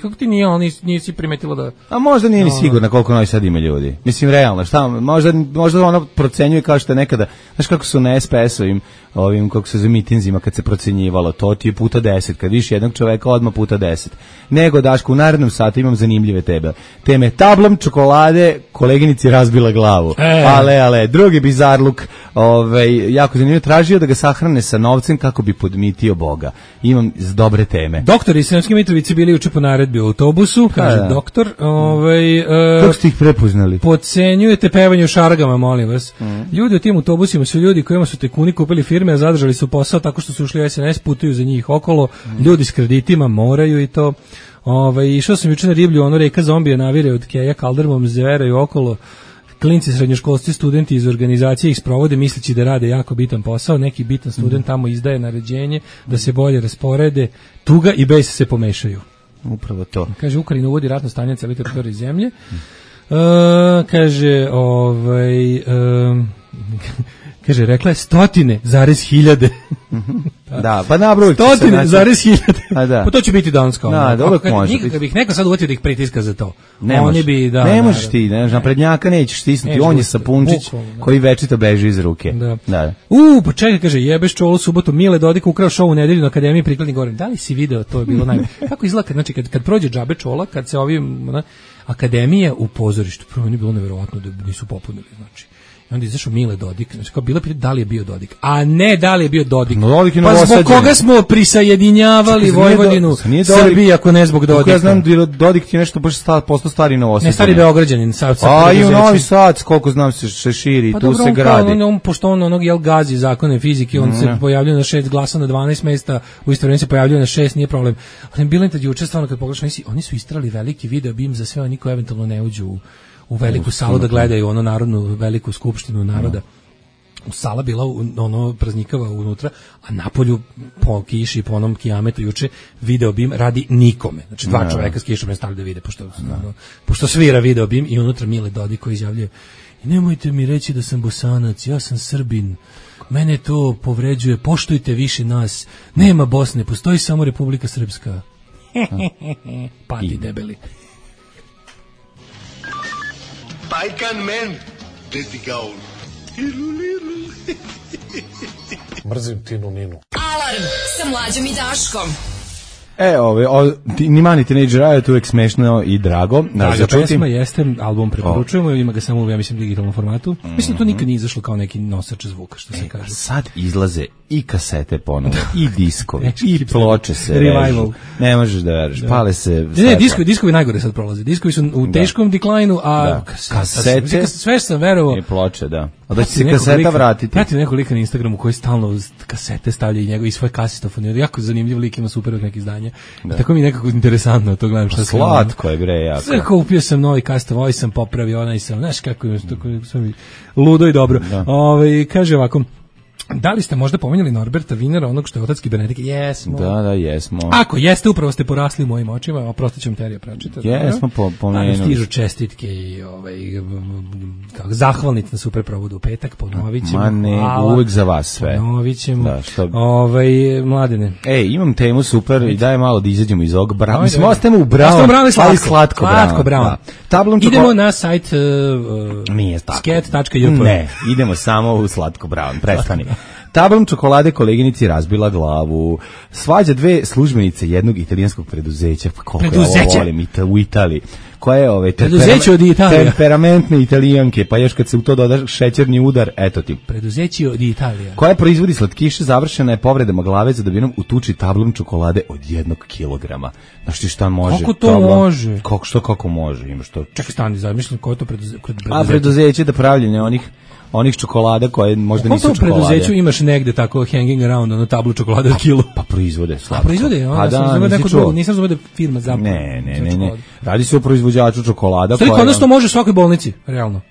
Kako ti nije, ali nisi primetila da... A možda nije ni sigurno koliko Novi Sad ima ljudi. Mislim, realno, šta, možda, možda ono procenjuje kao što je nekada, znaš kako su na S P S-ovim, ovim, kako se za mitinzima, kad se procenjivalo, to ti je puta deset, kad viš jednog čoveka, odmah puta deset. Nego, Daško, u narednom satu imam zanimljive tebe. Teme tablom čokolade, kolegi koleginici razbila glavu. E. Ale, ale, drugi bizarluk, ovaj, jako zanimljivo, tražio da ga sahrane sa novcem kako bi podmitio Boga. Imam z dobre teme. Doktori iz Sremske Mitrovice bili juče po naredbi u autobusu, kaže da, da. doktor. Ovaj, uh, kako ste ih prepoznali? Podcenjujete pevanje u šargama, molim vas. Mm. Ljudi u tim autobusima su ljudi kojima su tekuni kupili firme, a zadržali su posao tako što su ušli u es en es, putuju za njih okolo, mm. ljudi s kreditima moraju i to. Ovaj, išao sam juče na riblju, ono reka zombija navire od Keja Kaldermom, zeveraju okolo. Klinci, srednjoškolci, studenti iz organizacije ih sprovode misleći da rade jako bitan posao, neki bitan student tamo izdaje naređenje da se bolje rasporede, tuga i bes se pomešaju. Upravo to. Kaže, Ukrajina uvodi ratno stanje na cijeloj teritoriji zemlje. Uh, kaže, ovaj... Uh, kaže, rekla je stotine zarez hiljade. Da, pa nabrojit će se. Stotine zarez hiljade. A da. Pa to će biti danas kao. Da, dobro može. Nikad bih neko sad uvatio da ih pritiska za to. Ne Oni bi, da. Ne možeš ti, ne, na prednjaka nećeš stisnuti. On je sapunčić koji večito beži iz ruke. Da. Da. U, pa čekaj, kaže, jebeš čolu subotu, Mile Dodik ukrao šou u nedelju na Akademiji prikladnih govorim. Da li si video, to je bilo najbolje. Kako izgleda, znači kad, kad prođe džabe čola, kad se ovim, na, Akademije u pozorištu, prvo nije bilo neverovatno da nisu popunili, znači. I onda izašao Mile Dodik, znači kao bila pitanje da li je bio Dodik, a ne da li je bio Dodik. No, Dodik je pa zbog koga smo prisajedinjavali Vojvodinu Srbiji ako ne zbog Dodika? Ja znam da Dodik ti je nešto baš sta, posto stari Novosadđanin. Ne, stari Beograđanin. Sa, sa a i u Novi Sad, koliko znam se, se širi, pa tu dobro, se gradi. On, on, pošto on onog jel gazi zakone fizike, on mm. se pojavljuje na šest glasa na dvanaest mesta, u isto vrijeme se pojavljuje na šest, nije problem. Ali bilo je tad juče stvarno kad pogledaš, oni, oni su istrali veliki video bim za sve oni koji eventualno ne uđu u u veliku salu da gledaju ono narodnu veliku skupštinu naroda. U sala bila ono praznikava unutra, a napolju po kiši, po onom kijametu juče video bim radi nikome. Znači dva no. čoveka s kišom ne stavili da vide, pošto, no. ono, pošto svira video bim i unutra Mile Dodik koji izjavljuje i nemojte mi reći da sam Bosanac, ja sam Srbin. Mene to povređuje, poštujte više nas. Nema Bosne, postoji samo Republika Srpska. Pati debeli. Bajkan men, deti gaul. Lilu, lilu. Mrzim Tinu Ninu. Alarm sa Mlađom i Daškom. E, ove, o, ni Mani Teenage Riot uvek smešno i drago. Draga pesma jeste, album preporučujemo, ima ga samo u, ja mislim, digitalnom formatu. Mm-hmm. Mislim, to nikad nije izašlo kao neki nosač zvuka, što se e, kaže. Sad izlaze i kasete ponovo, i diskovi, i ploče se režu. Ne možeš da veriš, pale se... Ne, ne, diskovi, diskovi najgore sad prolaze. Diskovi su u teškom deklajnu, a da. kasete... Sve sam verovao... I ploče, da. A da će se kaseta lika, vratiti. Pratim nekog lika na Instagramu koji stalno kasete stavlja i njegov i svoj kasitofon. Jako zanimljiv lik, ima super neki izdanja. Da. Tako mi je nekako interesantno to gledam šta se... Slatko je, bre, jako. Sve kupio sam novi kasitofon, ovaj sam popravio, onaj sam, znaš kako je, sve mi ludo i dobro. Ove, kaže ovako, da li ste možda pominjali Norberta Vinera, onog što je otac kibernetike? Jesmo. Da, da, jesmo. Ako jeste, upravo ste porasli u mojim očima, oprostit ću vam terija pročitati. Jesmo po, pomenuli. Da, stižu čestitke i ovaj, kako, zahvalnic na super provodu u petak, ponovit ćemo. Ma ne, hvala, uvijek za vas sve. Ponovit ćemo. Da, što... ovaj, Mladene. Ej, imam temu super i daj malo da izađemo iz ovog brana. Mislim, ostajemo u branu. Ostajemo u branu i slatko. Slatko, slatko brano. Tablom idemo čoko... na sajt uh, nije tako. sket tačka ju pe. Ne, idemo samo u slatko brown. Prestani. Tablom čokolade koleginici razbila glavu. Svađa dve službenice jednog italijanskog preduzeća. Pa koliko ja ovo volim u Italiji. Koja je ove preduzeće od Italije. Temperamentne Italijanke, pa još kad se u to doda šećerni udar, eto ti. Preduzeće od Italije. Koja proizvodi slatkiše, završena je povredama glave za dobinom u tuči tablom čokolade od jednog kilograma. Znaš ti šta može? Kako to tablom? Može? Kako, što kako može? Ima što? Čekaj, stani, zamišljam koje to preduzeće. A preduzeće da pravljenje onih onih čokolada koje možda nisu čokolade. U preduzeću imaš negde tako hanging around ono tablu čokolade od kilo. Pa proizvode slatko. A proizvode, ono, pa da, sam neko drugo, nisam razumio da firma zapravo. Ne, ne, ne, ne. Radi se o proizvođaču čokolada. Stvari, kod nas to može u svakoj bolnici, realno.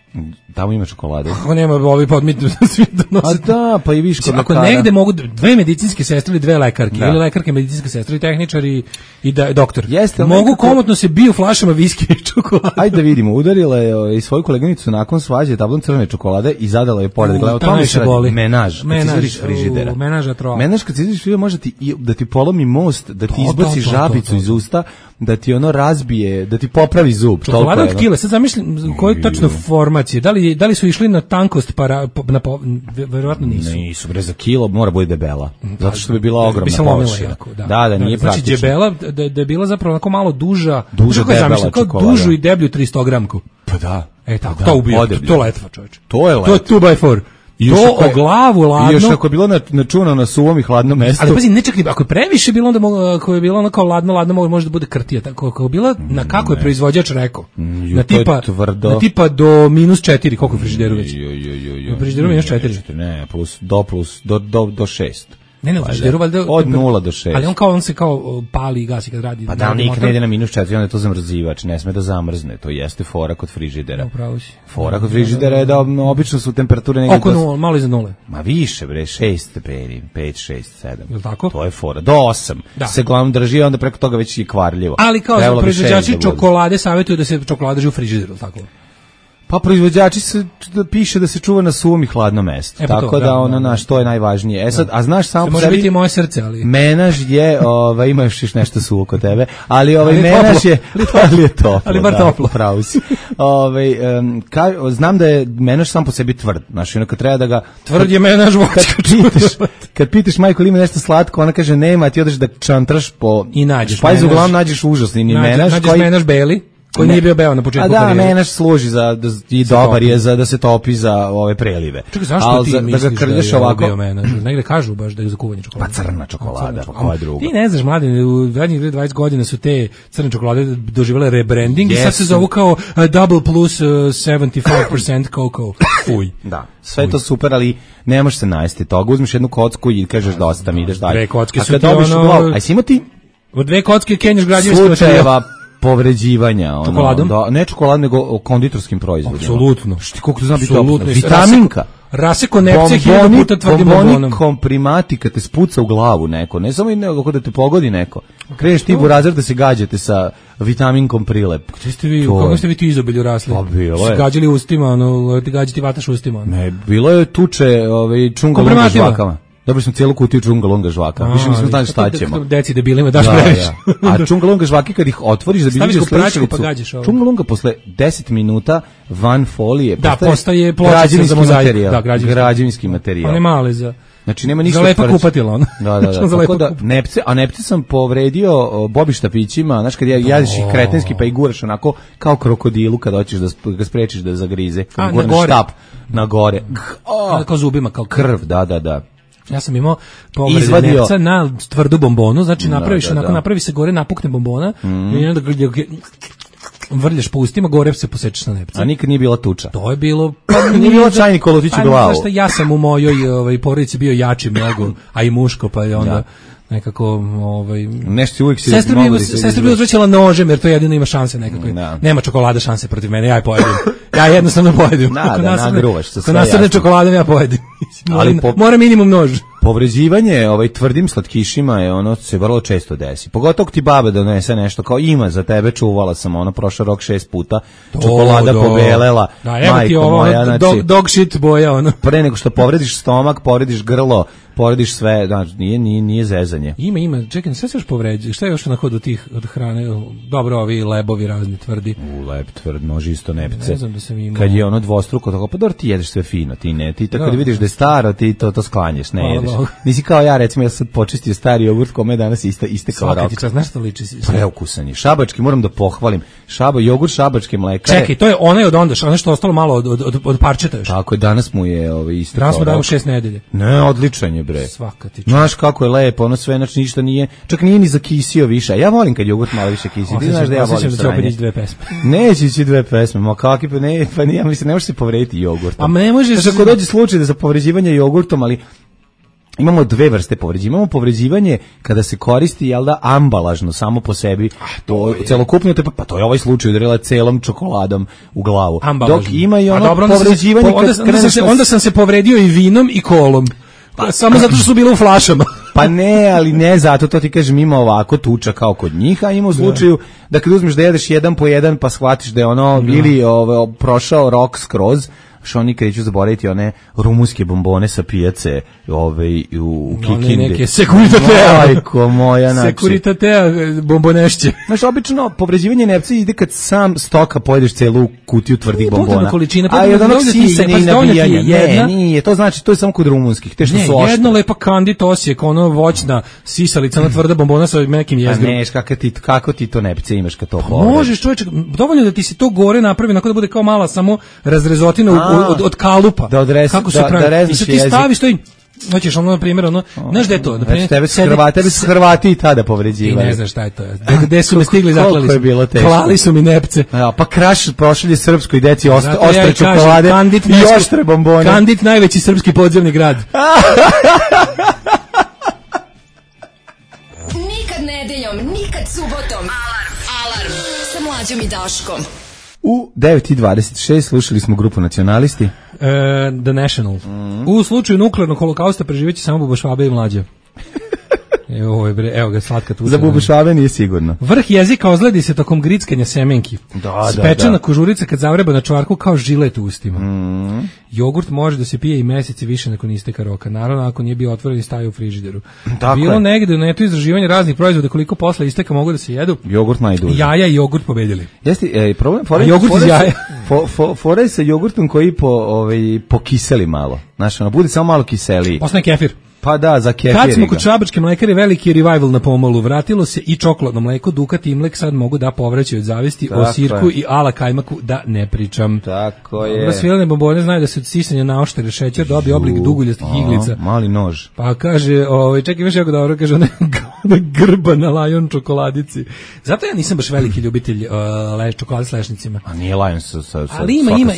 Tamo ima čokolade. Ako nema ovi podmitni svi da nose. A da, pa i viš kod ako lekara. Negde mogu dve medicinske sestre ili dve lekarke, da. Ili lekarke, medicinske sestre i tehničar i, i da, doktor. Jeste, mogu nekako... komotno se biju flašama viski i čokolade. Ajde da vidimo, udarila je i svoju koleginicu nakon svađe tablom crvene čokolade i zadala je pored glave. To se boli. Menaž, menaž iz frižidera. Menaža troa. Menaž kad izađeš frižidera može ti da ti polomi most, da ti izbaci žabicu iz usta, da ti ono razbije, da ti popravi zub. Čokolada od kile, sad zamislim koji tačno format informacije. Da li, da li su išli na tankost, para, na, verovatno nisu. Nisu, bre, za kilo mora bude debela. Zato što bi bila ogromna površina. Da. da, da, nije znači, praktično. Znači, debela, da, da je bila zapravo onako malo duža, duža debela kao čokolada. Dužu i deblju tristo gramku. Pa da. E, tako, pa to da, ubija, to, to letva, čovječe. To je letva. To je two by four. I to o glavu ladno. I još ako je bilo na, načunano na suvom i hladnom mestu. Ali pazi, ne čak, ako je previše bilo, onda mogu, ako je bilo ono kao ladno, ladno može da bude krtija. Tako, ako je bila, na kako je proizvođač rekao? Mm, na, tipa, na tipa do minus četiri, koliko je frižideru već? U frižideru minus četiri. Ne, plus, do plus, do, do, do šest. Ne, ne, u frižideru valjda... Od nula do šest. Ali on kao, on se kao pali i gasi kad radi. Pa da, nikad ne ide na minus četiri, onda je to zamrzivač, ne sme da zamrzne, to jeste fora kod frižidera. Upravo si. Fora kod frižidera je da obično su temperature negdje... Oko nula, malo iza nule. Ma više, bre, šest stepeni, pet, šest, sedam. Je li tako? To je fora, do osam. Da. Se glavno drži, onda preko toga već je kvarljivo. Ali kao proizvođači čokolade savjetuju da se čokolada drži u frižideru, tako? Pa proizvođači se da piše da se čuva na suvom i hladnom mestu. E, pa tako to, da, da ona naš to je najvažnije. E sad, da. A znaš samo po sebi može biti moje srce, ali menaž je, ovaj imaš još nešto suvo kod tebe, ali ovaj ali menaž toplo. Je, ali je toplo. Ali bar toplo. Da, pravo si. Ovaj um, ka, znam da je menaž sam po sebi tvrd. Znaš, onako treba da ga tvrd je menaž kad pitaš, kad pitaš majku ili ima nešto slatko, ona kaže nema, ti odeš da čantraš po i nađeš. Pa uglavnom nađeš užasni ni nađeš, menaž nađeš koji menaž beli. Koji nije bio beo na početku karijere. A da, karijere. menaž služi za da, i dobar je za da se topi za ove prelive. Čekaj, zašto Al, ti za, misliš da ga krlješ da je ovako? bio menaž? Negde kažu baš da je za kuvanje čokolade. Pa crna čokolada, pa koja druga. Ti ne znaš, mladine, u zadnjih dvadeset godina su te crne čokolade doživjele rebranding yes. i sad se zovu kao uh, Double Plus uh, sedamdeset pet posto cocoa. Fuj. Da, sve Fuj. To super, ali ne možeš se najesti toga. Uzmeš jednu kocku i kažeš dosta mi ideš dalje. Dve kocke su ti ono... Aj si imao ti? Od dve kocke kenješ građevinski materijal. Povređivanja, ono, čokoladom? Da, ne čokolad, nego o konditorskim proizvodima. Apsolutno. Šti, koliko to zna biti opasno? Vitaminka. Raseko nepce hiljadu puta tvrdim bombonom. Bomboni komprimati kad te spuca u glavu neko, ne samo i nego da te pogodi neko. Kreneš ti u razred da se gađate sa vitaminkom prilep. Gde ste vi, kako ste vi ti izobilju rasli? Pa bilo je. Gađali ustima, ono, ti gađati vataš ustima. Ono. Ne, bilo je tuče ovaj, čunga žvakama. Dobili smo cijelu kutiju čungalunga žvaka. A, više nismo znali šta ćemo. Deci debilima daš previše. A čungalunga žvaki kad ih otvoriš da bi vidio sličnicu. Pa čungalunga posle deset minuta van folije da, postaje pločica za materijal. Da, građevinski, građevinski materijal. One male za znači nema ništa. Za lepa kupatila ona. Da, da, da. Tako da nepce, a nepce sam povredio Bobi štapićima, znaš kad ja jadiš ih kretenski pa i guraš onako kao krokodilu kad hoćeš da ga sprečiš da zagrize, kad gurneš štap na gore. Kao zubima, kao krv, da, da, da. Ja sam imao povrede nepca na tvrdu bombonu, znači napraviš da, da, onako, da. napravi se gore, napukne bombona mm. i onda vrljaš po ustima, gore se posečeš na nepca. A nikad nije bila tuča? To je bilo... Pa nije bilo čajni kolutić u glavu. Znaš šta, ja sam u mojoj ovaj, porodici bio jači mnogo, a i muško, pa je onda... Ja. Nekako, ovaj... Nešto uvijek si... Sestra bi, sestra bi uzvraćala nožem, jer to jedino ima šanse nekako. Da. Nema čokolada šanse protiv mene, ja je pojedim. Ja jednostavno pojedim. Da, da, nagruvaš se sve. Ako nasrne čokoladom, ja pojedim. Ali po... Mora minimum nož. Povređivanje ovaj, tvrdim slatkišima je ono se vrlo često desi. Pogotovo ti baba donese nešto kao ima za tebe, čuvala sam ono, prošao rok šest puta, čokolada do. pobelela, da, evo ti ovo, moja, znači, dog, dog shit boja, ono. Pre nego što povrediš stomak, povrediš grlo, povrediš sve, znači, nije, nije, nije zezanje. Ima, ima, čekaj, sve se još povređi, šta je još na hodu tih od hrane, dobro, ovi lebovi razni tvrdi. U, leb tvrd, može isto nepce. Ne znam da sam imao. Kad je ono dvostruko, tako, pa dobro, ti jedeš sve fino, ti ne, ti tako da vidiš da je staro, ti to, to sklanješ, ne jedeš. Nisi kao ja, recimo, ja sad počistio stari jogurt kome je danas iste, iste kao rok. Svaka ti čast, znaš što liči? Preukusan je. Šabački, moram da pohvalim. Šaba, jogurt šabačke mlekare. Čekaj, to je onaj od onda, ono što ostalo malo od, od, od, od parčeta još. Tako je, danas mu je ovaj, isto danas mu dajemo šest nedelje. Ne, odličan je, bre. Svaka ti čast. Znaš kako je lepo, ono sve, znači ništa nije, čak nije ni zakisio više. Ja volim kad jogurt malo više kisi. Ti znaš da ja volim sranje. Da će opet dve pesme. Neće ići dve pesme, ma kakvi, pa ne, pa nije, mislim, ne možeš se povrediti jogurtom. A ne možeš... Znači, ako dođe slučaj da za povređivanje jogurtom, ali imamo dve vrste povređivanja. Imamo povređivanje kada se koristi, jel da, ambalažno, samo po sebi. To celokupno, te, pa to je ovaj slučaj udarila celom čokoladom u glavu. Ambalažno. Dok ima i ono dobro, povređivanje... Po, onda, kad onda, sam se, onda sam se povredio i vinom i kolom. Pa, samo zato što su bile u flašama. Pa ne, ali ne zato, to ti kažem, ima ovako tuča kao kod njih, a ima u slučaju da kad uzmeš da jedeš jedan po jedan pa shvatiš da je ono ili ovo, prošao rok skroz, što oni kreću zaboraviti one rumunske bombone sa pijace ovaj, u Kikindi. One neke Securitatea. Majko moja, znači. Securitatea bombonešće. Znaš, obično povređivanje nepca ide kad sam stoka pojedeš celu kutiju tvrdih bombona. Količina, a od onog sisanja i nabijanja. Jedna... Ne, nije, to znači, to je samo kod rumunskih, te što ne, su oštre. Jedno lepa Kandit Osijek, ono voćna sisalica na tvrda bombona sa nekim jezgrom. A neš, kako ti, kako ti to nepce imaš kad to pa možeš, čovječe, dovoljno da ti se to gore napravi, onako da bude kao mala samo razrezotina od, od, od kalupa. Da odres, kako se da, pravi. Da rezniš jezik. I sad ti staviš to i hoćeš ono, na primjer, ono, znaš gde je to? Znači, tebe su Hrvati, tebe su Hrvati i tada povređivali. Ti ne znaš šta je to. Gde su me stigli, zaklali su. Je bilo teško. Klali su mi nepce. Ja, pa kraš prošalje srpskoj deci ost, ostre ja čokolade kažem, i nesku, ostre bombone. Kandit, najveći srpski podzemni grad. Nikad nedeljom, nikad subotom. Alarm, alarm, sa Mlađom i Daškom. U devet i dvadeset šest slušali smo grupu Nacionalisti. Uh, The National. Mm. U slučaju nuklearnog holokausta preživeće samo Buba Švabe i Mlađa. Evo, bre, evo ga slatka tu. Za Bubu Švabe nije sigurno. Vrh jezika ozledi se tokom grickanja semenki. Da, Spečena da, da. kožurica kad zavreba na čvarku kao žilet u ustima. Mm. Jogurt može da se pije i meseci više nakon isteka roka. Naravno, ako nije bio otvoren i stavio u frižideru. Tako Bilo je. negde u netu istraživanja raznih proizvoda koliko posle isteka mogu da se jedu. Jogurt najduže. Jaja i jogurt pobedili. Jeste, e, problem, fore, jogurt fore, iz jaja. Fo, fo, fore sa jogurtom koji po, ovaj, pokiseli malo. Znaš, ono, bude samo malo kiseliji. Postane kefir. Pa da, za kefir. Kad smo kod Šabačke mlekare, veliki revival na pomolu. Vratilo se i čokoladno mleko, Dukat i Imlek sad mogu da povraćaju od zavisti. Tako o sirku je. I ala kajmaku da ne pričam. Tako je. Dobro, svilene bombone znaju da se od sisanja naoštere šećer dobije oblik duguljastih iglica. Mali nož. Pa kaže, ovaj, čekaj, imaš jako dobro, kaže, ona grba na Lion čokoladici. Zato ja nisam baš veliki ljubitelj uh, le, čokolade s lešnicima. A nije Lion sa, sa, sa ali ima, ima,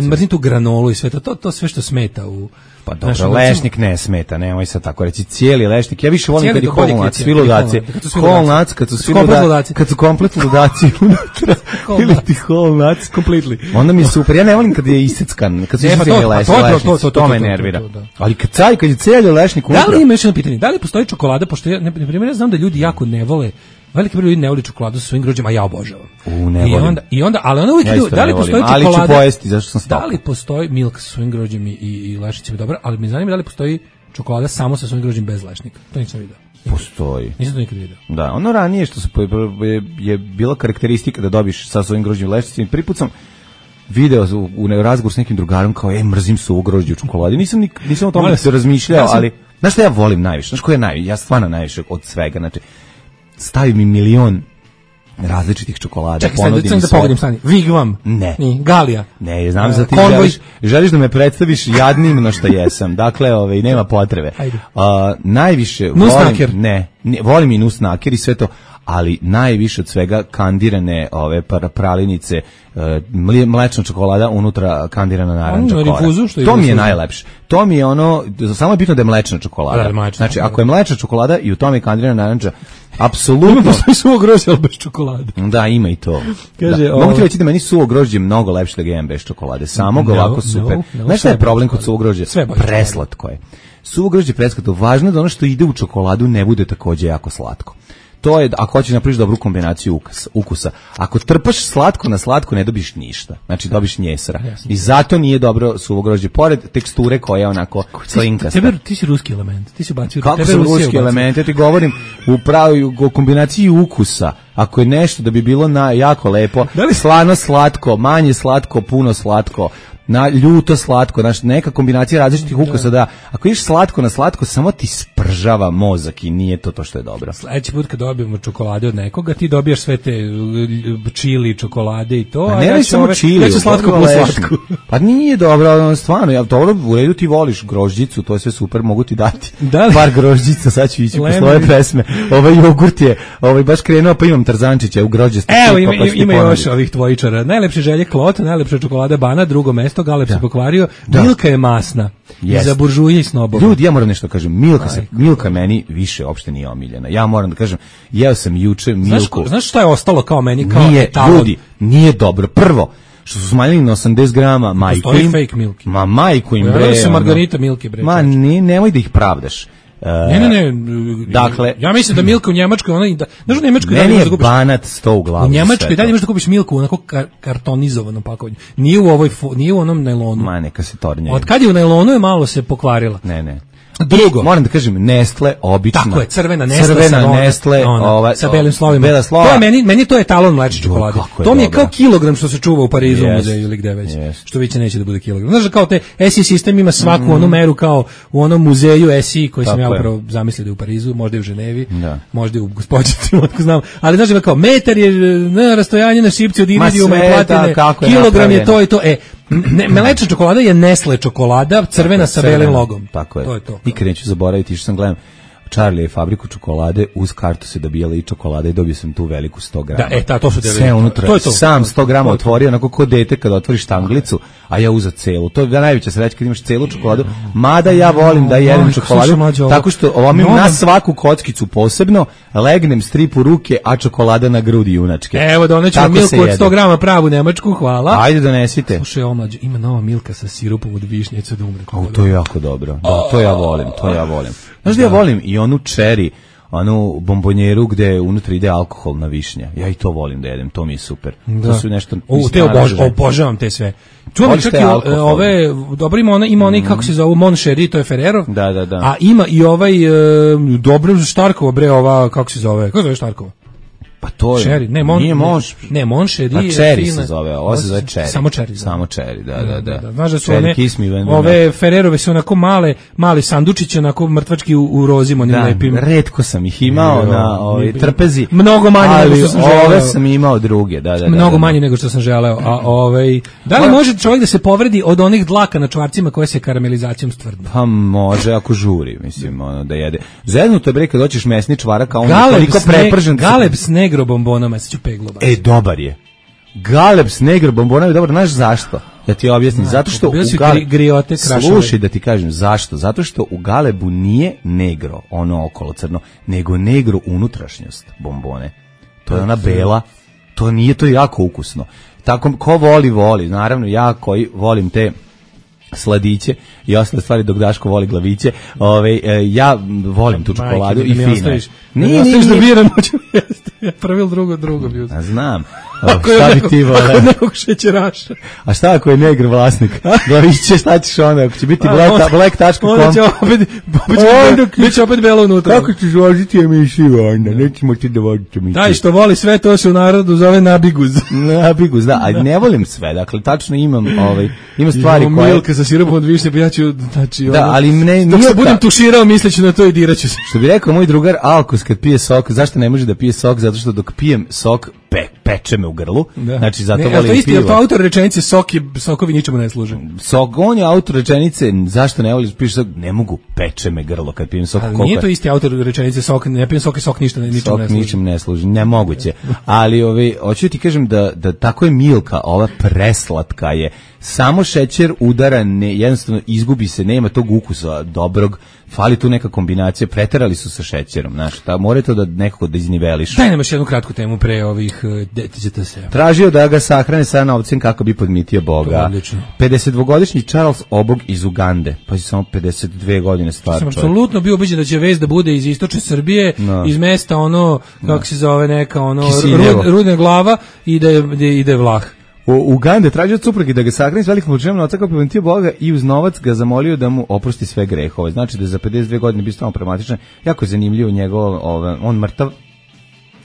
mrzim tu granolu i sve to, to, to sve što smeta u... Pa dobro, naš, lešnik ne smeta, nemoj sad tako reći, cijeli lešnik. Ja više volim kad je holnac, svi ludaci. Holnac, kad su svi ludaci, kad su komplet ludaci unutra, ili ti holnac. Completely. Onda mi je super, ja ne volim kad je iseckan, kad su isecani lešnici, to me nervira. Ali kad caj, kad je cijeli lešnik unutra. Da li ima još jedno pitanje, da li postoji čokolada, pošto ja, na primjer, ja znam da ljudi jako ne vole, veliki broj ljudi ne voli čokoladu sa svojim grožđima, a ja obožavam. U, ne I volim. onda, i onda, ali ona uvijek ja idu, da li postoji čokolada... Ali ću pojesti, zašto sam stopao. Da li postoji milk sa svojim grožđima i, i lešnicima, dobro, ali me zanima da li postoji čokolada samo sa svojim grožđima bez lešnika. To nisam vidio. Postoji. Nisam to nikad vidio. Da, ono ranije što su, je, je bila karakteristika da dobiš sa svojim grožđima i lešnicima. Prvi put sam video u, u razgovor s nekim drugarom kao, ej, mrzim suvu grožđe u čokoladi. Nisam, nik, nisam o tome se razmišljao, ja sam... ali... Znaš što ja volim najviše? Znaš ko je najviše? Ja stvarno najviše od svega. Znači, stavi mi milion različitih čokolada. Čekaj, sad, sad da pogodim stani. Vigvam. Ne. Ni, Galija. Ne, znam za ti Konvoj. želiš, želiš da me predstaviš jadnim na što jesam. Dakle, ovaj, nema potrebe. Uh, najviše Nusnaker. volim... Ne, ne, volim i nusnaker i sve to, ali najviše od svega kandirane ove pralinice, mlečna čokolada, unutra kandirana naranča kora. To mi je najlepše. To mi je ono, samo je bitno da je mlečna čokolada. Da, mlečna, znači, ako je mlečna čokolada i u tome je kandirana naranča, apsolutno. Ima postoji suvo grožđe, ali bez čokolade. Da, ima i to. Kaže, da. Mogu ti reći da meni suvo grožđe mnogo lepše da ga jem bez čokolade. Samo ga no, ovako super. No, no, znaš šta je problem kod suvog grožđa? Preslatko je. Suvo grožđe preslatko. Važno je da ono što ide u čokoladu ne bude takođe jako slatko. To je, ako hoćeš napraviš dobru kombinaciju ukus, ukusa. Ako trpaš slatko na slatko, ne dobiš ništa. Znači, dobiš njesra. I zato nije dobro suvo grožđe. Pored teksture koja je onako slinkasta. Tebe, ti si ruski element. Ti si bacio. Kako su ruski element? Ja ti govorim u pravi u kombinaciji ukusa. Ako je nešto da bi bilo na, jako lepo, da li slano slatko, manje slatko, puno slatko, na ljuto slatko, znači neka kombinacija različitih ukusa, da ako ideš slatko na slatko, samo ti spržava mozak i nije to to što je dobro. Sledeći put kad dobijemo čokolade od nekoga, ti dobijaš sve te čili čokolade i to, pa ne, a ja ću samo čili, ja ću slatko po slatku. Pa nije dobro, stvarno, ja dobro, u redu ti voliš grožđicu, to je sve super, mogu ti dati da par grožđica, sad ću ići po svoje pesme. Ovaj jogurt je, ovaj baš krenuo, pa imam Tarzančića u grožđastu. Evo, ima, pa ima još ovih tvojičara. Najlepše želje Klot, najlepša čokolada Bana, drugo mesto, Galeb se pokvario. Da. Milka je masna. Yes. I za buržuje i snobove. Ljudi, ja moram nešto kažem. Milka, se, Milka meni više uopšte nije omiljena. Ja moram da kažem, jeo sam juče Milku. Znaš, znaš šta je ostalo kao meni? Kao nije, ljudi, nije dobro. Prvo, što su smanjili na osamdeset grama, majku im. Fake milki. Ma majku im, bre. Ja su Margarita milke, bre. Ma ne, nemoj da ih pravdaš. Ne, ne, ne. Dakle, ja mislim da Milka u Njemačkoj, ona da, znaš u Njemačkoj da možeš da kupiš banat sto u glavu. U Njemačkoj da možeš da kupiš Milku onako kar, kartonizovanom pakovanju. Nije u ovoj nije u onom najlonu. Ma neka se tornje. Od kad je u najlonu je malo se pokvarila. Ne, ne. Drugo, moram da kažem Nestle obična. Tako je, crvena Nestle, crvena sa, Nestle, ona, ova, sa belim slovima. Bela slova. To je meni, meni to je etalon mleče čokolade. To mi je kao kilogram što se čuva u Parizu yes. u muzeju ili gde već. Yes. Što više neće da bude kilogram. Znaš, kao te S I sistem ima svaku mm. onu meru kao u onom muzeju S I koji tako sam ja upravo zamislio da je u Parizu, možda i u Ženevi, da. možda i u Gospođici, ako znam. Ali znaš, kao metar je na rastojanje na šipci od iridijuma i platine, kilogram je to i to. E, Ne, mlečna čokolada je Nestle čokolada, crvena sa belim logom. Tako je. To je to. Nikad neću zaboraviti, što sam gledam Charlie je fabriku čokolade, uz kartu se dobijala i čokolada i dobio sam tu veliku sto grama. Da, e, ta, to su sve unutra. To je to. Sam sto grama otvorio, onako ko dete kada otvoriš štanglicu, a ja uzeo celu. To je najveća sreća kad imaš celu čokoladu. Mada ja volim da jedem čokoladu, tako što ovim na svaku kockicu posebno, legnem strip u ruke, a čokolada na grudi junačke. Evo, donećemo Milku od sto grama pravu nemačku, hvala. Ajde donesite. Slušaj, omlađe, ima nova Milka sa sirupom od višnjice da umre. O, to je jako dobro. Da, to ja volim, to ja volim. Znaš da ja volim i onu cherry, onu bombonjeru gde unutra ide alkoholna višnja. Ja i to volim da jedem, to mi je super. Da. To su nešto... O, te obož, obožavam te sve. Čuvam čak i ove, dobro ima ona, ima onaj, mm. kako se zove, Mon Chéri, to je Ferrero. Da, da, da. A ima i ovaj, e, dobro Štarkova, bre, ova, kako se zove, kako se zove Štarkova? Pa to je, Cherry, ne, mon, nije Mon, ne, Mon Chéri. A Cherry se zove, ovo se zove Cherry. Samo Cherry. Samo Cherry, da, da, da. da. Znaš da su one, ove Ferrerove su onako male, mali sandučići, onako mrtvački u, u rozim, onim da, lepim. Retko sam ih imao no, na ovaj, trpezi. Mnogo manje nego što sam želeo. Ove sam imao druge, da, da, da. Mnogo da, manje nego što sam želeo. A ovaj, da li može čovjek da se povredi od onih dlaka na čvarcima koje se karamelizacijom stvrdne? Pa može, ako žuri, mislim, ono, da jede. Zeznuto je bre kad hoćeš mesni čvarak, a on je toliko prepržen. Galeb s negro bombonama. E, dobar je. Galeb s negro bombonama je dobar, znaš zašto? Ja ti objasnim, zato što u Galebu, griote, slušaj da ti kažem, zašto? Zato što u Galebu nije negro, ono okolo crno, nego negro unutrašnjost bombone. To je ona bela, to nije, to je jako ukusno. Tako, ko voli, voli. Naravno, ja koji volim te sladiće i ostale stvari dok Daško voli glaviće. Ove, ja volim tu čokoladu i fino. Nije, nije, da biram, hoću jesti. Ja pravil drugo, drugo bi uzeo. Znam. Šta bi ti voleo? Ako nekog šećeraša. A šta ako je negr vlasnik? Glaviće, šta ćeš onda? Ako će biti black tačka com. Onda će opet, bit će opet belo unutra. Kako ćeš voziti emisiju onda? Nećemo ti da voditi emisiju. Daj, što voli sve, to se u narodu zove nabiguz. Nabiguz, da. A ne volim sve. Dakle, tačno imam, ovaj, ima stvari koje... Milka sa sirupom od višnje, pa ja ću, znači, da, ono, ali ne, dok se budem tuširao, misleći na to i diraću se. Što bi rekao moj drugar Alkos kad pije sok, zašto ne može da pije sok? Zato što dok pijem sok, pe, peče me u grlu. Da. Znači, zato ne, volim isti, pivo. To autor rečenice, sok je, sokovi ničemu ne služe. Sok, on je autor rečenice, zašto ne voliš, piš sok, ne mogu, peče me grlo kad pijem sok. Ali nije to isti autor rečenice, sok, ne pijem sok i sok ništa, ničemu sok ne služi. Sok ničemu ne služi, nemoguće. Ali, ove, hoću ti kažem da, da tako je Milka, ova preslatka je, samo šećer udara, ne, jednostavno izgubi se, nema tog ukusa dobrog, fali tu neka kombinacija, preterali su sa šećerom, znaš, ta mora to da nekako da izniveliš. Daj nam još jednu kratku temu pre ovih D T S. Tražio da ga sahrane sa novcem kako bi podmitio Boga. pedesetdvogodišnji Charles Obog iz Ugande, pa je samo pedeset dve godine star čovjek. Sam apsolutno bio ubeđen da će vest da bude iz istočne Srbije, no. iz mesta ono, kako no. se zove neka, ono, rud, rudna glava i da je, ide Vlah. U Ugande tražio od supruge da ga sahrani s velikom količinom novca kako bi podmitio Boga i uz novac ga zamolio da mu oprosti sve grehove. Znači da je za pedeset dve godine bio stvarno pragmatičan. Jako je zanimljivo njegov, ovaj, on mrtav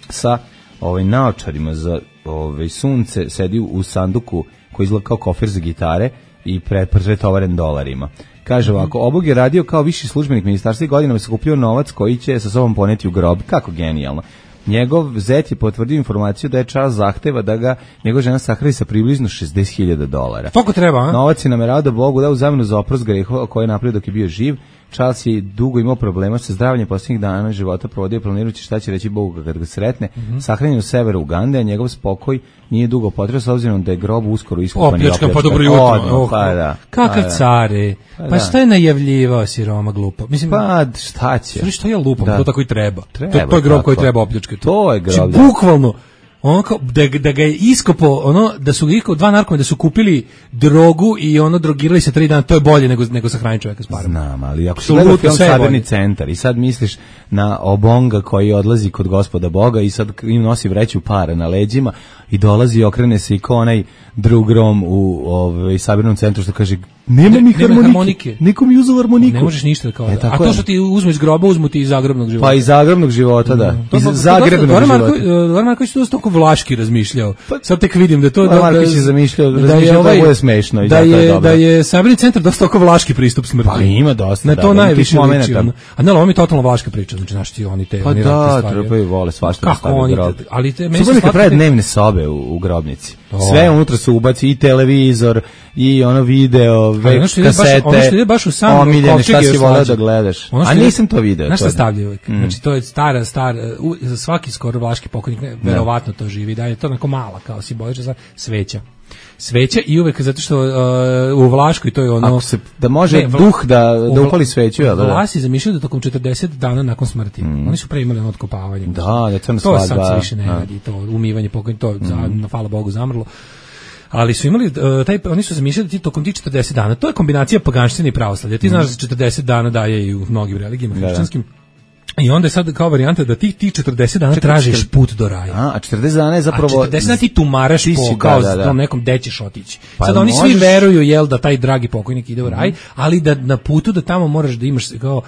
sa ovaj naočarima za ovaj sunce, sedi u sanduku koji izgleda kao kofer za gitare i pretovaren dolarima. Kaže ovako, Obog je radio kao viši službenik ministarstva i godinama sakupljao novac koji će sa sobom poneti u grob. Kako genijalno. Njegov zet je potvrdio informaciju da je Charles zahteva da ga njegova žena sahrani sa približno šezdeset hiljada dolara. Toliko treba, a? Novac je namerao da Bogu da u zamenu za oprost grehova koje je napravio dok je bio živ. Charles je dugo imao problema sa zdravljem, posljednjih dana života provodio planirajući šta će reći Bogu kad ga sretne. Mm-hmm. Sahranjen u severu Ugande, a njegov spokoj nije dugo potrebno s obzirom da je grob uskoro iskopan i opljačkan. Pa dobro jutro. Oh, pa da. Kakav pa care. Pa, pa šta je najavljivao siroma glupa? Mislim, pa šta će? Šta što ja lupam, da. To tako i treba. treba to, to je grob tako. Koji treba opljačkati. To je grob. Znači, bukvalno ono kao, da, da ga je iskopo, ono, da su ga iskopo dva narkomana, da su kupili drogu i ono drogirali se tri dana, to je bolje nego, nego sahraniti čovjeka s parama. Znam, ali ako si gledao film Sabirni centar i sad misliš na Obonga koji odlazi kod Gospoda Boga i sad im nosi vreću para na leđima i dolazi i okrene se i kao onaj drug Rom u ovaj, Sabirnom centru što kaže nema mi harmonike, harmonike. Niko mi uzeo harmoniku. Ne možeš ništa kao. E, a to što ti uzmu iz groba, uzmu ti iz zagrobnog života. Pa iz zagrobnog života, da. Mm. Iz zagrebnog života. Goran Marković to toliko vlaški razmišljao. Sad tek vidim da to Goran Marković je zamišljao, razmišljao da je ovo smešno i da je, je da je Sabirni centar dosta toliko vlaški pristup smrti. Pa ima dosta. Na to najviše liči. A ne, ovo mi je totalno vlaška priča, znači naši ti oni te pa oni da, trpaju vole svašta stavljaju grob. Ali te meni su prave dnevne sobe u grobnici. Sve unutra se ubaci i televizor i ono video, kasete. Ono što ide baš u sam omiljene, šta si voleo da gledaš. A nisam to video. Znaš šta stavljaju uvijek? Mm. Znači to je stara, star, za svaki skoro vlaški pokojnik, ne, verovatno to živi, da je to onako mala, kao simbolična sveća. Sveća i uvek zato što uh, u Vlaškoj to je ono ako se da može ne, duh da da upali sveću, ja da. Vlasi zamišljaju da tokom četrdeset dana nakon smrti. Mm. Oni su pre imali otkopavanje. Da, da crna svadba. To sad se više ne radi, to umivanje pokojnika, to mm. za, na hvala Bogu zamrlo. Ali su imali uh, taj oni su zamišljali da ti tokom tih četrdeset dana, to je kombinacija paganštine i pravoslavlja. Ti mm. znaš da četrdeset dana daje i u mnogim religijama hrišćanskim. I onda je sad kao varijanta da ti ti četrdeset dana tražiš put do raja. A, a četrdeset dana je zapravo... A četrdeset dana ti tumaraš ti po, kao da, da, da. Tom nekom gde ćeš otići. Pa sad oni možeš... svi veruju, jel, da taj dragi pokojnik ide u raj, mm-hmm. ali da na putu da tamo moraš da imaš, kao,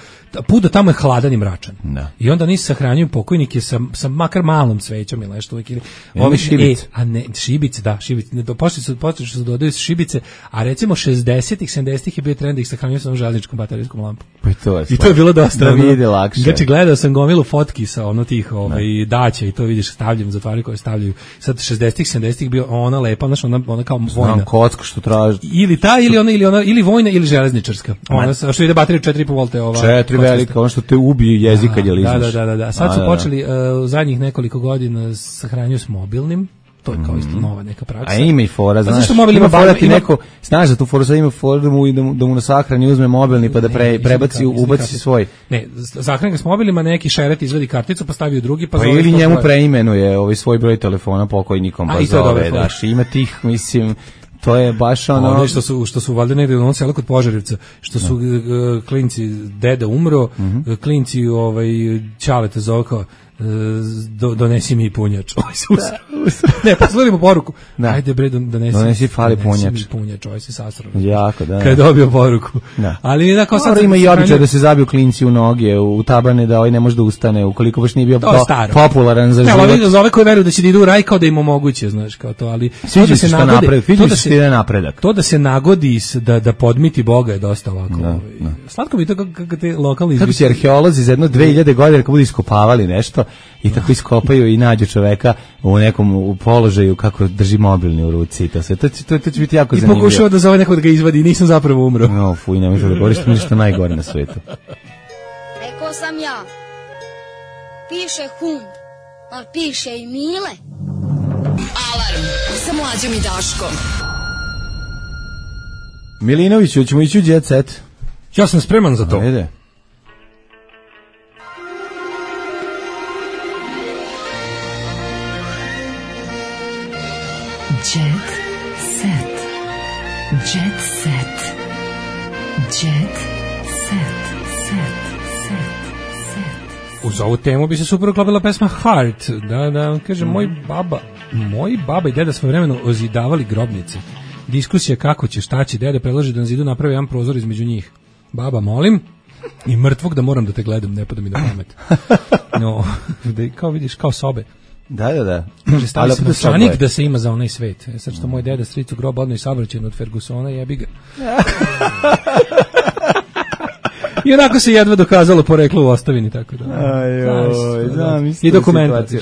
put da tamo je hladan i mračan. Da. I onda nisi sahranjuju pokojnike sa, sa makar malom svećom ili nešto uvijek. Ili, ovi šibice. E, a ne, šibice, da, šibice. Ne, počeli su, počeli su dodaju šibice, a recimo šezdesetih, sedamdesetih je bio trend da ih sahranjuju sa železničkom baterijskom lampom. Pa to je I to je bilo dosta. Da vidi lakše. Znači, gledao sam gomilu fotki sa ono tih ovaj daća i to vidiš stavljaju zatvari koje stavljaju sad šezdesetih sedamdesetih bio ona lepa znači ona ona kao vojna znam kocku što traži ili ta ili ona ili ona ili vojna ili železničarska ona sa što ide baterija četiri i po volta ova četiri velika ono što te ubije jezik kad je lizneš da da da da sad su počeli u zadnjih nekoliko godina sahranjuju s mobilnim. To je kao isto nova neka praksa. A ima i fora, znaš, zašto mobil ima fora ti neko, znaš da tu foru sad ima fora da mu, da mu, da mu na sahrani uzme mobilni pa da pre, prebaci, ubaci svoj. Ne, sahrani ga s mobilima, neki šeret izvedi karticu pa stavi u drugi pa, pa zove ili njemu preimenuje ovaj svoj broj telefona pokojnikom pa zove, daš, ima tih, mislim, to je baš ono... Ono što su, što su valjda negdje u onom selu kod Požarevca, što su uh, klinci, deda umro, mm-hmm. klinci ovaj, Ćaleta zove kao, Do, donesi mi punjač. Ne, poslušajmo poruku. Da. Ajde bre, donesi, donesi fali punjač. Donesi mi punjač, ovaj se sasrao. Jako, da. Kad je dobio poruku. Da. Ali da kao sad ima i običaj da se zabiju klinci u noge, u tabane, da ovaj ne može da ustane, ukoliko baš nije bio po, popularan za život. Ne, za ove koji veruju da će da idu u raj kao da im omoguće, znaš, kao to, ali to da se nagodi, to da se ide napredak. To da se nagodi da da podmiti Boga je dosta ovako. Da, da. Slatko mi to kako te lokalni kako se arheolozi za jedno dve hiljade godina kad budu iskopavali nešto i tako iskopaju i nađu čoveka u nekom u položaju kako drži mobilni u ruci i to sve. To, to, to će biti jako I zanimljivo. I pokušao da zove nekog da ga izvadi i nisam zapravo umro. No, fuj, ne možeš da govoriš ništa najgore na svetu. Rekao sam ja, piše hund, ali piše i Mile. Alarm sa Mlađom i Daškom. Milinoviću, ćemo ići u Jet Set. Ja sam spreman za to. Ajde. Jet set. Jet set. Jet set. Set. Set. Set. Uz ovu temu bi se super uklopila pesma Heart. Da, da, kaže, mm. moj baba, moji baba i deda svoje vremeno ozidavali grobnice. Diskusija kako će, šta će, dede predlaže da na zidu napravi jedan prozor između njih. Baba, molim, i mrtvog da moram da te gledam, ne pada mi na pamet. No, da, kao vidiš, kao sobe. Da, da, da. Kaže, stavi se novčanik da se ima za onaj svet. E sad što moj deda stric u grob odno i saobraćen od Fergusona, jebi ga. I onako se jedva dokazalo poreklo u ostavini, tako da. Ajoj, da, mislim. I dokumentacija.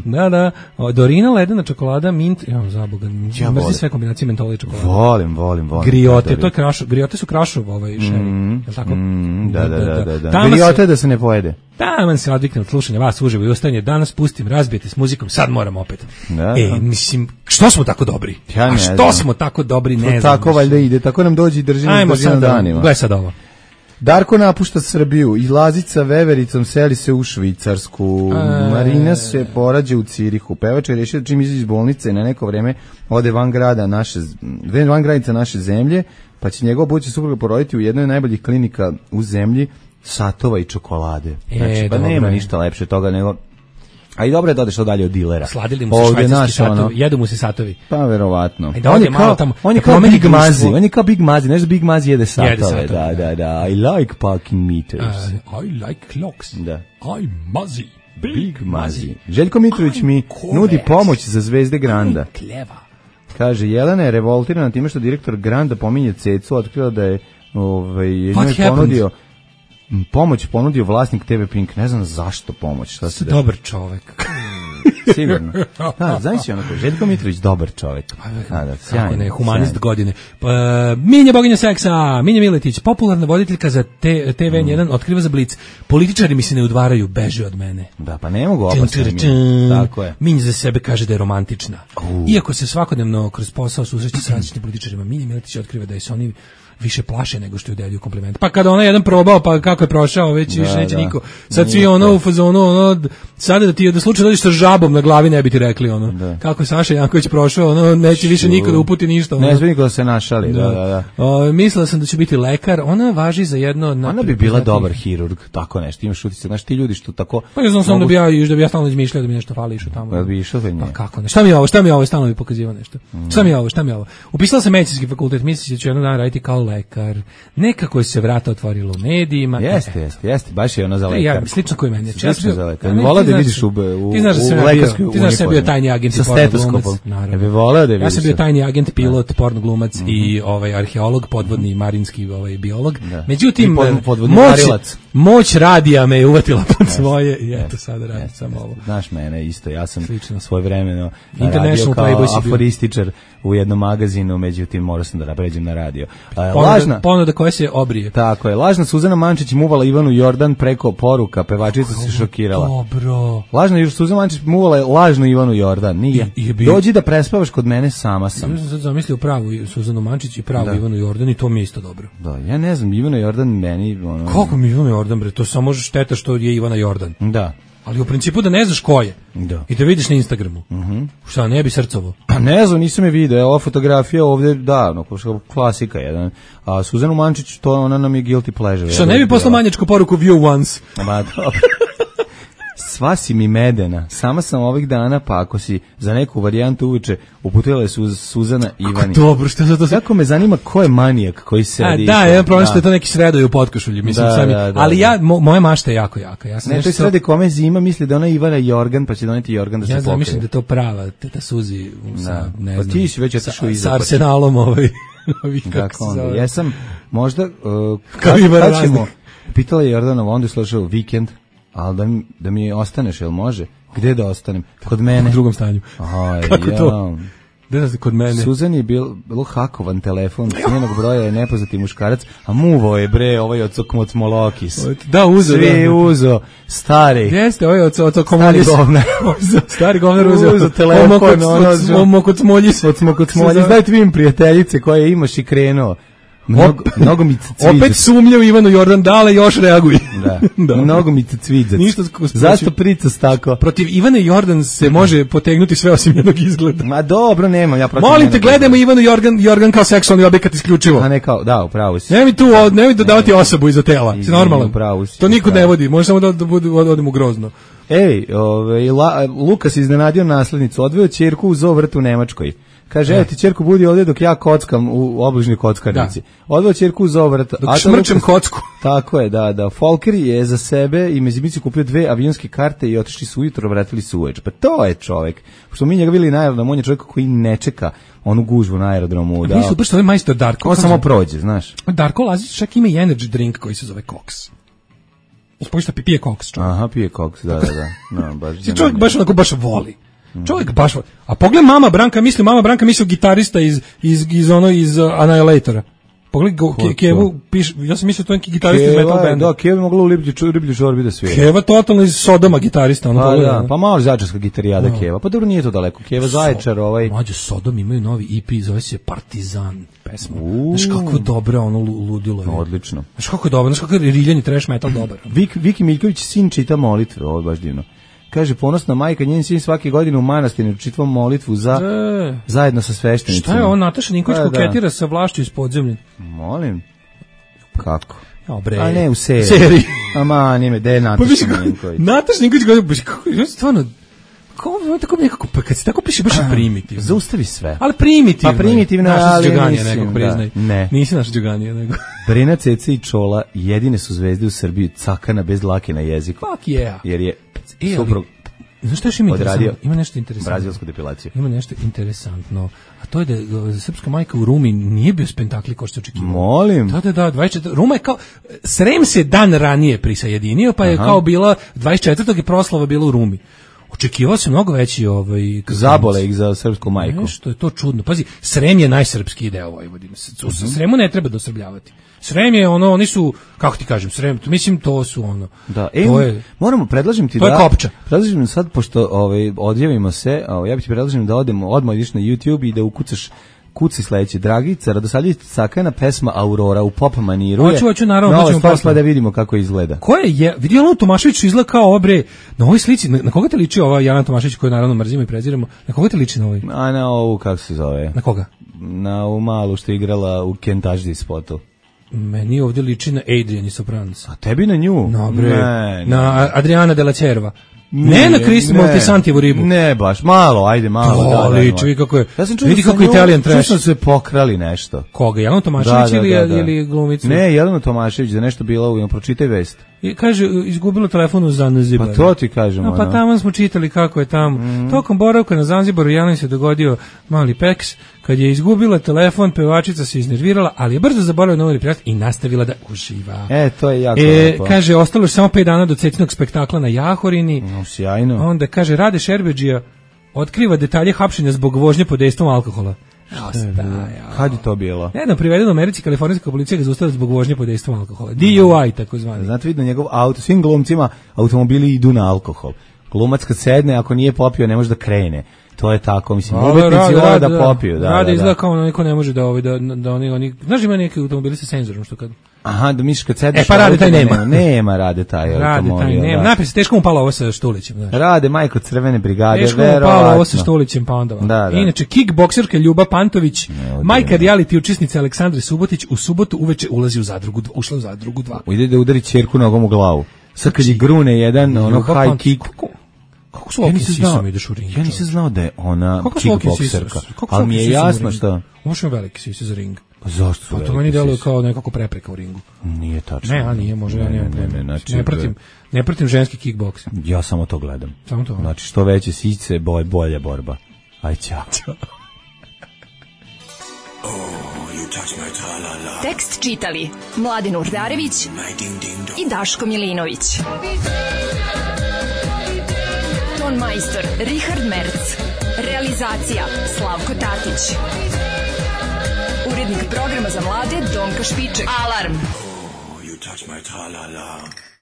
Da, da. O, Dorina, ledena čokolada, mint, ja za boga, ja mrzim sve kombinacije mentola i čokolade. Volim, volim, volim. Griote, to je krašo, griote su krašov ovaj šeri, mm, je li tako? Mm, da, da, da, da, da. Griote da se ne pojede. Taman se odvikne od slušanja vas uživo i ustajanje. Danas pustim, razbijete s muzikom, sad moram opet. Da, e, mislim, što smo tako dobri? Ja ne A što znam. smo tako dobri, ne to znam. Tako valjda ide, tako nam dođi i drži nas na danima. Gledaj sad ovo. Darko napušta Srbiju i Lazica Vevericom seli se u Švicarsku. E... Marina se porađa u Cirihu. Pevač je rešio da čim izađe iz bolnice na neko vreme ode van grada naše, van granica naše zemlje, pa će njegov budući supruga poroditi u jednoj od najboljih klinika u zemlji, satova i čokolade. Znači, e, pa nema ništa lepše toga nego... A i dobro je da odeš to dalje od dilera. Sladili mu se švajcarski satovi, ono, jedu mu se satovi. Pa verovatno. Da on je kao, tamo, on je kao Big Mazi, on je kao Big Mazi, nešto Big Mazi jede satove. Jede satove, da, da, da. I like parking meters. Uh, I like clocks. Da. I Mazi. Big, Big Mazi. Željko Mitrović mi nudi pomoć za Zvezde Granda. Kleva. Kaže, Jelena je revoltirana time što direktor Granda pominje Cecu, otkrila da je ovaj, njoj ponudio pomoć ponudio vlasnik te ve Pink, ne znam zašto pomoć, šta se dešava. Dobar čovek. Sigurno. Da, znaš ono ko, Željko Mitrović, dobar čovek. Da, da, sjajno. Ne, humanist sjajno. Godine. Pa, Minja boginja seksa, Minja Miletić, popularna voditeljka za te ve en jedan, mm. otkriva za Blic. Političari mi se ne udvaraju, beže od mene. Da, pa ne mogu opasno. Tako je. Minja za sebe kaže da je romantična. Uh. Iako se svakodnevno kroz posao susreće s različitim političarima, Minja Miletić otkriva da je se oni više plaše nego što je udeljuju kompliment. Pa kada ona jedan probao, pa kako je prošao, već da, više neće da. Niko. Sad svi ono u fazonu, ono, sada da ti da slučaj dođeš sa žabom na glavi ne bi ti rekli ono. Da. Kako je Saša Janković prošao, ono, neće više niko da uputi ništa. Ono. Ne sme niko da se našali. Da, da, da. O, mislila sam da će biti lekar, ona važi za jedno... Ona bi bila dobar hirurg, tako nešto, imaš utisak, znaš ti ljudi što tako... Pa ja znam sam da bi ja, da bi ja stalno izmišljao da mi nešto fali išao tamo. Pa bi išao da pa kako ne, šta mi je ovo, šta mi je ovo, stalno bi pokazivao nešto. Mm. Šta mi je ovo, šta mi je ovo. Upisala sam medicinski fakultet, misliš da ću jednog dana raditi kao lekar. Nekako je se vrata otvorilo u medijima. Jeste, jeste, jeste, baš je ona za lekar. Ja, slično koji meni. Ja sam za lekar. Vola da vidiš u u lekarskoj uniformi. Ti znaš da sam bio tajni agent sa stetoskopom. Ja bih voleo da vidiš. Ja sam bio tajni agent, pilot, porno glumac i ovaj arheolog, podvodni marinski ovaj biolog. Međutim, moć moć radija me je uvatila pod svoje i eto sada radim samo ovo. Znaš mene isto, ja sam svojevremeno radio kao aforističar u jednom magazinu, međutim morao sam da pređem na radio. Lažna ponuda koja se obrije. Tako je. Lažna Suzana Mančić muvala Ivanu Jordan preko poruka, pevačica se šokirala. Dobro. Lažna još Suzana Mančić muvala je lažnu Ivanu Jordan. Nije. I, i dođi da prespavaš kod mene, sama sam. Ja sam sad zamislio pravu Suzanu Mančić i pravu da. Ivanu Jordan i to mi je isto dobro. Da, ja ne znam, Ivana Jordan meni... Ono... Kako mi Ivana Jordan, bre? To samo šteta što je Ivana Jordan. Da. Ali u principu da ne znaš ko je. Da. I da vidiš na Instagramu. Mhm. Šta, ne bi srcovo? Pa ne znam, nisam je video. Ova fotografija ovdje, da, no, klasika jedan. A Suzanu Mančić, to ona nam je guilty pleasure. Šta, ne bi poslao manjačku poruku view once? Ma dobro. Sva si mi medena. Sama sam ovih dana, pa ako si za neku varijantu uveče uputila je Suz, Suzana Ivani. Dobro, što za to se... Kako me zanima ko je manijak koji sedi. A, da, jedan problem što je to neki sredoj u potkošulju, mislim, da, sami. Da, da, ali ja, mo, moja mašta je jako jaka. Ja sam ne, to je srede kome zima, misli da ona Ivana Jorgan, pa će doneti Jorgan da se ja pokrije. Ja mislim da je to prava, teta Suzi, sa, da. ne pa znam, ti si već otišao iza. Sa Arsenalom ovaj. Kako onda, jesam, možda, uh, kad, kad ćemo, pitala je Jordanova, onda je slušao vikend, ali da mi, da mi ostaneš, jel može? Gde da ostanem? Kod mene. U drugom stanju. Aj, kako ja. to? Gde da se kod mene? Suzan je bil, bilo hakovan telefon, s njenog broja je nepoznati muškarac, a muvo je bre, ovaj od Cokmocmolokis. Da, uzo. Svi da. Uzo, stari. Jeste, ovaj od Cokmocmolokis. Stari govnar. Stari govnar uzo. Uzo telefon, ono. Mokocmoljis. Od Mokocmoljis. Daj tvim prijateljice koje imaš i krenuo. Mnogo, mnogo mi se cviđa. Opet sumnja u Ivanu Jordan, dale još reaguj. Da, da. Mnogo mi se cviđa. Zašto pricas tako? Protiv Ivane Jordan se može potegnuti sve osim jednog izgleda. Ma dobro, nemam ja protiv. Molim te, gledajmo Ivanu Jordan, Jordan kao seksualni objekat isključivo. A ne kao, da, upravo si. Nemoj tu, nemoj dodavati osobu iza tela. Si normalan. To nikud ne vodi, može samo da, da, da odemo grozno. Ej, ove, La, Lukas iznenadio naslednicu, odveo ćerku u zoo vrt u Nemačkoj. Kaže, evo ti ćerku budi ovdje dok ja kockam u obližnoj kockarnici. Odveo ćerku u zovrat. Dok šmrčem kocku. Tako je, da, da. Folker je za sebe i Mezimici kupio dve avionske karte i otišli su ujutro, vratili su uveč. Pa to je čovjek. Pošto mi njega bili na aerodromu, on je čovjek koji ne čeka onu gužvu na aerodromu. Da. Mi su baš ovaj majstor Darko. On samo prođe, znaš. Darko Lazić čak ima i energy drink koji se zove Cox. Uspojšta pije Cox. Čovjek. Aha, pije Cox, da, da, da. No, baš čovjek baš onako baš voli. Čovjek baš, a pogled mama Branka, misli mama Branka misli gitarista iz iz iz ono iz uh, Annihilatora. Pogledaj Kevu, piš, ja sam mislio to je neki gitarista iz metal benda. Da, Keva je mogla u riblju čorbi da svira. Keva totalno iz Sodoma gitarista. Ono pa, da, pa malo zaječarska gitarijada no. Keva, pa dobro nije to daleko. Keva Zaječar, ovaj... Mlađe, Sodom imaju novi E P, zove se Partizan pesma. Znaš kako je dobro ono ludilo. No, odlično. Znaš kako je dobro, znaš kako je riljani trash metal dobar. Vik, Viki Miljković sin čita molitve, ovo je baš divno. Kaže, ponosna majka, njen sin svake godine u manastiru čitva molitvu za, e, zajedno sa sveštenicima. Šta je on, Nataša Ninković da, koketira da. sa vlašću iz podzemlja? Molim. Kako? Dobre. A ne, u seriji. seriji. Ama, nime, gde je Nataša Ninković? Nataša Ninković, kako je stvarno... Kao tako nekako, pa kad se tako piše baš primitivno. Zaustavi sve. Ali primitivno. Pa primitivno, ali Đoganija nekog priznaj. Ne. Nisi naš Đoganija nego. Brena, Ceca i Čola jedine su zvezde u Srbiji, cakana bez dlake na jeziku. Fuck yeah. Jer je e, suprug znaš što još ima interesantno? Ima nešto interesantno. Brazilsku depilaciju. Ima nešto interesantno. A to je da srpska majka u Rumi nije bio spektakl kao što se očekivalo. Molim. Da, da, da, dvadeset četvrtog Ruma je kao Srem se dan ranije prisajedinio, pa je Aha. kao bila dvadeset četvrtog je proslava bila u Rumi. Očekivao se mnogo veći ovaj zabole ih za srpsku majku. Nešto je to čudno. Pazi, Srem je najsrpski deo Vojvodine. U uh-huh. Sremu ne treba dosrbljavati. Srem je ono, oni su, kako ti kažem, Srem, mislim to su ono. Da, e, to je, moramo, predlažem ti to da... To je kopča. Predlažem sad, pošto ovaj, odjavimo se, ovaj, ja bih ti predlažem da odemo, odmah ideš na YouTube i da ukucaš kuci sledeće. Dragica Radosavljević Cakana, pesma Aurora u pop maniru. Hoću, hoću, naravno, nova stvar, pa da vidimo kako izgleda. Ko je, je vidio Jelena Tomašević izgleda kao obre, na ovoj slici, na, na koga te liči ova Jelena Tomašević koju naravno mrzimo i preziramo, na koga te liči na ovoj? A na ovu, kako se zove? Na koga? Na ovu malu što je igrala u Kentaždi spotu. Meni ovdje liči na Adrian i Sopranos. A tebi na nju? No, bre, ne, na Adriana de la Cerva. Ne na Kristi Montesantijevu ribu. Ne, baš, malo, ajde, malo. To da, liči, vidi kako je, ja sam čuo vidi kako je Italian trash. Čuo sam se pokrali nešto. Koga, Jelena Tomašević da, da, ili, da, da. ili glumicu? Ne, Jelena Tomašević, da nešto bila u, pročitaj vest. I kaže, izgubilo telefon u Zanzibaru. Pa to ti kažemo. No, pa tamo smo čitali kako je tamo. Mm. Tokom boravka na Zanzibaru Jeleni se dogodio mali peks. Kad je izgubila telefon, pevačica se iznervirala, ali je brzo zaboravila novi prijat i nastavila da uživa. E, to je jako e, lepo. Kaže, ostalo je samo pet dana do Cecinog spektakla na Jahorini. No, sjajno. Onda, kaže, Rade Šerbedžija otkriva detalje hapšenja zbog vožnje pod dejstvom alkohola. Kad je to bilo? Nedavno priveden u Americi, kalifornijska policija ga zaustavila zbog vožnje pod dejstvom alkohola. D U I, tako zvani. Znate, vidno njegov auto, svim glumcima automobili idu na alkohol. Glumac kad sedne, ako nije popio, ne može da krene. To je tako, mislim, umetnici vole da popiju. Da, rade da, izgleda kao ono, niko ne može da, ovaj, da, da oni, oni, znaš ima neki automobili sa senzorom, što kad... Aha, da misliš kad sedeš... E, pa Rade taj nema. Nema, Rade taj automobil. Rade taj nema. Da. Napis, teško mu palo ovo sa Štulićem. Znaš. Rade, majko Crvene brigade, teško verovatno. Teško mu palo ovo sa Štulićem, pa onda. Da, da. Inače, kickbokserka Ljuba Pantović, majka reality učesnice Aleksandre Subotić, u subotu uveče ulazi u zadrugu, ušla u zadrugu dva. Ide da udari ćerku nogom u glavu. Sad kad je grune jedan, ono high kick... Kako su ja nisam znao, ideš u ring, ja nisam znao da je ona kickbokserka, ali mi je jasno što... Možeš veliki sisi za ring. Pa zašto su veliki? To meni deluje kao nekako prepreka u ringu. Nije tačno. Ne, a nije, može, ja ne, ne, ne, znači, ne, pratim, ne pratim ženski kickboks. Ja samo to gledam. Samo to? Znači, što veće sice, bolj, bolja borba. Aj, ćao. Tekst čitali Mladin Urdarević i Daško Milinović. Ton majstor Richard Merc. Realizacija Slavko Tatić. Urednik programa za mlade Donka Špiček. Alarm! Oh, you touch my tra-la-la.